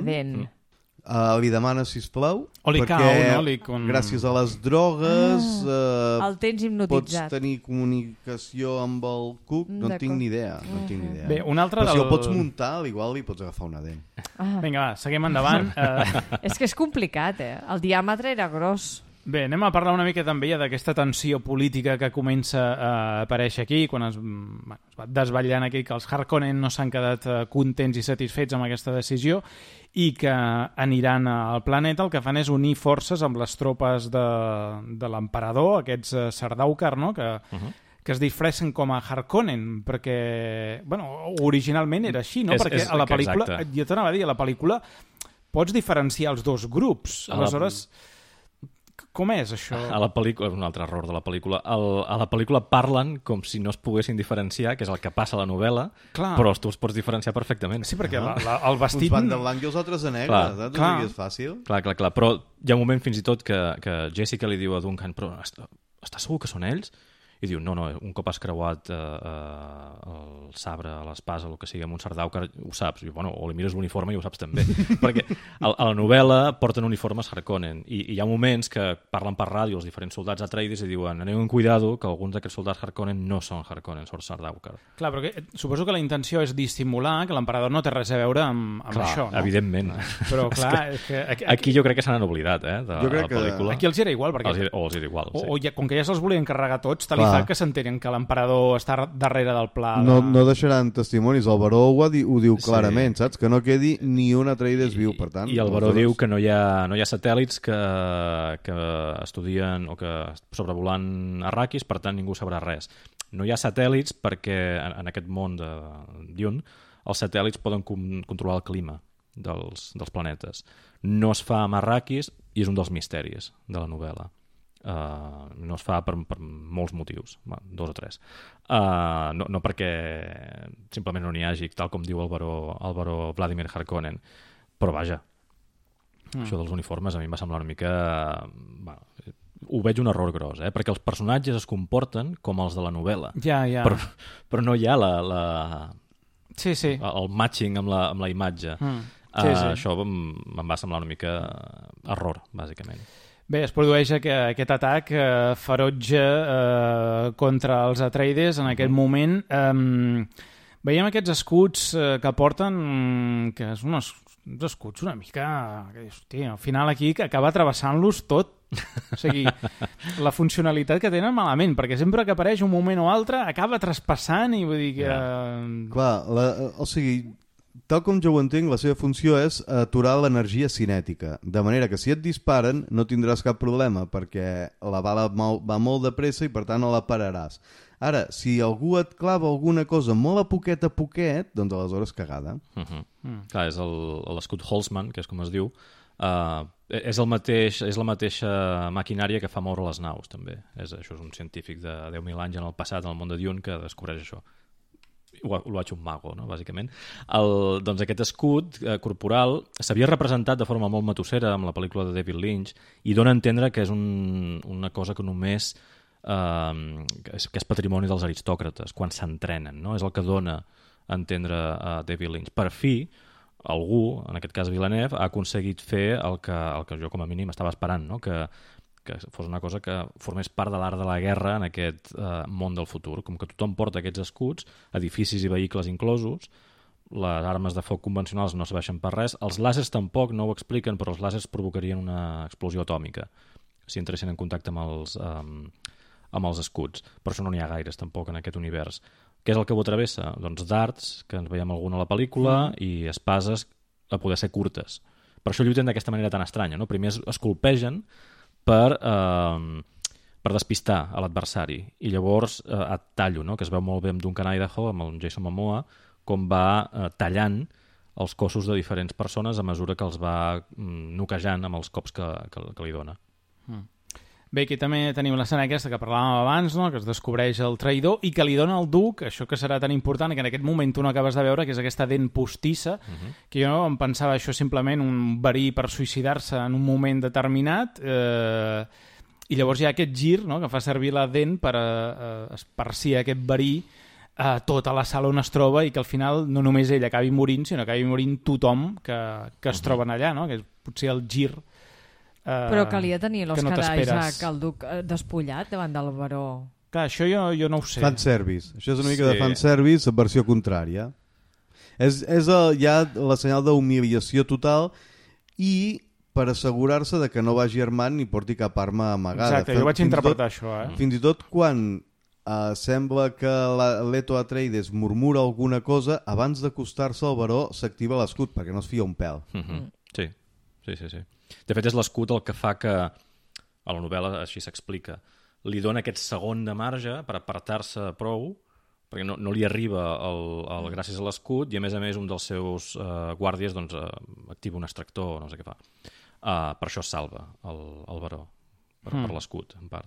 dent? Li demanes, sisplau, o li perquè gràcies a les drogues el tens hipnotitzat. pots tenir comunicació amb el cuc, no en tinc ni idea. Bé, un altre però si el pots muntar, igual li pots agafar una dent. Vinga, va, seguim endavant. És que és complicat, el diàmetre era gros. Bé, anem a parlar una mica també d'aquesta tensió política que comença a aparèixer aquí, quan es va desvetllant aquí que els Harkonnen no s'han quedat contents i satisfets amb aquesta decisió i que aniran al planeta. El que fan és unir forces amb les tropes de l'emperador, aquests Sardaukar, no?, que es disfressen com a Harkonnen, perquè, bueno, originalment era així, no? Perquè a la pel·lícula, jo t'anava a dir, a la pel·lícula pots diferenciar els dos grups, aleshores... Com és això? A la pel·lícula, un altre error de la pel·lícula, a la pel·lícula parlen com si no es poguessin diferenciar, que és el que passa a la novel·la, però tu els pots diferenciar perfectament. Sí, perquè el vestit... Uns van de blanc i els altres de negre, saps? O sigui, és fàcil. Clar, però hi ha un moment fins i tot que Jessica li diu a Duncan, però estàs segur que són ells? i diu, no, un cop has creuat el sabre, l'espasa, el que sigui, amb un Sardaukar, ho saps. I, bueno, o li mires l'uniforme i ho saps també. Perquè a la novel·la porten uniformes Harkonnen i hi ha moments que parlen per ràdio els diferents soldats Atreides i diuen, aneu amb cuidado que alguns d'aquests soldats Harkonnen no són Harkonnen, són Sardaukar. Clar, però suposo que la intenció és dissimular que l'emperador no té res a veure amb això, no? Evidentment. Però clar, és que aquí jo crec que se n'han oblidat, de la pel·lícula. Aquí els era igual, perquè... Els era igual, sí. O com que ja se'ls volien carregar tots, tal i fa que s'entenen que l'emperador està darrere del pla. No deixaran testimonis. El Baró ho diu clarament, saps? Que no quedi ni un Atreides viu, per tant. I el Baró diu que no hi ha satèl·lits que estudien o que sobrevolant Arrakis, per tant ningú sabrà res. No hi ha satèl·lits perquè en aquest món de Dune els satèl·lits poden controlar el clima dels planetes. No es fa amb Arrakis i és un dels misteris de la novel·la. No es fa per molts motius, 2 o 3. No perquè simplement no n'hi hagi, tal com diu el baró Vladimir Harkonnen, però vaja, això dels uniformes a mi em va semblar una mica... ho veig un error gros, perquè els personatges es comporten com els de la novel·la. Ja. Però no hi ha Sí. el matching amb la imatge. Sí. Això em va semblar una mica error, bàsicament. Bé, es produeix aquest atac ferotge contra els Atreides en aquest moment. Veiem aquests escuts que porten, que és uns escuts una mica... Hòstia, al final aquí acaba travessant-los tot. O sigui, la funcionalitat que tenen malament, perquè sempre que apareix un moment o altre acaba traspassant i vull dir que... Clar, o sigui... Tal com jo ho entenc, la seva funció és aturar l'energia cinètica, de manera que si et disparen no tindràs cap problema, perquè la bala va molt de pressa i per tant no la pararàs. Ara, si algú et clava alguna cosa molt a poquet, doncs aleshores cagada. Clar, és l'escut Holtzman, que és com es diu, és la mateixa maquinària que fa moure les naus, també. Això és un científic de 10.000 anys en el passat, en el món de Dune, que descobreix això. Ho ha hecho un mago, no? Bàsicament. Doncs aquest escut corporal s'havia representat de forma molt matossera amb la pel·lícula de David Lynch i dona a entendre que és una cosa que només que és patrimoni dels aristòcrates quan s'entrenen, no? És el que dona a entendre a David Lynch. Per fi, algú, en aquest cas Villeneuve, ha aconseguit fer el que jo com a mínim estava esperant, no? Que fos una cosa que formés part de l'art de la guerra en aquest món del futur. Com que tothom porta aquests escuts, edificis i vehicles inclosos, les armes de foc convencionals no serveixen per res, els làsers tampoc no ho expliquen, però els làsers provocarien una explosió atòmica si entressin en contacte amb els escuts. Per això no n'hi ha gaires tampoc en aquest univers. Què és el que ho travessa? Doncs dards, que ens veiem alguna a la pel·lícula, i espases a poder ser curtes. Per això lluiten d'aquesta manera tan estranya, no? Primer es colpegen per despistar a l'adversari i llavors et tallo, no? Que es veu molt bé amb Duncan Idaho, amb el Jason Momoa, com va tallant els cossos de diferents persones a mesura que els va noquejant amb els cops que li dona. Bé, aquí també tenim l'escena aquesta que parlàvem abans, no? Que es descobreix el traïdor i que li dona al duc, això que serà tan important, que en aquest moment tu no acabes de veure, que és aquesta dent postissa, que jo em pensava això simplement un verí per suïcidar-se en un moment determinat, i llavors hi ha aquest gir, no? Que fa servir la dent per esparcir aquest verí a tota la sala on es troba i que al final no només ell acabi morint, sinó que acabi morint tothom que es troben allà, no? Que és potser el gir però calia tenir l'Oscar t'esperes. Isaac, el duc despullat davant del baró. Clar, això jo no ho sé. Fanservice. Això és una mica de fanservice, versió contrària. És ja la senyal d'humiliació total i per assegurar-se de que no vagi armant ni porti cap arma amagada. Exacte, jo vaig interpretar això. Fins i tot quan sembla que Leto Atreides murmura alguna cosa, abans d'acostar-se al baró s'activa l'escut perquè no es fia un pèl. Sí. De fet, és l'escut el que fa que, a la novel·la així s'explica, li dona aquest segon de marge per apartar-se prou, perquè no li arriba gràcies a l'escut, i a més un dels seus guàrdies doncs, activa un extractor, no sé què fa. Per això es salva el baró, per l'escut, en part.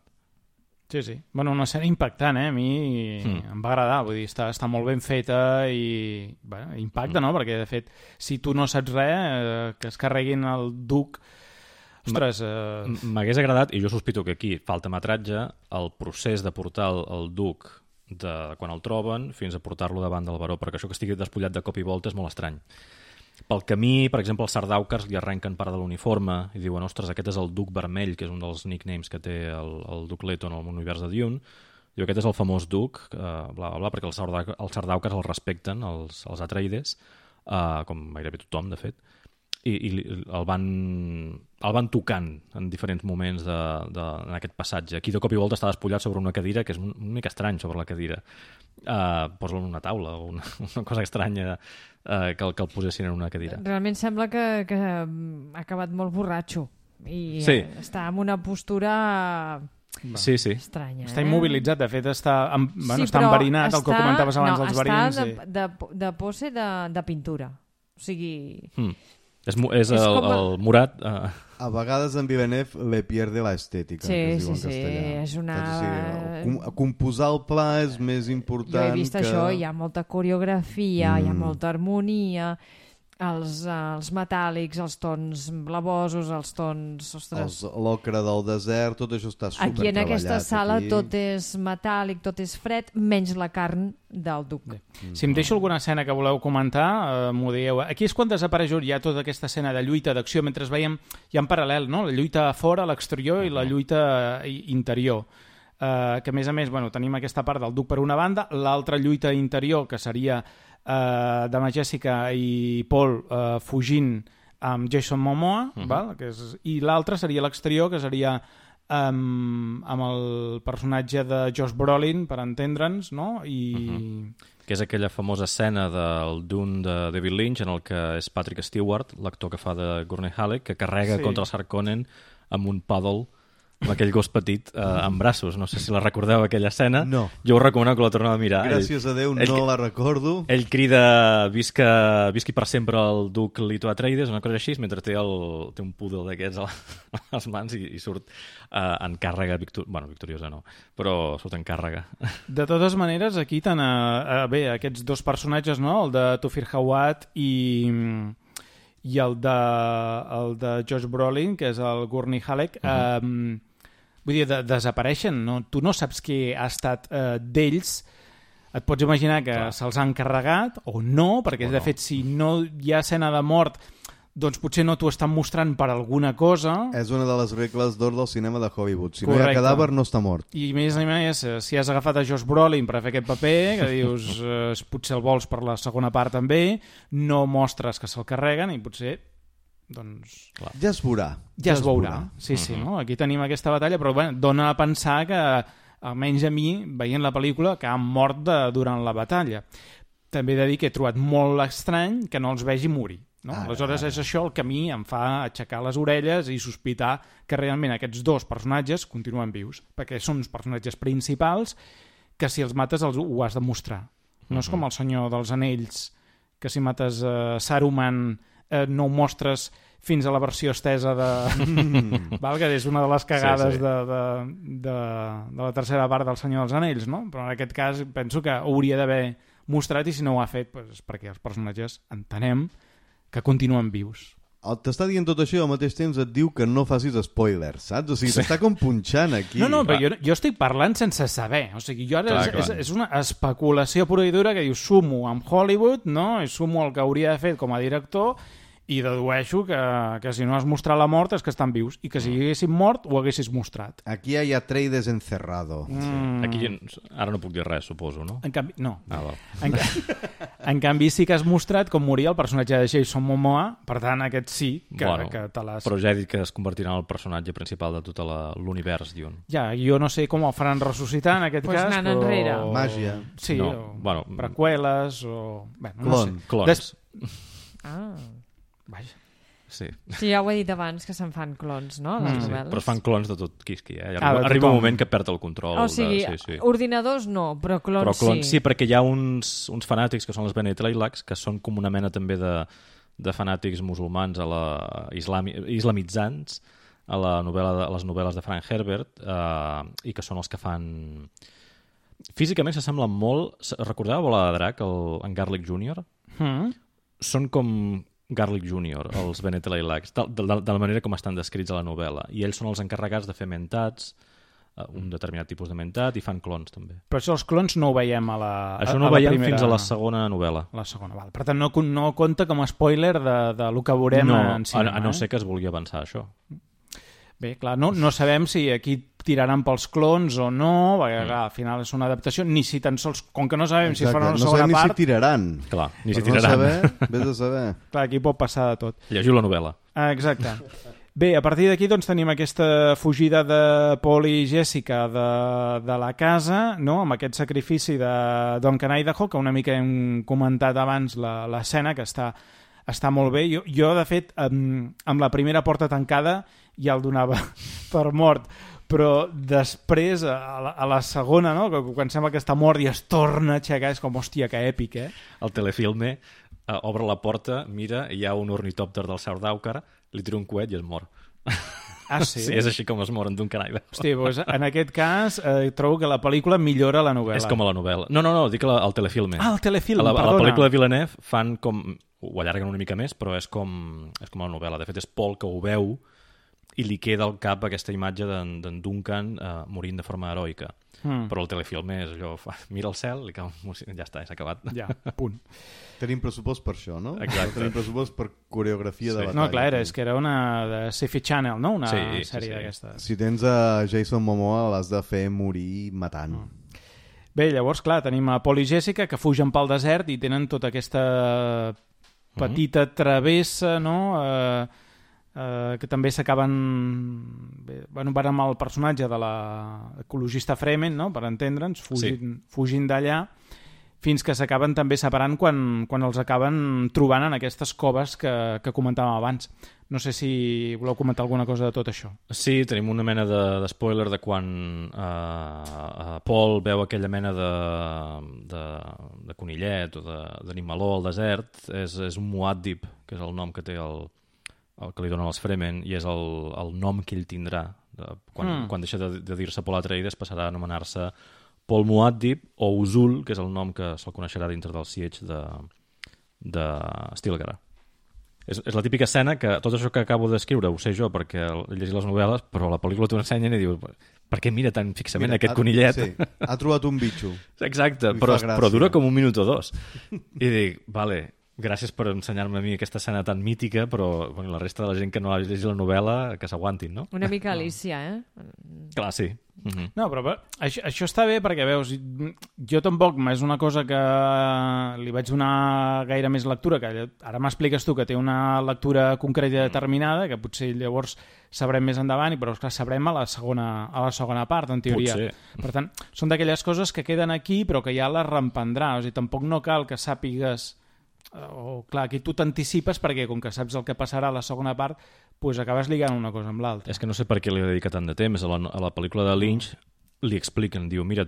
Sí. Bueno, una escena impactant, a mi em va agradar, vull dir, està molt ben feta i impacta, no? Perquè, de fet, si tu no saps res, que es carreguin el duc Ostres... M'hagués agradat, i jo sospito que aquí falta metratge, el procés de portar el duc de quan el troben fins a portar-lo davant del baró, perquè això que estigui despullat de cop i volta és molt estrany. Pel camí, per exemple, els Sardaukars li arrenquen part de l'uniforme i diuen, ostres, aquest és el duc vermell, que és un dels nicknames que té el duc Leto en el univers de Dune. Diu, aquest és el famós duc, bla, bla, bla, perquè els Sardaukars el respecten, els Atreides, com gairebé tothom, de fet, i el van tocant en diferents moments en aquest passatge. Aquí de cop i volta està despullat sobre una cadira, que és una mica estrany sobre la cadira. Posa-lo en una taula o una cosa estranya que el posessin en una cadira. Realment sembla que ha acabat molt borratxo i està en una postura... Sí. estranya. Està immobilitzat, de fet està enverinat, el que comentaves abans dels verins. Està de pose de pintura. O sigui... És el Murat... A vegades en Villeneuve le pierde la estética, que es diu en castellà. És una... Composar el pla és més important que... Jo he vist això, hi ha molta coreografia, hi ha molta harmonia, els metàl·lics, els tons blavosos, els tons... L'ocre del desert, tot això està supertreballat. Aquí en aquesta sala tot és metàl·lic, tot és fred, menys la carn del duc. Si em deixo alguna escena que voleu comentar, m'ho dieu. Aquí és quan desapareix ja tota aquesta escena de lluita, d'acció, mentre veiem ja en paral·lel, no? La lluita a fora, a l'exterior, i la lluita interior. Que a més, tenim aquesta part del duc per una banda, l'altra lluita interior, que seria de Jessica i Paul fugint amb Jason Momoa, val? I l'altre seria l'exterior, que seria amb el personatge de Josh Brolin, per entendre'ns, no? Que és aquella famosa escena del Dune de David Lynch, en el que és Patrick Stewart, l'actor que fa de Gurney Halleck, que carrega contra el Harkonnen amb un paddle, amb aquell gos petit en braços. No sé si la recordeu, aquella escena. No. Jo us recomano que la torneu a mirar. Gràcies a Déu, no la recordo. Ell crida visqui per sempre el duc Leto Atreides, una cosa així, mentre té un poodle d'aquests a les mans i surt en càrrega victoriosa no, però surt en càrrega. De totes maneres, aquí aquests dos personatges, no? El de Tufir Hawat i el de Josh Brolin, que és el Gurney Halleck, vull dir, desapareixen, no? Tu no saps què ha estat d'ells, et pots imaginar que se'ls han carregat o no, perquè de fet si no hi ha escena de mort, doncs potser no t'ho estan mostrant per alguna cosa. És una de les regles d'or del cinema de Hollywood. Si no hi ha cadàver, no està mort. I més a més, si has agafat a Josh Brolin per fer aquest paper, que dius potser el vols per la segona part també, no mostres que se'l carreguen i potser doncs... Ja es veurà. Ja es veurà. Sí, no? Aquí tenim aquesta batalla, però dona a pensar que, almenys a mi, veient la pel·lícula, que han mort durant la batalla. També he de dir que he trobat molt estrany que no els vegi morir. No? Aleshores és això el que a mi em fa aixecar les orelles i sospitar que realment aquests dos personatges continuen vius, perquè són uns personatges principals que si els mates ho has de mostrar. No és com el Senyor dels Anells, que si mates Saruman no ho mostres fins a la versió estesa de... Val? Que és una de les cagades de la tercera part del Senyor dels Anells, no? Però en aquest cas penso que hauria d'haver mostrat i si no ho ha fet doncs perquè els personatges entenem que continuen vius. T'està dient tot això i al mateix temps et diu que no facis spoilers, saps? O sigui, t'està com punxant aquí. No, però jo estic parlant sense saber. O sigui, jo ara és una especulació pura i dura que diu sumo amb Hollywood, no? I sumo el que hauria de fer com a director i dedueixo que si no has mostrat la mort és que estan vius i que si haguessin mort ho haguessis mostrat. Aquí hi ha Atreides encerrado. Aquí ara no puc dir res, suposo, no? En canvi, no. En canvi sí que has mostrat com moria el personatge de Jason Momoa, per tant aquest sí que te l'has... Però ja he dit que es convertirà en el personatge principal de tot l'univers Dune. Ja, jo no sé com el faran ressuscitar en aquest cas, però... enrere. Màgia. Sí, preqüeles o... Clons. Vaja. Sí, ja ho he dit abans, que se'n fan clons, no? Les novel·les. Però es fan clons de tot quisqui, Arriba un moment que perd el control. O sigui, ordinadors no, però clons sí. Sí, perquè hi ha uns fanàtics que són les Bene Tleilax, que són com una mena també de fanàtics musulmans islamitzants a les novel·les de Frank Herbert i que són els que fan... Físicament s'assemblen molt... Recordeu Bola de Drac, en Garlic Jr.? Són com Garlic Jr., els Bennett Lilacs, de la manera com estan descrits a la novel·la. I ells són els encarregats de fer mentats, un determinat tipus de mentat, i fan clons, també. Però això, els clons no ho veiem a la Això no ho veiem fins a la segona novel·la. La segona, val. Per tant, no compta com a spoiler de lo que veurem en cinema. A no ser que es vulgui avançar això. Bé, clar, no sabem si aquí tiraran pels clons o no, perquè clar, al final és una adaptació, ni si tan sols, com que no sabem si faran una segona part... No sabem ni si tiraran. Clar, ni si tiraran. No saber, vés a saber. Clar, aquí pot passar de tot. Llegiu la novel·la. Exacte. Bé, a partir d'aquí doncs, tenim aquesta fugida de Paul i Jessica de la casa, no? Amb aquest sacrifici de Duncan Idaho, que una mica hem comentat abans l'escena, que està molt bé. Jo, de fet, amb la primera porta tancada ja el donava per mort, però després, a la segona, no? Quan sembla que està mort i es torna a aixecar, és com, hòstia, que èpic, eh? El telefilme obre la porta, mira, hi ha un ornitòpter del South Dawker, li tira un coet i es mor. Ah, sí? Sí, és així com es moren d'un canall. Hosti, doncs en aquest cas trobo que la pel·lícula millora la novel·la. És com a la novel·la. No, dic el telefilme. Ah, el telefilm, perdona. perdona. A la pel·lícula de Villeneuve fan com... Ho allarguen una mica més, però és com a la novel·la. De fet, és Paul que ho veu i li queda al cap aquesta imatge d'en Duncan morint de forma heroica. Però el telefilme és allò... Mira el cel, li cau... Ja està, s'ha acabat. Ja, punt. Tenim pressupost per això, no? Exacte. Tenim pressupost per coreografia de batalla. No, clar, és que era una de Sci-Fi Channel, no? Una sèrie d'aquestes. Si tens a Jason Momoa l'has de fer morir matant. Bé, llavors, clar, tenim a Paul i Jessica que fugen pel desert i tenen tota aquesta petita travessa, no? Que també s'acaben... Bueno, van amb el personatge de l'ecologista Fremen, no? Per entendre'ns, fugint d'allà, fins que s'acaben també separant quan els acaben trobant en aquestes coves que comentàvem abans. No sé si voleu comentar alguna cosa de tot això. Sí, tenim una mena de spoiler de quan Paul veu aquella mena de conillet o d'animaló al desert. És un Muad'Dib, que és el nom que té el que li donen els Fremen, i és el nom que ell tindrà. Quan deixa de dir-se Paul Atreides passarà a anomenar-se Paul Muad'Dib o Usul, que és el nom que se'l coneixerà dintre del Siege de Stilgar. És la típica escena que tot això que acabo d'escriure ho sé jo perquè he llegit les novel·les, però la pel·lícula t'ho ensenyen i dius, per què mira tan fixament aquest conillet? Sí, ha trobat un bitxo. Exacte, però dura com un minut o dos. I dic, vale, gràcies per ensenyar-me a mi aquesta escena tan mítica, però bueno, la resta de la gent que no ha llegit la novel·la, que s'aguantin, no? Una mica Alicia, eh? Clar, sí. No, però això està bé perquè, veus, jo tampoc és una cosa que li vaig donar gaire més lectura, que ara m'expliques tu que té una lectura concreta i determinada, que potser llavors sabrem més endavant, però esclar, sabrem a la segona part, en teoria. Potser. Per tant, són d'aquelles coses que queden aquí però que ja les reemprendrà, o sigui, tampoc no cal que sàpigues clar, aquí tu t'anticipes perquè com que saps el que passarà a la segona part pues acabes lligant una cosa amb l'altra. És que no sé per què li dedica tant de temps. A la pel·lícula de Lynch li expliquen, diu, mira,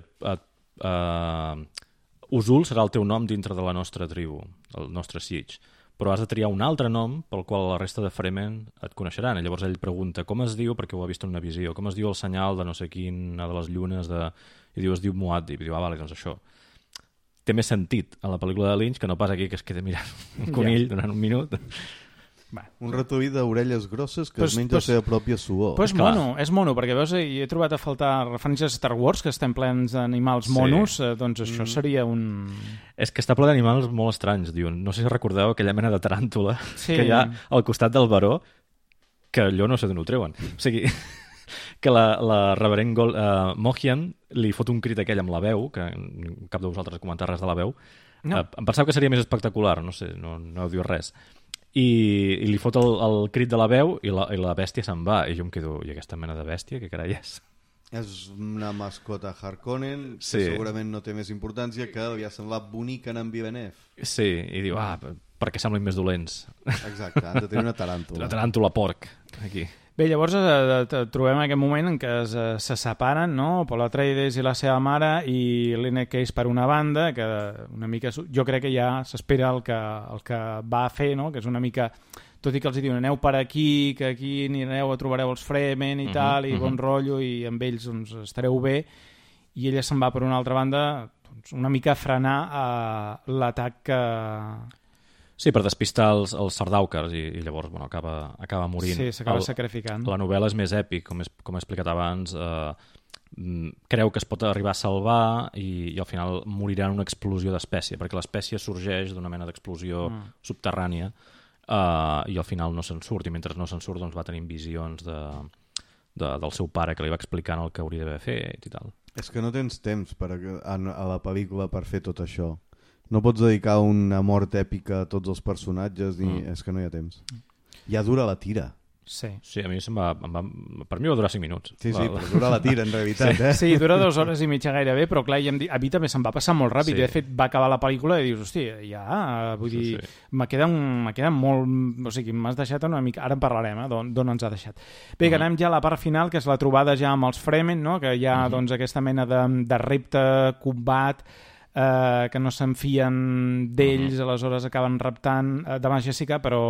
Usul serà el teu nom dintre de la nostra tribu, el nostre Siege, però has de triar un altre nom pel qual la resta de Fremen et coneixeran. I llavors ell pregunta com es diu, perquè ho ha vist en una visió, com es diu el senyal de no sé quina de les llunes, i diu, es diu Muad'Dib, i diu, vale, doncs això. Té més sentit a la pel·lícula de Lynch que no pas aquí que es queda mirant un conill durant un minut. Un ratolí d'orelles grosses que es menja la seva pròpia suor. Però és mono, perquè veus, he trobat a faltar referències a Star Wars, que estem plens d'animals monos, doncs això seria un... És que està ple d'animals molt estranys, diuen. No sé si recordeu aquella mena de taràntula que hi ha al costat del baró, que allò no sé d'on ho treuen. O sigui... que la reverent Mohiam li fot un crit aquell amb la veu, que cap de vosaltres ha comentat res de la veu. No. Em pensava que seria més espectacular, no sé, no diu res. I li fot el crit de la veu i la bèstia se'n va. I jo em quedo, i aquesta mena de bèstia, què carai és? És una mascota Harkonnen, que segurament no té més importància, que li ha semblat bonic en Villeneuve. Sí, i diu, perquè semblin més dolents. Exacte, han de tenir una taràntula. Una taràntula porc, aquí. Bé, llavors trobem aquest moment en què se separen, no? Paul Atreides i la seva mare i Lynette Case per una banda, que una mica jo crec que ja s'espera el que va a fer, no? Que és una mica, tot i que els diuen aneu per aquí, que aquí anireu a trobareu els Fremen i tal, i bon rotllo, i amb ells doncs, estareu bé, i ella se'n va per una altra banda doncs, una mica a frenar l'atac Sí, per despistar els sardaukars i llavors acaba morint. Sí, s'acaba sacrificant. La novel·la és més èpic, com he explicat abans. Creu que es pot arribar a salvar i al final morirà en una explosió d'espècie, perquè l'espècie sorgeix d'una mena d'explosió subterrània i al final no se'n surt, i mentre no se'n surt doncs va tenint visions del seu pare que li va explicant el que hauria d'haver fet i tal. És que no tens temps a la pel·lícula per fer tot això. No pots dedicar una mort èpica a tots els personatges, és que no hi ha temps. Ja dura la tira. Sí, a mi per mi va durar 5 minuts. Sí, però dura la tira, en realitat. Sí, dura 2 hores i mitja gairebé, però clar, a mi també se'm va passar molt ràpid. De fet, va acabar la pel·lícula i dius, hòstia, vull dir, me queda molt... O sigui, m'has deixat una mica... Ara en parlarem, d'on ens ha deixat. Bé, que anem ja a la part final, que és la trobada ja amb els Fremen, no? Que hi ha doncs, aquesta mena de repte, combat... que no s'enfien d'ells, aleshores acaben raptant davant Jessica, però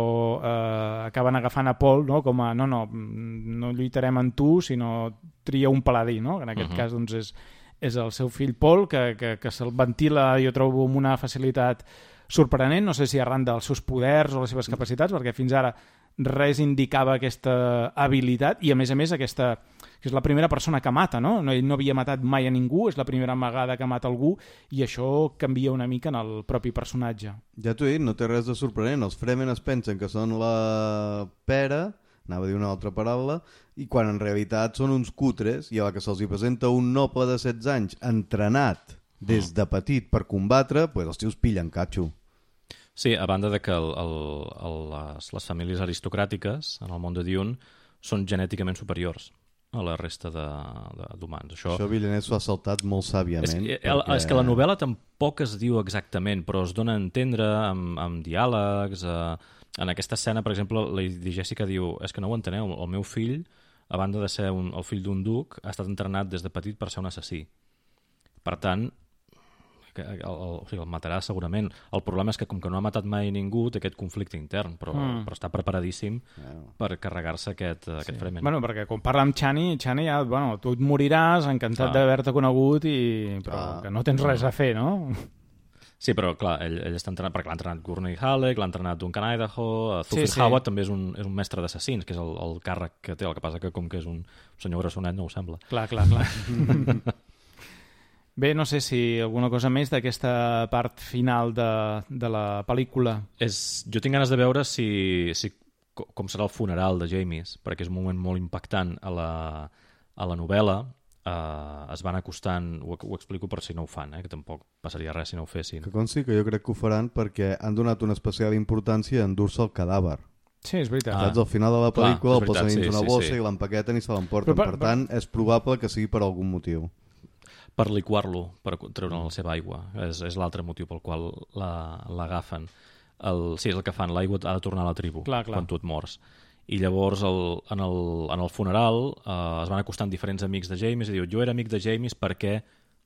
acaben agafant a Paul, no? Com a no lluitarem amb tu, sinó tria un paladí, no? En aquest cas doncs, és el seu fill Paul, que se'l ventila, jo trobo, amb una facilitat sorprenent, no sé si arran dels seus poders o les seves capacitats, perquè fins ara res indicava aquesta habilitat, i a més aquesta, que és la primera persona que mata, no? Ell no havia matat mai a ningú, és la primera vegada que mata algú, i això canvia una mica en el propi personatge. Ja t'ho he dit, no té res de sorprenent. Els Fremen es pensen que són la pera, anava a dir una altra paraula, i quan en realitat són uns cutres, i a la que se'ls presenta un noble de 16 anys entrenat des de petit per combatre, doncs els tios pillen catxo. Sí, a banda de que les famílies aristocràtiques en el món de Dune són genèticament superiors a la resta d'humans. Això Villeneuve s'ho ha saltat molt sàviament. És que la novel·la tampoc es diu exactament, però es dona a entendre amb diàlegs. En aquesta escena, per exemple, Lady Jessica diu, és que no ho enteneu, el meu fill, a banda de ser el fill d'un duc, ha estat entrenat des de petit per ser un assassí. Per tant, el matarà segurament. El problema és que com que no ha matat mai ningú té aquest conflicte intern, però està preparadíssim per carregar-se aquest Fremen. Bueno, perquè quan parla amb Chani ja, tu et moriràs, encantat d'haver-te conegut, però que no tens res a fer, no? Sí, però clar, ell està entrenat, perquè l'ha entrenat Gurney Halleck, l'ha entrenat Duncan Idaho, Thufir Hawat també és un mestre d'assassins, que és el càrrec que té, el que passa que com que és un senyor grassonet no ho sembla. Clar. Bé, no sé si alguna cosa més d'aquesta part final de la pel·lícula. Jo tinc ganes de veure com serà el funeral de Jamies, perquè és un moment molt impactant a la novel·la. Es van acostant, ho explico per si no ho fan, que tampoc passaria res si no ho fessin. Que consti que jo crec que ho faran perquè han donat una especial importància a endur-se el cadàver. Sí, és veritat. Saps, al final de la pel·lícula el posen dins una bossa i l'empaqueten i se l'emporten. Per tant, és probable que sigui per algun motiu. Per liquar-lo, per treure la seva aigua. És l'altre motiu pel qual l'agafen. Sí, és el que fan, l'aigua ha de tornar a la tribu quan tu et mors. I llavors en el funeral es van acostant diferents amics de Jamies i diuen, jo era amic de Jamies perquè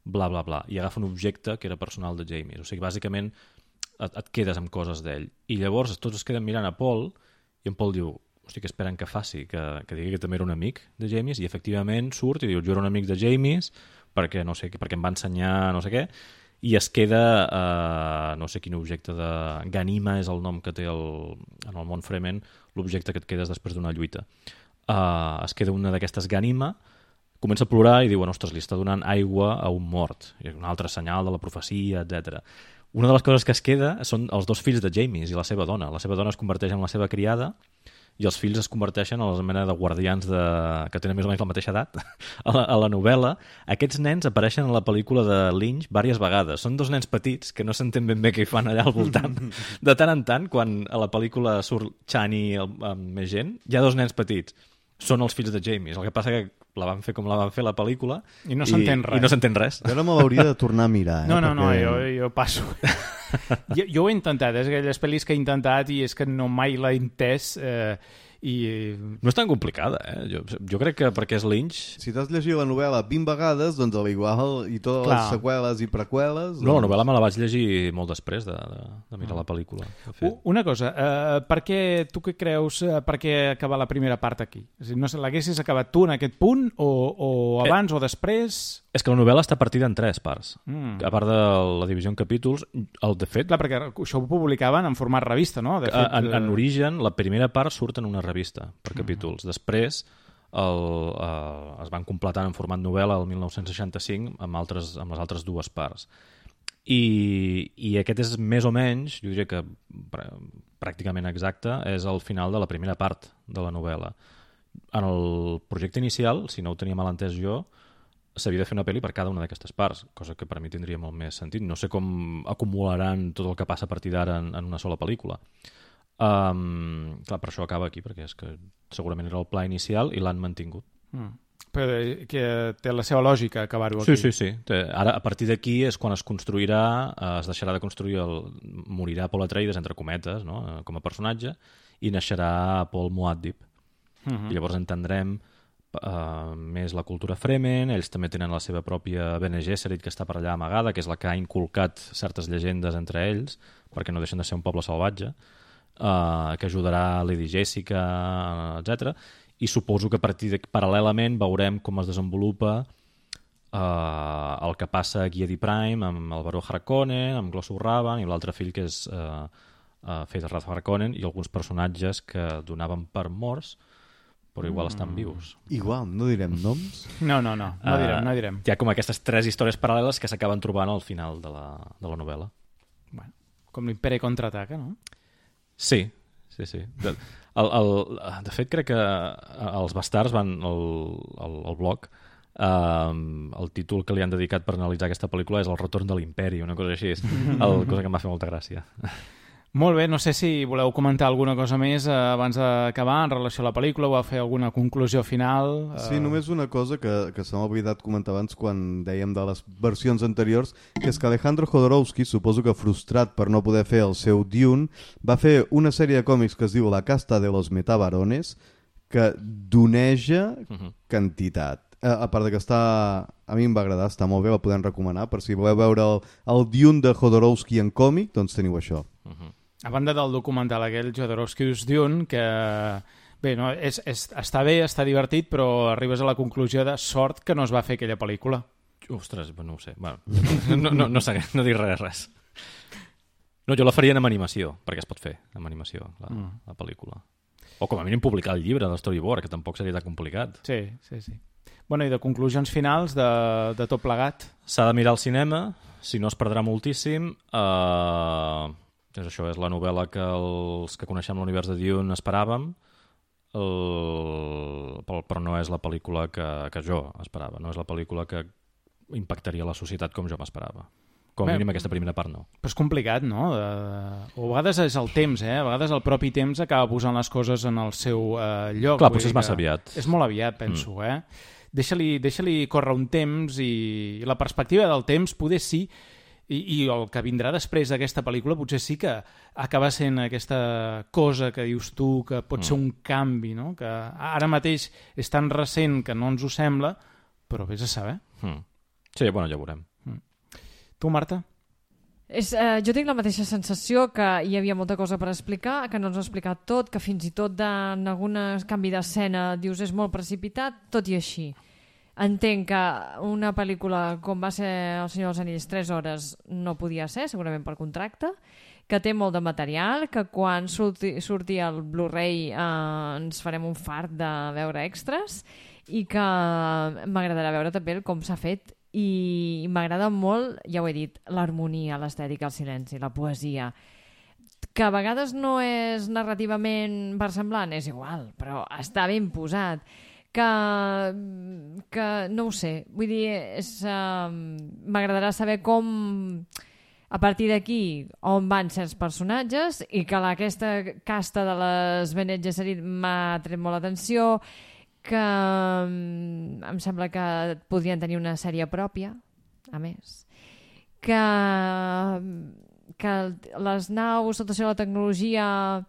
bla bla bla, i agafa un objecte que era personal de Jamies. O sigui, bàsicament et quedes amb coses d'ell. I llavors tots es queden mirant a Paul i en Paul diu, hosti, què esperen que faci? Que digui que també era un amic de Jamies? I efectivament surt i diu, jo era un amic de Jamies perquè em va ensenyar no sé què, i es queda no sé quin objecte de Ganima és el nom que té en el món Fremen, l'objecte que et quedes després d'una lluita. Es queda una d'aquestes Ganima, comença a plorar i diu, ostres, li està donant aigua a un mort, i un altre senyal de la profecia, etc. Una de les coses que es queda són els 2 fills de Jamies i la seva dona. La seva dona es converteix en la seva criada i els fills es converteixen en la mena de guardians que tenen més o menys la mateixa edat a la novel·la. Aquests nens apareixen a la pel·lícula de Lynch diverses vegades. Són 2 nens petits que no s'entén ben bé què hi fan allà al voltant. De tant en tant, quan a la pel·lícula surt Chani amb més gent, hi ha 2 nens petits. Són els fills de Jamies. El que passa que la van fer com la van fer la pel·lícula i no s'entén res. Jo no me l'hauria de tornar a mirar. No, jo passo. Jo ho he intentat, és aquelles pel·lis que he intentat i és que mai l'he entès No és tan complicada, Jo crec que perquè és Lynch... Si t'has llegit la novel·la 20 vegades, doncs a l'igual i totes les seqüeles i preqüeles... No, la novel·la me la vaig llegir molt després de mirar la pel·lícula. Una cosa, tu què creus, per què acabar la primera part aquí? És a dir, no sé, l'haguessis acabat tu en aquest punt o abans o després És que la novel·la està partida en 3 parts. A part de la divisió en capítols, de fet... Clar, perquè això ho publicaven en format revista, no? De fet, en origen, la primera part surt en una revista per capítols. Després es van completant en format novel·la el 1965 amb les altres 2 parts. I aquest és més o menys, jo diria que pràcticament exacte, és el final de la primera part de la novel·la. En el projecte inicial, si no ho tenia mal entès jo, s'havia de fer una pel·li per cada una d'aquestes parts, cosa que per mi tindria molt més sentit. No sé com acumularan tot el que passa a partir d'ara en una sola pel·lícula. Clar, per això acaba aquí, perquè és que segurament era el pla inicial i l'han mantingut. Però que té la seva lògica acabar-ho aquí. Sí. Ara, a partir d'aquí és quan es construirà, es deixarà de construir, morirà Paul Atreides, entre cometes, no? Com a personatge, i naixerà Paul Muad'Dib. I llavors entendrem més la cultura Fremen. Ells també tenen la seva pròpia Bene Gesserit, que està per allà amagada, que és la que ha inculcat certes llegendes entre ells, perquè no deixen de ser un poble salvatge, que ajudarà Lady Jessica, etc. I suposo que a partir paral·lelament veurem com es desenvolupa el que passa a Giedi Prime amb el baró Harkonnen, amb Glossu Ravan i l'altre fill que és Feyd Rath Harkonnen, i alguns personatges que donaven per morts però igual estan vius. Igual, no direm noms? No direm. Hi ha com aquestes 3 històries paral·leles que s'acaben trobant al final de la novel·la. Bueno, com l'Imperi contraataca, no? Sí. De fet, crec que els bastards van al blog, el títol que li han dedicat per analitzar aquesta pel·lícula és El retorn de l'Imperi, una cosa així, cosa que em va fer molta gràcia. Molt bé, no sé si voleu comentar alguna cosa més abans d'acabar en relació a la pel·lícula o a fer alguna conclusió final. Sí, només una cosa que se m'ha oblidat comentar abans quan dèiem de les versions anteriors, que és que Alejandro Jodorowsky, suposo que frustrat per no poder fer el seu Dune, va fer una sèrie de còmics que es diu La casta de los metabarones, que doneja quantitat. A part de que a mi em va agradar, està molt bé, la podem recomanar, per si voleu veure el Dune de Jodorowsky en còmic, doncs teniu això. A banda del documental aquell Jodorowsky's Dune, que bé, no, està bé, està divertit, però arribes a la conclusió de sort que no es va fer aquella pel·lícula. Ostres, no ho sé. Bueno, no dic res. No, jo la faria en animació, perquè es pot fer amb animació, la pel·lícula. O com a mínim publicar el llibre del storyboard, que tampoc seria tan complicat. Sí. Bueno, i de conclusions finals de tot plegat? S'ha de mirar al cinema, si no es perdrà moltíssim. Això és la novel·la que els que coneixem l'univers de Dune esperàvem, però no és la pel·lícula que jo esperava, no és la pel·lícula que impactaria la societat com jo m'esperava. Com a mínim aquesta primera part no. Però és complicat, no? O a vegades és el temps, A vegades el propi temps acaba posant les coses en el seu lloc. Clar, potser és massa aviat. És molt aviat, penso, Deixa-li córrer un temps i la perspectiva del temps poder sí. I el que vindrà després d'aquesta pel·lícula potser sí que acaba sent aquesta cosa que dius tu, que pot ser un canvi, no? Que ara mateix és tan recent que no ens ho sembla, però vés a saber. Sí, bueno, ja ho veurem. Tu, Marta? Jo tinc la mateixa sensació que hi havia molta cosa per explicar, que no ens ha explicat tot, que fins i tot en algun canvi d'escena dius és molt precipitat, tot i així. Entenc que una pel·lícula com va ser El Senyor dels Anells 3 hores no podia ser, segurament per contracte, que té molt de material, que quan surti el Blu-ray ens farem un fart de veure extras i que m'agradarà veure també com s'ha fet i m'agrada molt, ja ho he dit, l'harmonia, l'estètica, el silenci, la poesia, que a vegades no és narrativament versemblant, és igual, però està ben posat. Que no ho sé, vull dir, m'agradarà saber com a partir d'aquí on van certs personatges i que aquesta casta de les Bene Gesserit m'ha tret molt l'atenció, que em sembla que podrien tenir una sèrie pròpia, a més, que les naus, tot això, la tecnologia...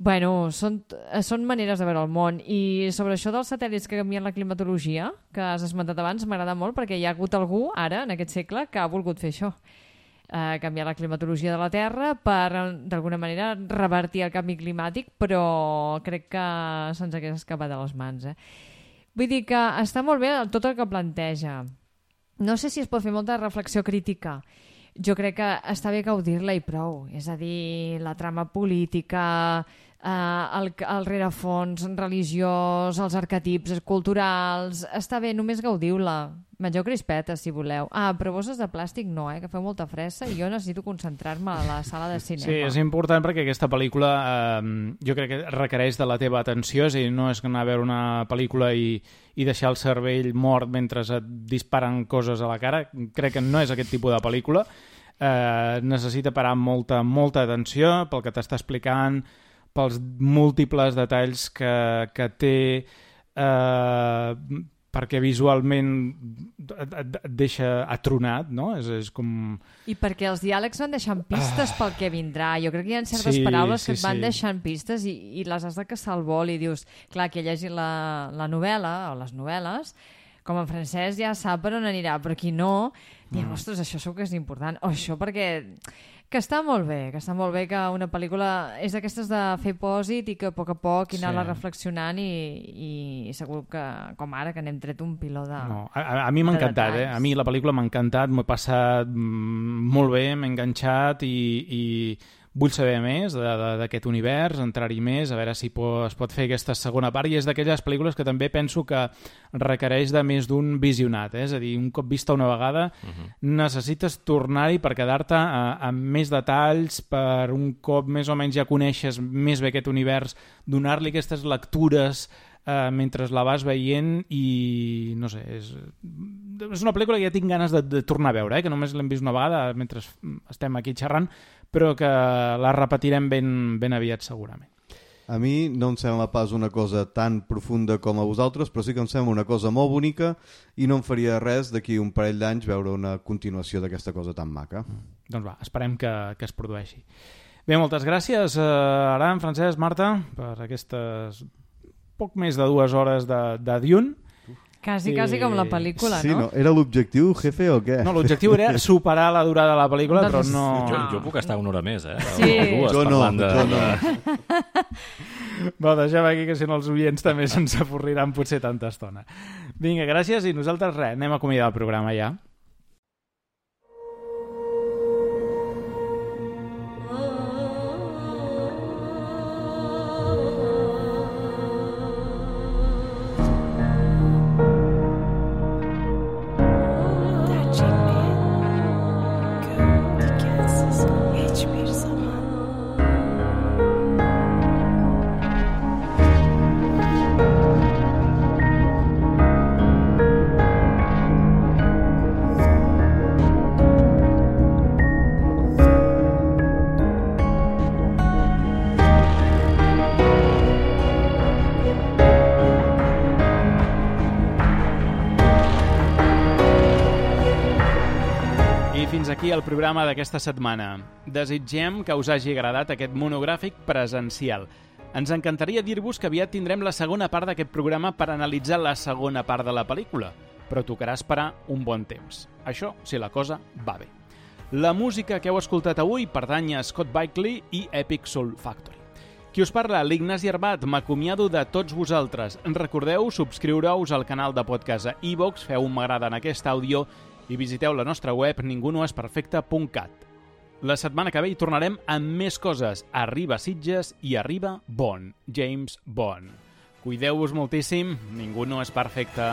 Bueno, són maneres de veure el món i sobre això dels satèl·lits que canvien la climatologia, que has esmentat abans, m'agrada molt perquè hi ha hagut algú ara, en aquest segle, que ha volgut fer això. Canviar la climatologia de la Terra per, d'alguna manera, revertir el canvi climàtic, però crec que se'ns hagués escapat de les mans. Vull dir que està molt bé tot el que planteja, no sé si es pot fer molta reflexió crítica. Jo crec que està bé gaudir-la i prou. És a dir, la trama política, el rerefons religiós, els arquetips culturals... Està bé, només gaudiu-la. Mengeu crispetes, si voleu. Però bosses de plàstic no, que feu molta fressa i jo necessito concentrar-me a la sala de cinema. Sí, és important perquè aquesta pel·lícula jo crec que requereix de la teva atenció, és a dir, no és anar a veure una pel·lícula i deixar el cervell mort mentre et disparen coses a la cara. Crec que no és aquest tipus de pel·lícula. Necessita parar molta atenció pel que t'està explicant, pels múltiples detalls que té, perquè visualment et deixa atronat, no? És com... I perquè els diàlegs van deixant pistes pel que vindrà. Jo crec que hi ha certes paraules que et van deixant pistes i les has de caçar al vol i dius, clar, que llegit la novel·la o les novel·les, com en francès ja sap per on anirà, però qui no, diu, ostres, això segur que és important. O això perquè... Que està molt bé que una pel·lícula és d'aquestes de fer pòsit i que a poc anar-la reflexionant i segur que, com ara, que n'hem tret un piló de no, a mi m'ha encantat, a mi la pel·lícula m'ha encantat, m'ho he passat molt bé, m'he enganxat i vull saber més d'aquest univers, entrar-hi més, a veure si es pot fer aquesta segona part, i és d'aquelles pel·lícules que també penso que requereix de més d'un visionat, és a dir, un cop vista una vegada necessites tornar-hi per quedar-te amb més detalls, per un cop més o menys ja coneixes més bé aquest univers, donar-li aquestes lectures mentre la vas veient i no sé, és una pel·lícula que ja tinc ganes de tornar a veure, que només l'hem vist una vegada mentre estem aquí xerrant, però que la repetirem ben aviat segurament. A mi no em sembla pas una cosa tan profunda com a vosaltres, però sí que em sembla una cosa molt bonica i no em faria res d'aquí un parell d'anys veure una continuació d'aquesta cosa tan maca. Doncs va, esperem que es produeixi. Bé, moltes gràcies, Aram, Francesc, Marta, per aquestes poc més de 2 hores de Dune. Quasi com la pel·lícula, sí, no? Era l'objectiu, jefe, o què? No, l'objectiu era superar la durada de la pel·lícula, però no... Jo puc estar 1 hora més, Sí. O 2 jo no. Va, deixem aquí, que si no els oients també se'ns avorriran potser tanta estona. Vinga, gràcies, i nosaltres res, anem a acomiadar el programa ja. El programa d'aquesta setmana. Desitgem que us hagi agradat aquest monogràfic presencial. Ens encantaria dir-vos que aviat tindrem la segona part d'aquest programa per analitzar la segona part de la pel·lícula, però tocarà esperar un bon temps. Això, si la cosa va bé. La música que heu escoltat avui pertany a Scott Bakely i Epic Soul Factory. Qui us parla, l'Ignasi Arbat, m'acomiado de tots vosaltres. Recordeu subscriure-us al canal de podcast a iVoox, feu un m'agrada en aquest àudio i visiteu la nostra web ningunoesperfecte.cat. La setmana que ve hi tornarem amb més coses. Arriba Sitges i arriba Bond, James Bond. Cuideu-vos moltíssim, ningú no és perfecte.